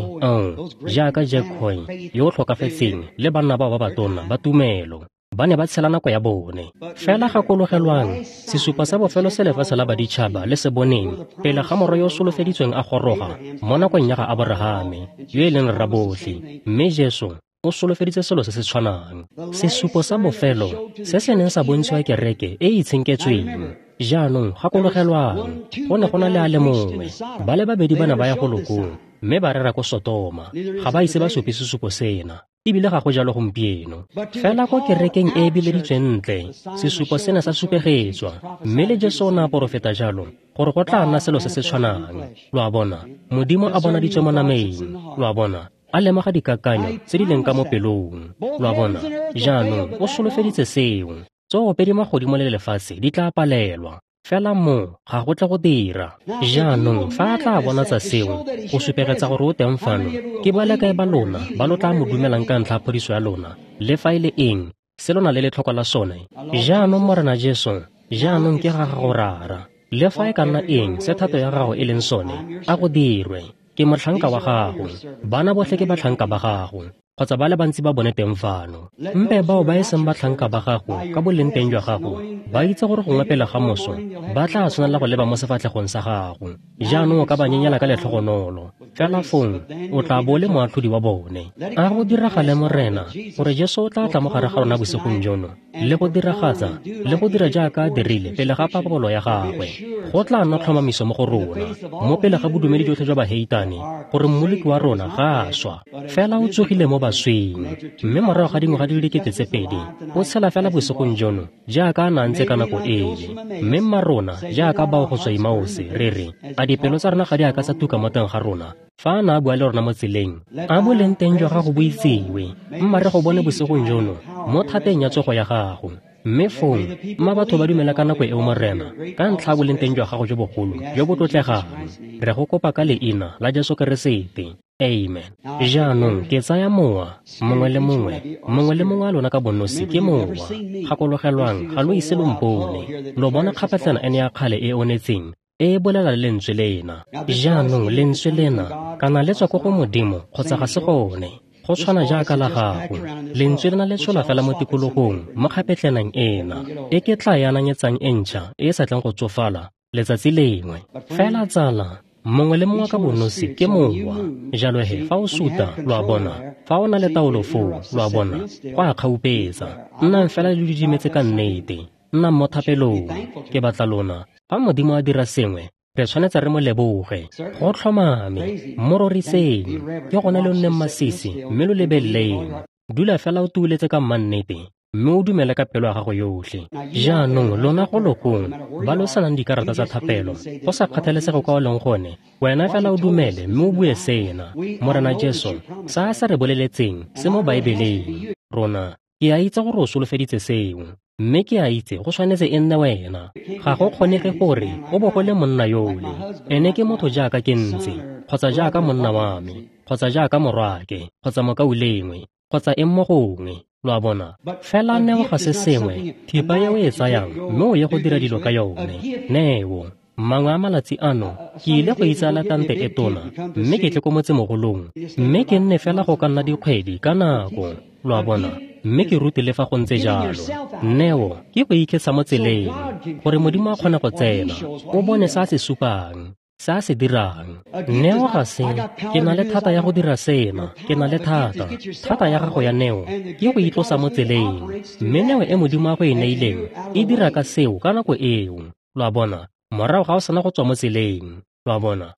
jaaka Jack Coy yo o tlhokafetseng le banna bao ba batona ba tumelo. Ba ne ba tshela nako ya bone. Fela gakologelwang, sesupo sa bofelo se lefatshe la baditšhaba le se boneng pele ga morwa yo o solofeditsweng a goroga mo nakong ya ga Aborahame, yo e leng rrabotlhe. Mme Jesu o solofeditse selo se se tshwanang. Sesupo sa bofelo se se neng sa bontshiwa kereke e e itshenketsweng. Jaanong gakologelwang, go ne go na le a le mongwe, ba le babedi ba ne ba ya go lokong mme ba rera ko Sotoma. Ga ba ise ba supe sesupo sena, ebile ga go jalo gompieno. Fela ko kerekeng e e bileditsweng ntle, sesupo sena sa supegetswa, mme le Jesu o ne a porofeta jalo gore go tla nna selo se se tshwanang. Lo a bona? Modimo a bonaditswe mo nameng. Lo a bona? A lemoga dikakanyo tse di leng ka mo pelong. Lo a bona? Jaanong o solofeditse seo. Tsoopedi magodimo le lefatshe di tla palelwa, fela mo ga go tle go dira. Jaanong fa a tla bonatsa seo go supegetsa gore o teng fano, ke ba le kae ba lona ba lo tla mo dumelang ka ntlha ya phodiso ya lona, le fa e le eng se lona le letlhoko la sone? Jaanong Morena Jesu, jaanong ke ga gago Rara. Le fa e ka nna eng se thato ya gago e leng sone, a go dirwe. Ke motlhanka wa gago. Bana botlhe ke batlhanka ba gago, kgotsa ba le bantsi ba bone teng fano. Mpe bao ba e seng batlhanka ba gago ka boleng teng jwa gago, ba itse gore gongwe pele ga moso ba tla tshwanela go leba mo sefatlhegong sa gago. Jaanong o ka ba nyenyela ka letlhogonolo, fela fong o tla bo le moatlhodi wa bone. A go diragale, Morena, gore Jesu o tla tla mo gare ga rona bosigong jono le go diragatsa le go dira jaaka a dirile pele ga papolo ya gagwe. Go tla nna tlhomamiso mo go rona, mo pele ga bodumedi jotlhe jwa baheitane, gore Mmoloki wa rona ga a swa, fela o tsogile mo baswing, mme morago ga dingwaga di le 2000 o tshela fela bosigong jono jaaka a na ntse ka nako ele. Mme mma rona, jaaka bao go tswa Emause, re re, a dipelo tsa rona ga di a ka tsa tuka mo teng ga rona fa a na a bua le rona mo tseleng? A boleng teng jwa gago bo itsiwe. Mma re go bone bosigong jono mo thateng ya tsogo ya gago. Mme fong mma batho ba dumela ka nako eo, Morena, ka ntlha boleng teng jwa gago jo bogolo jo bo tlotlegang. Re go kopa ka leina la Jesu Keresete. Amen. Jaanong ke tsaya mowa mongwe le mongwe, mongwe le mongwe a lona ka bonosi ke mowa. Gakologelwang, ga lo ise lo mpone. Lo bona kgapetlana ene ya kgale e onetseng e bolela le lentswe lena. Jaanong lentswe lena kana le tswa ko go Modimo kgotsa ga se gone. Go tshwana jaaka la gago. Lentswe lena le tshola fela mo tikologong mo kgapetlenang ena, e ke tla e ananyetsang e ntšha e e sa tleng go tsofala letsatsi lengwe. Fela tsala, mongwe le mongwe ka bonosi ke mowa. Jalo he, fa o suta, lo a bona, fa o na le taolo foo, lo a bona, go a kgaupetsa. Nnang fela le didimetse ka nnete. Nnang mo thapelong. Ke batla lona, fa Modimo a dira sengwe, re tshwanetse re mo leboge. Go tlhomame, mo roriseng. Ke gone lo nneng masisi mme lo lebeleleng. Dula fela o tuuletse ka mmannete, mme o dumele ka pelo ya gago yotlhe. Jaanong lona go lokong ba lo sanang dikarata tsa thapelo, go sa kgathalesege kwa o leng gone, wena fela o dumele mme o bue sena: Morena Jesu, sa a se re boleletseng se mo Baebeleng. Rona, ke a itse gore o solofeditse seo, mme ke a itse go tshwanetse e nne wena. Ga go kgonege gore o bo go le monna yole. Ene ke motho jaaka ke ntse, kgotsa jaaka monna wa me, kgotsa jaaka morwake, kgotsa mokaulengwe, kgotsa eng mo gongwe. Lo a bona? Fela neo ga se sengwe, thipa e o e tsayang mme o ye go dira dilo ka yone. Neo. Mangwe a malatsi ano ke ile go itsaela tante e tona, mme ke tle ko motsemogolong, mme ke nne fela go ka nna dikgwedi ka nako. Lo a bona? Mme ke rute le fa go ntse jalo. Neo ke go iketsa mo tseleng gore Modimo a kgone go tsena, o bone sa se supang, sa se dirang. Neo ga se, ke na le thata ya go dira sena, ke na le thata. Thata ya gago ya neo ke go itlosa mo tseleng, mme neo e Modimo a go e neileng e dira ka seo ka nako eo. Lo a bona? Morago ga o sena go tswa mo tseleng. Lo a bona?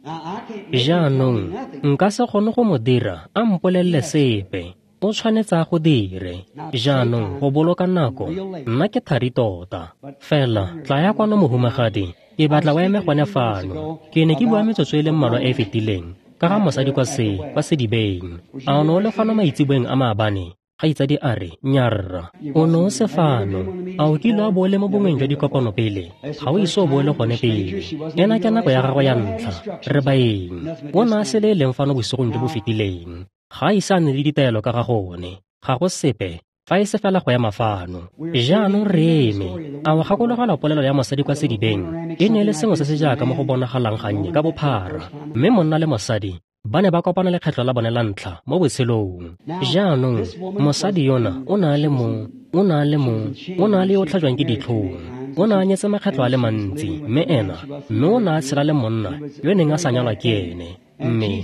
Jaanong nka se kgone go mo dira a mpolelele sepe. O tshwanetse a go dire. Jaanong go boloka nako, nna ke thari tota. Fela tla ya kwano mohumagadi, ke batla o eme gone fano. Ke ne ke bua metsotso e le mmalwa e e fetileng ka ga mosadi kwa sedibeng. A o ne o le fano maitseboeng a maabane? Kgaitsadi a re, nyarra, o ne o se fano. A o kile wa bo o le mo bongweng jwa dikopano pele? Ga o ise o bo o le gone pele. Ena ke nako ya gagwe ya ntlha. Re baeng. O ne a se le e leng fano bosigong jo bo fetileng. Ga a ise a nne le ditaelo ka ga gone. Ga go sepe, fa e se fela go ema fano. Jaanong re eme. A o gakologelwa polelo ya mosadi kwa sedibeng? E ne e le sengwe se se jaaka mo go bonagalang gannye ka bophara, mme monna le mosadi ba ne ba kopana lekgetlho la bone la ntlha mo botshelong. Jaanong mosadi yona o ne a le o ne a le yo o tlhajwang ke ditlhong. O ne a nyetse makgetlho a le mantsi, mme ena, mme o ne a tshela le monna yo neng a sa nyalwa ke ene. Mme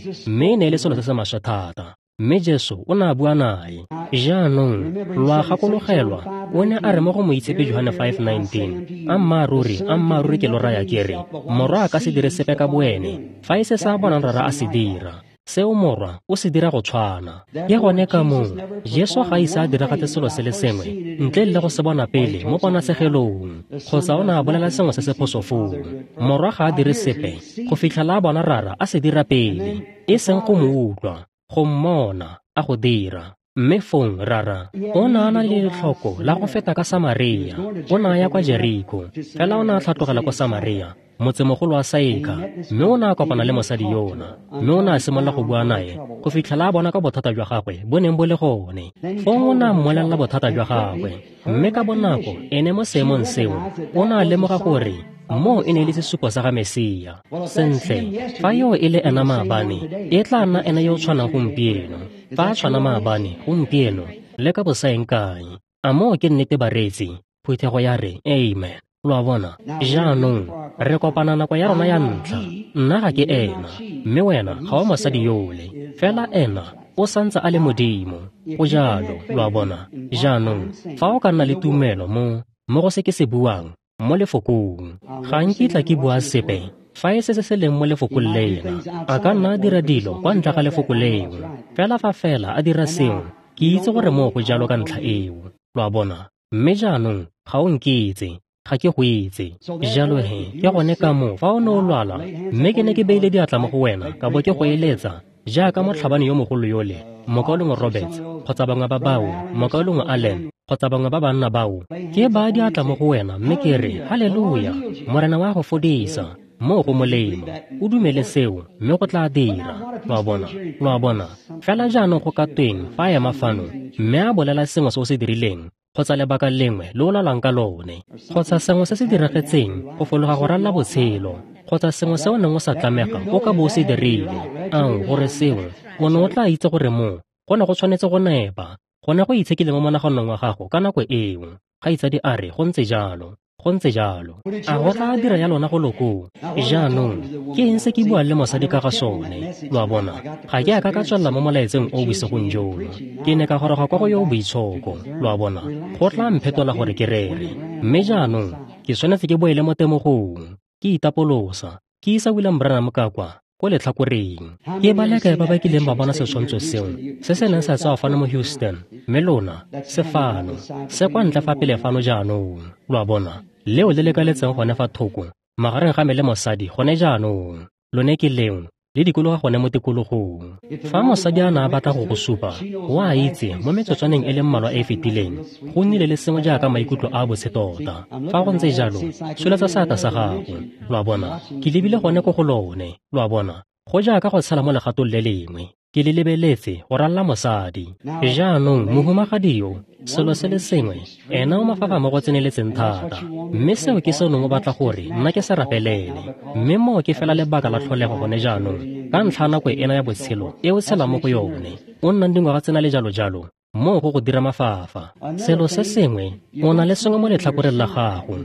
e ne e le selo se se maswe thata. Mme Jesu o ne a bua nae. Jaanong lo a gakologelwa, o ne a re mo go Moitshepi Johane 5:19, ammaaruri, ammaaruri ke lo raya ke re, morwa a ka se dire sepe ka boene, fa e se sa bonang rara a se dira. Seo morwa o se dira go tshwana. Ke gone ka moo Jesu ga ise a diragatse selo se le sengwe ntle le go se bona pele mo ponatshegelong, kgotsa o ne a bolela sengwe se se phoso foo. Morwa ga a dire sepe go fitlhela a bona rara a se dira pele, e seng go mo utlwa, go mmona a go dira. Mme fong rara o ne a na le letlhoko la go feta ka Samaria. O ne a ya kwa Jeriko, fela o ne a tlhatlogela kwa Samaria motsemogolo wa Saika, mme o ne a kopana le mosadi yona, mme o ne a simolola go bua nae go fitlhela a bona ka bothata jwa gagwe bo neng bo le gone. Fong o ne a mmolelela bothata jwa gagwe, mme ka bonako ene mo seemong seo o ne a lemoga gore moo e ne e le sesupo sa ga Mesia. Sentle, fa yo e le ena maabane, e tla nna ene yo o tshwanang gompieno. Fa a tshwana maabane, gompieno, le ka bosaeng kae. A moo ke nnete bareetsi? Phuthego ya re, amen. Lo a bona? Jaanong, re kopana nako ya rona ya ntlha. Nna ga ke ena, mme wena ga o mosadi yole. Fela ena o santse a le Modimo. Go jalo, lo a bona? Jaanong, fa o ka nna le tumelo mo go se ke se buang, mo lefokong, ga nkitla ke bua sepe fa e se se leng mo lefokong lena. A ka nna a dira dilo kwa ntle ga lefoko leo, fela fa fela a dira seo, ke itse gore moo go jalo ka ntlha eo. Lo a bona? Mme jaanong ga o nkitse, ga ke go itse. Jalo he, ke gone ka moo fa o ne o lwala, mme ke ne ke beile diatla mo go wena ka bo ke go eletsa jaaka motlhabane yo mogolo yole, Mokaulengwe Roberts, kgotsa bangwe ba bao, Mokaulengwe Allen, kgotsa bangwe ba banna bao, ke ba diatla mo go wena mme ke re, haleluya, Morena wa go fodisa, moo go molemo. O dumele seo, mme go tla dira. Lo a bona? Lo a bona? Fela jaanong go ka tweng fa a ema fano, mme a bolela sengwe se o se dirileng, kgotsa lebaka lengwe le o lwalang ka lone, kgotsa sengwe se se diragetseng go fologa go ralla botshelo, kgotsa sengwe se o neng o sa tlamega o ka bo o se dirile. Ao, gore seo, o ne o tla itse gore moo go ne go tshwanetse go nepa, go ne go itshekile mo monaganong wa gago ka nako eo. Kgaitsadi a re, go ntse jalo, go ntse jalo. A go tla dira ya lona go lokoo? Jaanong, ke eng se ke buang le mosadi ka ga sone? Lo a bona? Ga ke a ka ka tswelela mo molaetseng o bosigong jono. Ke ne ka goroga kwa go yo o boitshoko. Lo a bona? Go tla mphetola gore ke rere. Mme jaanong, ke tshwanetse ke boele mo temogong, ke itapolosa, ke isa William Branham ka kwa ko letlhakoreng. Ke ba le kae ba ba kileng ba bona setshwantsho seo se se neng sa tsewa fano mo Houston, mme lona se fano, se kwa ntle fa pele fano jaanong. Lo a bona? Leo le lekaletseng gone fa thoko magareng ga me le mosadi gone jaanong. Lone ke leo le dikologa gone mo tikologong. Fa mosadi a ne a batla go go supa, o a itse mo metsotswaneng e le mmalwa e e fetileng, go nnile le sengwe jaaka maikutlo a botse tota. Fa go ntse jalo, tsholetsa seatla sa gago. Lo a bona? Ke lebile gone ko go lone. Lo a bona? Go jaaka go tshela mo legatong le lengwe. Ke le lebeletse go ralla mosadi. Jaanong mohumagadi yo, selo se le sengwe, ena o mafafa mo go tseneletseng thata. Mme seo ke se o neng o batla gore nna ke se rapelele. Mme moo ke fela lebaka la tlholego gone jaanong, ka ntlha ya nako ena ya botshelo e o tshelang mo go yone, o nnang dingwaga tsena le jalo-jalo, moo go go dira mafafa. Selo se sengwe, o na le sengwe mo letlhakoreng la gago,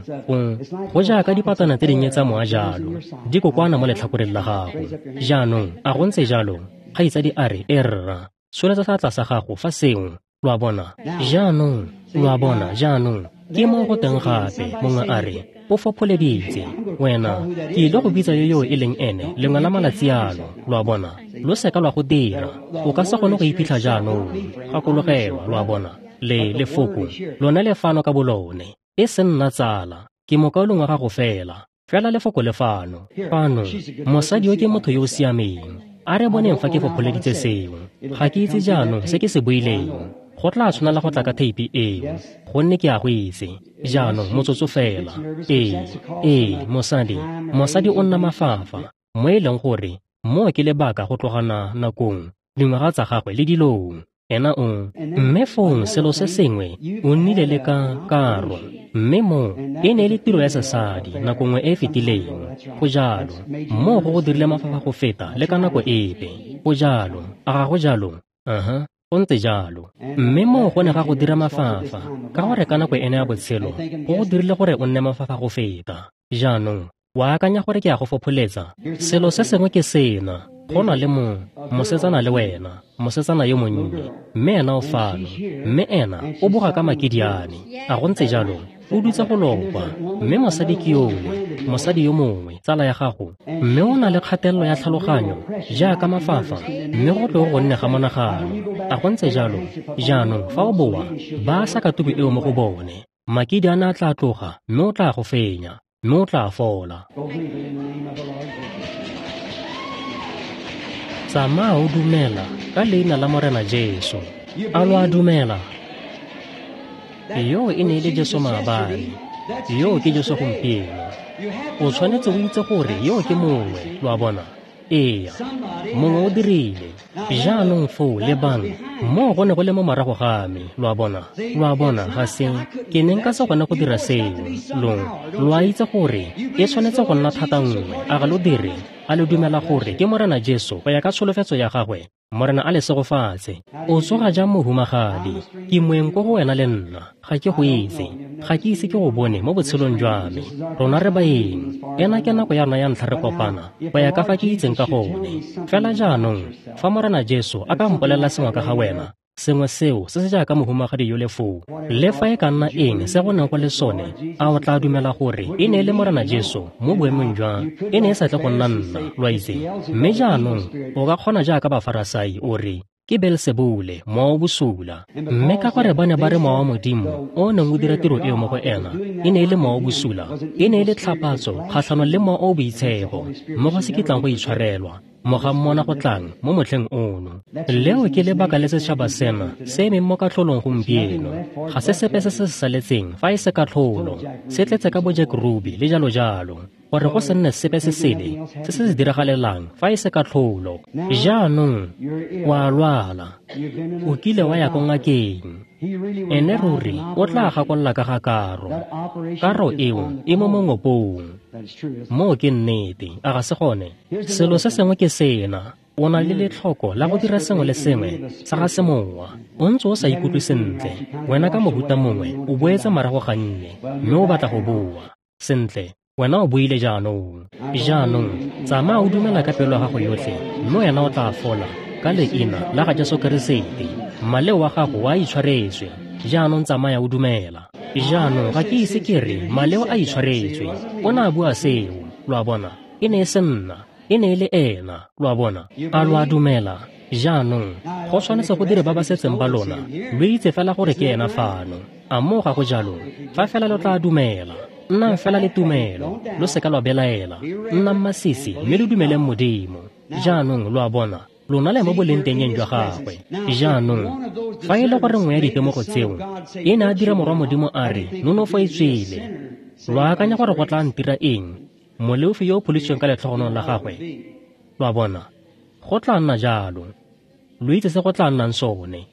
go jaaka dipatana tse dinnye tsa moa jalo, di kokwana mo letlhakoreng la gago. Jaanong, a go ntse jalo? Kgaitsadi a re, e rra, tsholetsa seatla sa gago fa seo. Lo a bona? Jaanong, lo a bona, jaanong, ke mo go teng gape, mongwe a re, o fopholeditse. Wena, ke ile go bitsa yo yo e leng ene lengwe la malatsi ano. Lo a bona? Lo seka lwa go dira. O ka se kgone go iphitlha jaanong. Gakologelwa, lo a bona, le lefoko, lone le fano ka bolone. E se nna tsala, ke mokaulengwe wa gago fela. Fela lefoko le fano. Fano, mosadi yo ke motho yo o siameng. A re boneng fa ke fopholeditse seo. Ga ke itse jaanong se ke se buileng. Go tla tshwanela go tla ka theipi eo, gonne ke a go itse. Jaanong motsotso fela. Ee, mosadi o nna mafafa, mo e leng gore moo ke lebaka go tlogana nakong, dingwaga tsa gagwe le dilong. Ena o, mme fong selo se sengwe, o nnile le ka karo, mme mo e ne e le tiro ya sesadi nako nngwe e e fetileng. Go jalo, moo go go dirile mafafa go feta le ka nako epe. Go jalo, a ga go jalo? Aha, go ntse jalo. Mme moo go ne ga go dira mafafa, ka gore ka nako ena ya botshelo, go go dirile gore o nne mafafa go feta. Jaanong, wa akanya gore ke a go fopholetsa? Selo se sengwe ke sena. Go na le mosetsana le wena, mosetsana yo monnye, mme ena o fano, mme ena o boga ka makidiane. A go ntse jalo? O dutse go lokwa, mme mosadi ke yole, mosadi yo mongwe, tsala ya gago, mme o na le kgatelelo ya tlhaloganyo jaaka mafafa, mme go tlo go nne ga monagano. A go ntse jalo? Jaanong fa o boa, ba sa katuku eo mo go bone, makidiane a tla tloga, mme o tla go fenya, mme o tla fola. Tsamaya o dumela ka leina la Morena Jesu. A lo a dumela? Yo e ne e le Jesu maabane. Yoo ke Jesu gompieno. O tshwanetse o itse gore yoo ke mongwe, lo a bona. Ee, mongwe o dirile. Jaanong foo lebang, moo go ne go le mo morago ga me, lo a bona. Lo a bona, ga se ke ne nka se kgone go dira seo. Lo a itse gore e tshwanetse go nna thata nngwe, a ga lo dire? A le dumela gore ke Morena Jesu go ya ka tsholofetso ya gagwe? Morena a le segofatse. O tsoga jang mohumagadi? Ke moeng ko go wena le nna. Ga ke go itse. Ga ke ise ke go bone mo botshelong jwa me. Rona re baeng. Ena ke nako ya rona ya ntlha re kopana, go ya ka fa ke itseng ka gone. Fela jaanong, fa Morena Jesu a ka mpolelela sengwe ka ga wena, sengwe seo se se jaaka mohumagadi yo le foo, le fa e ka nna eng se go neng go le sone, a o tla dumela gore e ne e le Morena Jesu mo boemong jwa e ne e sa tle go nna nna, lo a itse. Mme jaanong o ka kgona jaaka Bafarasai o re, ke Beelsebule, mowa o bosula. Mme ka gore ba ne ba re mowa wa Modimo o neng o dira tiro eo mo go ena e ne e le mowa o bosula, e ne e le tlhapatso kgatlhanong le mowa o o boitshepo, mo go se kitlang go itshwarelwa moga mmona go tlang mo motlheng ono. Leo ke lebaka le setšhaba sena se emeng mo katlholong gompieno. Ga se sepe se se saletseng fa e se katlholo, se tletse ka bo Jack Ruby le jalo jalo, gore go se nne sepe se sele se se diragalelang fa e se katlholo. Jaanong wa lwala, o kile wa ya ko ngakeng, ene ruri o tla gakolola ka ga karo. Karo eo e mo mongopong. Moo ke nnete, a ga se gone? Selo se sengwe ke sena, o na le letlhoko la go dira sengwe le sengwe sa ga semowa. O ntse o sa ikutlwe sentle, wena ka mohuta mongwe o boetse morago gannye, mme o batla go boa. Sentle, wena o boile jaanong. Jaanong, tsamaya o dumela ka pelo ya gago yotlhe, mme wena o tla fola ka leina la ga Jesu Keresete. Maleo wa gago a itshwaretswe. Jaanong tsamaya o dumela. Jaanong ga ke ise ke re maleo a itshwaretswe. O ne a bua seo, lo a bona. E ne e se nna, e ne e le ena, lo a bona. A lo a dumela? Jaanong go tshwanetse go dire ba ba setseng ba lona, lo itse fela gore ke ena fano. A moo ga go jalo? Fa fela lo tla dumela. Nnang fela le tumelo, lo seka lwa belaela. Nnang masisi mme lo dumeleng Modimo. Jaanong lo a bona, lona le mo bolengtengeng jwa gagwe. Jaanong, fa e le gore nngwe ya ditemogo tseo e ne a dira morwa Modimo a re nonofo e tswele, lo akanya gore go tla ntira eng, moleofi yo o pholositsweng ka letlhogonong la gagwe? Lo a bona, go tla nna jalo. Lo itse se go tla nnang sone.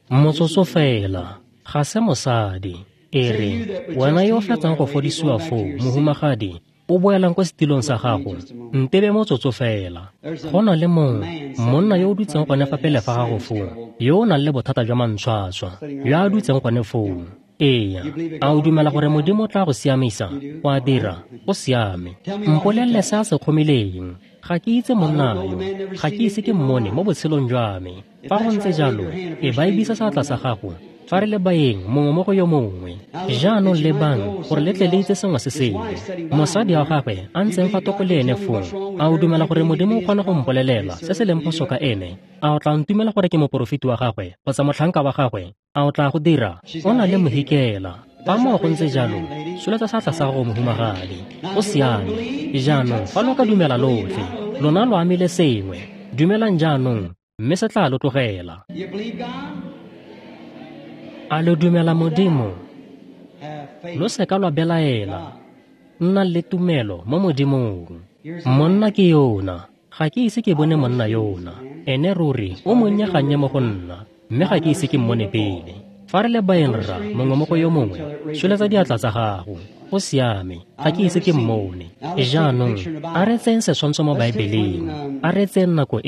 Motsotso fela, ga se mosadi. E re, wena yo o fetsang go fodisiwa foo, mohumagadi, o boelang ko setilong sa gago, ntebe motsotso fela. Go na le mongwe, monna yo o dutseng gone fa pele fa gago foo, yo o nang le bothata jwa mantshwatshwa, yo a dutseng gone foo. Ee, a o dumela gore Modimo o tla go siamisa? O a dira, o siame. Mpolelele se a se kgomileng. Ga ke itse monna yo, ga ke ise ke mmone mo botshelong jwa me. Fa go ntse jalo, e ba ebisa seatla sa gago fa re le baeng mongwe mo go yo mongwe. Jaanong lebang gore le tle le itse sengwe se sengwe. Mosadi wa gagwe a ntseng fa toko le ene foo, a o dumela gore Modimo o kgona go mpolelela se se leng phoso ka ene? A o tla ntumela gore ke moporofeti wa gagwe kgotsa motlhanka wa gagwe? A o tla go dira? O na le mohikela. Fa moo go ntse jalo, tsholetsa seatla sa gago, mohumagadi. Go siame. Jaanong fa lo ka dumela lotlhe, lona lo amile sengwe. Dumelang jaanong, mme se tla lo tlogela. A lo dumela Modimo? Lo seka lwa belaela. Nnang le tumelo mo Modimong. Monna ke yona. Ga ke ise ke bone monna yona. Ene ruri o monnye gannye mo go nna, mme ga ke ise ke mmone pele. Fa re le baeng rra mongwe mo go yo mongwe, tsholetsa diatla tsa gago. Go siame, ga ke ise ke mmone. Jaanong a re tseyeng setshwantsho mo Baebeleng. A re tseyeng nako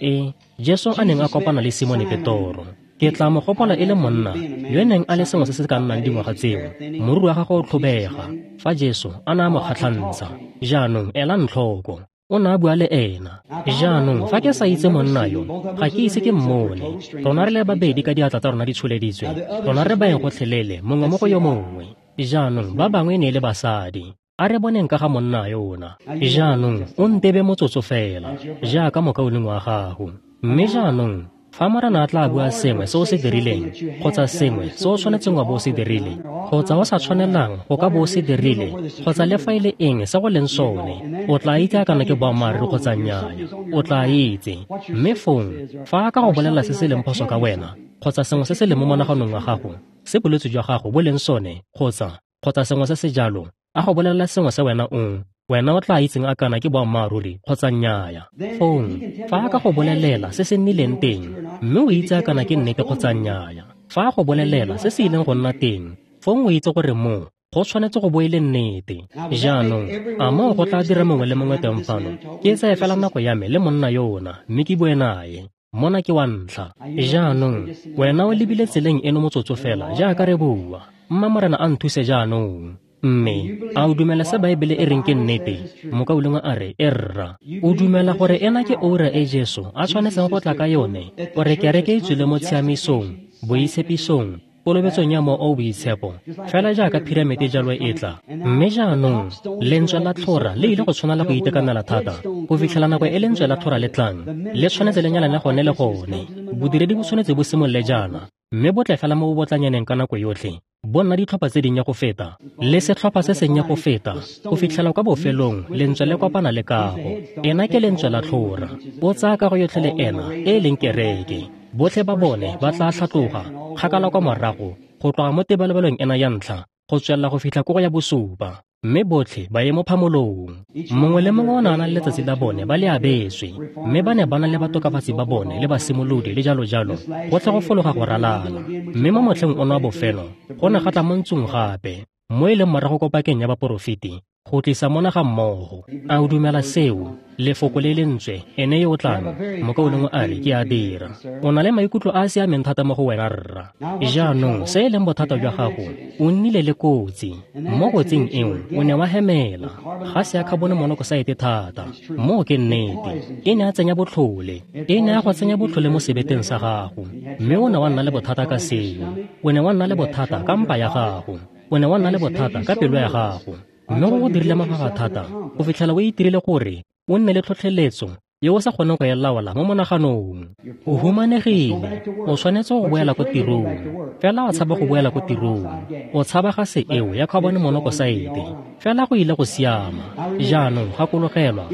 e Jesu a neng a kopana le Simone Petoro. Ke tla mo gopola e le monna yo neng a le sengwe se se ka nnang dingwaga tseo, moriri wa gagwe o tlhobega, fa Jesu a ne a mo kgatlhantsha. Jaanong elang tlhoko, o ne a bua le ena. Jaanong fa ke sa itse monna yo, ga ke ise ke mmone. Rona re le babedi ka diatla tsa rona di tsholeditswe, rona re baeng gotlhelele mongwe mo go yo mongwe. Jaanong ba bangwe e ne e le basadi. A re boneng ka ga monna yona. Jaanong o ntebe motsotso fela, jaaka mokaulengwe wa gago. Mme jaanong fa Morena a tla bua sengwe se o se dirileng, kgotsa sengwe se o tshwanetseng wa bo o se dirile, kgotsa o sa tshwanelang go ka bo o se dirile, kgotsa le fa e le eng se go leng sone, o tla itse a kana ke boammaaruri kgotsa nnyaa. O tla itse. Mme fong, fa a ka go bolelela se se leng phoso ka wena, kgotsa sengwe se se leng mo monaganong wa gago, se bolwetse jwa gago bo leng sone, kgotsa sengwe se se jalo, a go bolelela sengwe se wena o tla itseng a kana ke boammaaruri kgotsa nnyaya. Fong, fa a ka go bolelela se se nnileng teng, mme o itse a kana ke nnete kgotsa nnyaya. Fa a go bolelela se se ileng go nna teng, fong o itse gore moo go tshwanetse go bo e le nnete. Jaanong, a moo go tla dira mongwe le mongwe teng fano? Ke tseye fela nako ya me le monna yona, mme ke bue naye. Mona ke wa ntlha. Jaanong, wena o lebile tseleng eno motsotso fela jaaka re bua. Mma Morena a nthuse jaanong. Mme a o dumela se Baebele e reng ke nnete? Mokaulengwe a re, e rra. O dumela gore ena ke oura e Jesu a tshwanetseng go tla ka yone, gore kereke e tswile mo tshiamisong, boitshepisong, kolobetsong ya Mowa o o Boitshepo, fela jaaka piramete jalo e tla. Mme jaanong lentswe la tlhora le ile go tshwanela go itekanela thata go fitlhela nako e lentswe la tlhora le tlang, le tshwanetse le nyalane gone le gone. Bodiredi bo tshwanetse bo simolole jaana, mme bo tle fela mo bobotlanyaneng ka nako yotlhe, bo nna ditlhopha tse dinnye go feta le setlhopha se sennye go feta, go fitlhela kwa bofelong lentswe le kopana le kago. Ena ke lentswe la tlhora. O tsaya kago yotlhe le ena e leng kereke. Botlhe ba bone ba tla tlhatloga kgakala kwa morago go tloga mo tebelebelong ena ya ntlha go tswelela go fitlha ko go ya bosupa, mme botlhe ba ye mo phamolong. Mongwe le mongwe o ne a na le letsatsi la bone ba le abetswe, mme ba ne ba na le batokafatsi ba bone le basimolodi le jalo jalo, gotlhe go fologa go ralala. Mme mo motlheng ono wa bofelo go ne ga tla mo ntsong gape, mo e leng morago ko pakeng ya baporofeti, go tlisa mona ga mmogo. A o dumela seo? Lefoko le lentswe, ene yo o tlang. Mokaulengwe a re, ke a dira. O na le maikutlo a a siameng thata mo go wena, rra. Jaanong se e leng bothata jwa gago, o nnile le kotsi. Mo kotsing eo o ne wa hemela gase ya carbon monoxide thata. Moo ke nnete. E ne a tsenya botlhole. E ne a go tsenya botlhole mo sebeteng sa gago, mme o ne wa nna le bothata ka seo. O ne wa nna le bothata ka mpa ya gago. O ne wa nna le bothata ka pelo ya gago. Mme go go dirile mafafa thata go fitlhela o itirile gore o nne le tlhotlheletso ye o sa kgoneng go e laola mo monaganong. O humanegile, o tshwanetse go boela ko tirong, fela o tshaba go boela ko tirong. O tshaba gase eo ya carbon monoxide, fela go ile go siama. Jaanong gakologelwa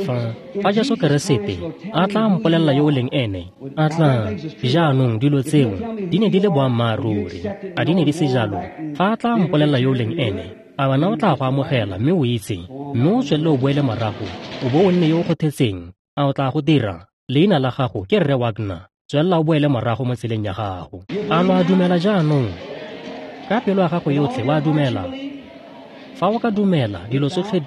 fa Jesu Keresete a tla mpolelela yo o leng ene, a tla. Jaanong dilo tseo di ne di le boammaaruri, a di ne di se jalo? Fa a tla mpolelela yo o leng ene, a wena o tla go amogela mme o itse, mme o tswelele o boele morago, o bo o nne yo o kgothetseng? A o tla go dira? Leina la gago ke Rre Wagner. Tswelela o boele morago mo tseleng ya gago. A lo a dumela jaanong? Ka pelo ya gago yotlhe wa dumela? Fa o ka dumela, dilo tsotlhe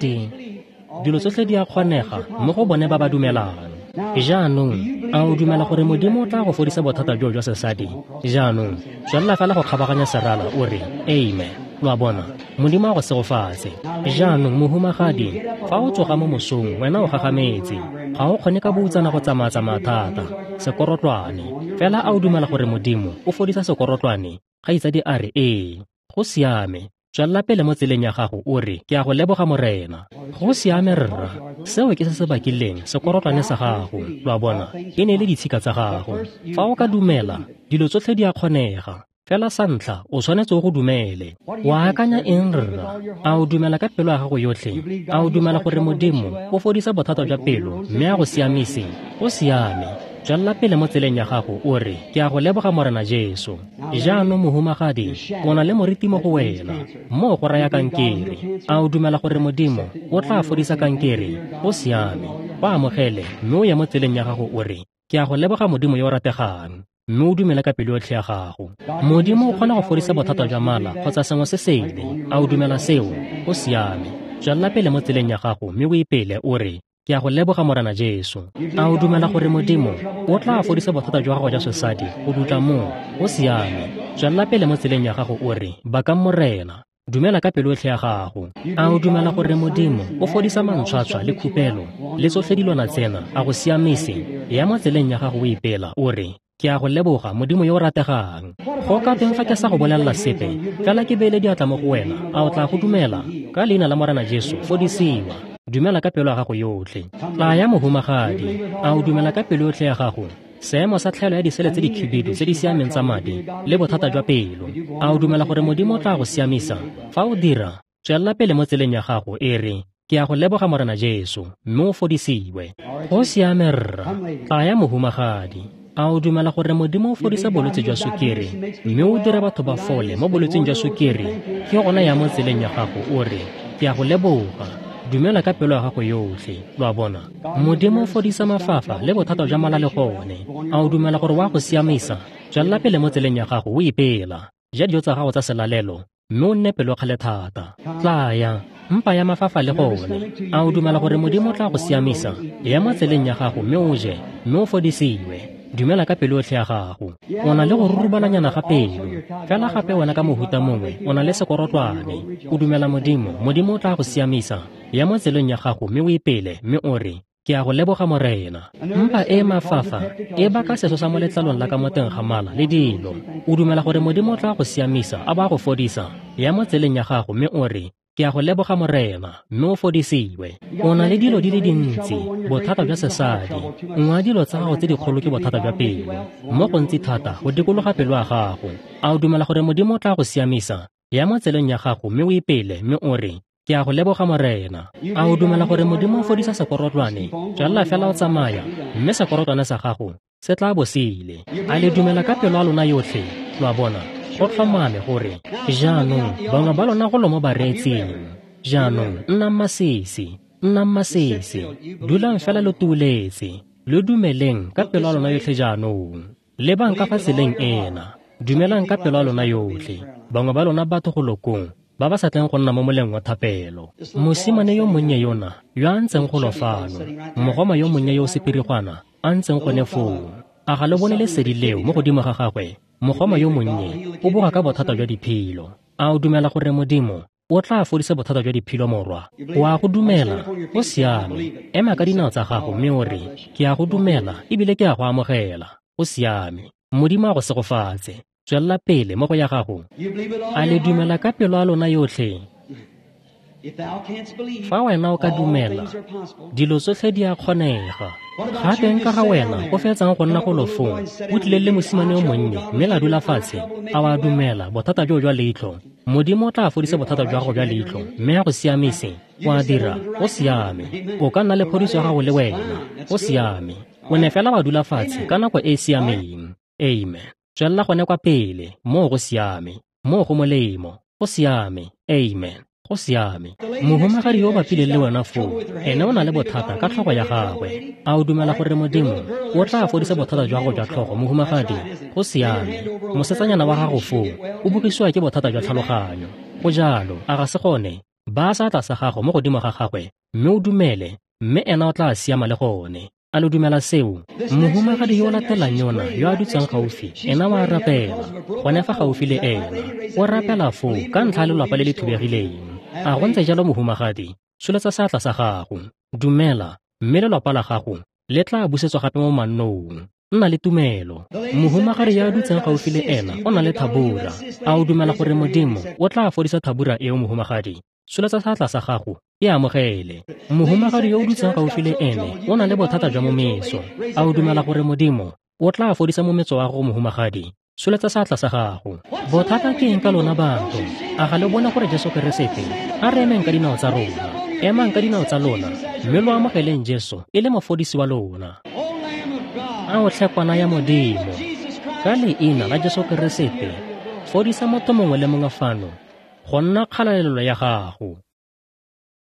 di a kgonega mo go bone ba ba dumelang. Jaanong, a o dumela gore Modimo o tla go fodisa bothata joo jwa sesadi? Jaanong, tswelela fela go kgabaganya serala o re, amen. Lo a bona, Modimo a go segofatse. Jaanong, mohumagadi, fa o tsoga mo mosong, wena o gagametse. Ga o kgone ka boutsana go tsamaya-tsamaya thata, sekorotlwane. Fela a o dumela gore Modimo o fodisa sekorotlwane? Kgaitsadi a re, ee. Go siame. Tswelela pele mo tseleng ya gago o re, ke a go leboga Morena. Go siame, rra. Seo ke se se bakileng sekorotlwane sa gago. Lo a bona, e ne e le ditshika tsa gago. Fa o ka dumela, dilo tsotlhe di a kgonega. Fela sa ntlha, o tshwanetse o go dumele. Wa akanya eng, rra? A o dumela ka pelo ya gago yotlhe? A o dumela gore Modimo o fodisa bothata jwa pelo mme a go siamise? Go siame. Tswelela pele mo tseleng ya gago o re, ke a go leboga Morena Jesu. Jaanong mohumagadi, o na le moriti mo go wena. Moo go raya kankere. A o dumela gore Modimo o tla fodisa kankere? Go siame. Go amogele mme o ye mo tseleng ya gago o re, ke a go leboga Modimo yo o rategang. Mme o dumele ka pelo yotlhe ya gago. Modimo o kgona go fodisa bothata jwa mala kgotsa sengwe se sele. A o dumela seo? Go siame. Tswelela pele mo tseleng ya gago mme o ipele o re, ke a go leboga Morena Jesu. A o dumela gore Modimo o tla fodisa bothata jwa gago jwa sesadi go dutla moo? Go siame. Tswelela pele mo tseleng ya gago o re, bakang Morena. Dumela ka pelo yotlhe ya gago. A o dumela gore Modimo o fodisa mantshwatshwa le khupelo le tsotlhe dilwana tsena, a go siamise? Ya mo tseleng ya gago o ipela o re, ke a go leboga Modimo yo o rategang. Go ka teng fa ke sa go bolelela sepe, fela ke beile diatla mo go wena, a o tla go dumela? Ka leina la Morena Jesu, fodisiwa. Dumela ka pelo ya gago yotlhe. Tlaya mohumagadi, a o dumela ka pelo yotlhe ya gago? Seemo sa tlhaelo ya disele tse dikhibidu tse di siameng tsa madi le bothata jwa pelo. A o dumela gore Modimo o tla go siamisa? Fa o dira, tswelela pele mo tseleng ya gago e re, ke a go leboga Morena Jesu, mme o fodisiwe. Go siame, rra. Tlaya mohumagadi. A o dumela gore Modimo o fodisa bolwetse jwa sukiri, mme o dira batho ba fole mo bolwetseng jwa sukiri? Ke gona ya mo tseleng ya gago, o re, ke a go leboga. Dumela ka pelo ya gago yotlhe, lo a bona. Modimo o fodisa mafafa le bothata jwa mala le gone. A o dumela gore wa go siamisa? Tswelela pele mo tseleng ya gago o ipela. Ja dijo tsa gago tsa selalelo, mme o nne pelokgale thata. Tlaya, mpa ya mafafa le gone. A o dumela gore Modimo o tla go siamisa? Ya mo tseleng ya gago mme o je, mme o fodisiwe. Dumela ka pelo yotlhe ya gago. O na le go rurubalanyana ga pelo. Fela gape wena ka mohuta mongwe o na le sekorotlwane. O dumela Modimo, Modimo o tla go siamisa. Ya mo tseleng ya gago mme o ipele, mme o re, ke a go leboga Morena. Mpa e mafafa e baka seso sa mo letlalong la ka mo teng ga mala le dilo. O dumela gore Modimo o tla go siamisa a ba go fodisa? Ya mo tseleng ya gago mme o re, ke a go leboga Morena, mme o fodisiwe. O na le dilo di le dintsi, bothata jwa sesadi. Nngwe ya dilo tsa gago tse dikgolo ke bothata jwa pelo, mo gontsi thata go dikologa pelo ya gago. A o dumela gore Modimo o tla go siamisa? Ya mo tseleng ya gago mme o ipele, mme o re, ke a go leboga Morena. A o dumela gore Modimo o fodisa sekorotlwane? Tswelela fela o tsamaya, mme sekorotlwane sa gago se tla bo se ile. A le dumela ka pelo ya lona yotlhe? Lo a bona, go tlhomame gore jaanong bangwe ba lona go lo mo bareetsing. Jaanong nnang masisi, nnang masisi, dulang fela lo tuuletse, lo dumeleng ka pelo ya lona yotlhe jaanong. Lebang ka fa tseleng ena, dumelang ka pelo ya lona yotlhe. Bangwe ba lona batho go lokong ba ba sa tleng go nna mo moleng wa thapelo. Mosimane yo monnye yona yo a ntseng go lo fano, mogoma yo monnye yo o sepirigwana a ntseng gone foo, a ga le bone lesedi leo mo godimo ga gagwe? Mogoma yo monnye o boga ka bothata jwa diphilo. A o dumela gore Modimo o tla fodisa bothata jwa diphilo, morwa? O a go dumela? O siame. Ema ka dinao tsa gago mme o re, ke a go dumela ebile ke a go amogela. O siame. Modimo a go segofatse. Tswelela pele mo go ya gago. A le dumela ka pelo ya lona yotlhe? Fa wena o ka dumela, dilo tsotlhe di a kgonega. Gape nka ga wena o fetsang go nna go lofong, o tlile le mosimane yo monnye mme la dula fatshe, a wa dumela bothata joo jwa leitlho? Modimo o tla fodisa bothata jwa gago jwa leitlho mme a go siamise. O a dira, o siame. O ka nna le phodiso ya gago le wena. O siame. O ne fela wa dula fatshe ka nako e e siameng. Amen. Tswelela gone kwa pele, moo go siame, moo go molemo, go siame. Amen. Go siame. Mohumagadi yo o bapileng le wena foo, ene o na le bothata ka tlhogo ya gagwe. A o dumela gore Modimo o tla fodisa bothata jwa gago jwa tlhogo, mohumagadi? Go siame. Mosetsanyana wa gago foo o bogisiwa ke bothata jwa tlhaloganyo. Go jalo, a ga se gone? Baya seatla sa gago mo godimo ga gagwe mme o dumele, mme ena o tla siama le gone. A lo dumela seo? Mohumagadi yo o latelang yona yo a dutseng gaufi, ena wa rapela gone fa gaufi le ena. O rapela foo ka ntlha ya lelapa le le thubegileng. A go ntse jalo, mohumagadi? Tsholetsa seatla sa gago. Dumela, mme lelapa la gago le tla busetswa gape mo mannong. Nna le tumelo. Mohumagadi yo a dutseng gaufi le ena o na le thabura. A o dumela gore Modimo o tla fodisa thabura eo, mohumagadi? Tsholetsa seatla sa gago, e amogele. Mohumagadi yo o dutseng gaufi le ene o na le bothata jwa mometso. A o dumela gore Modimo o tla fodisa mometso wa gago, mohumagadi? Tsholetsa seatla sa gago. Bothata ke eng ka lona batho? A ga le bone gore Jesu Keresete? A re emeng ka dinao tsa rona. Emang ka dinao tsa lona mme lo amogeleng Jesu e le mofodisi wa lona. A o tlhe kwana ya Modimo, ka leina la Jesu Keresete, fodisa motho mongwe le mongwe fano go nna kgalalelo ya gago.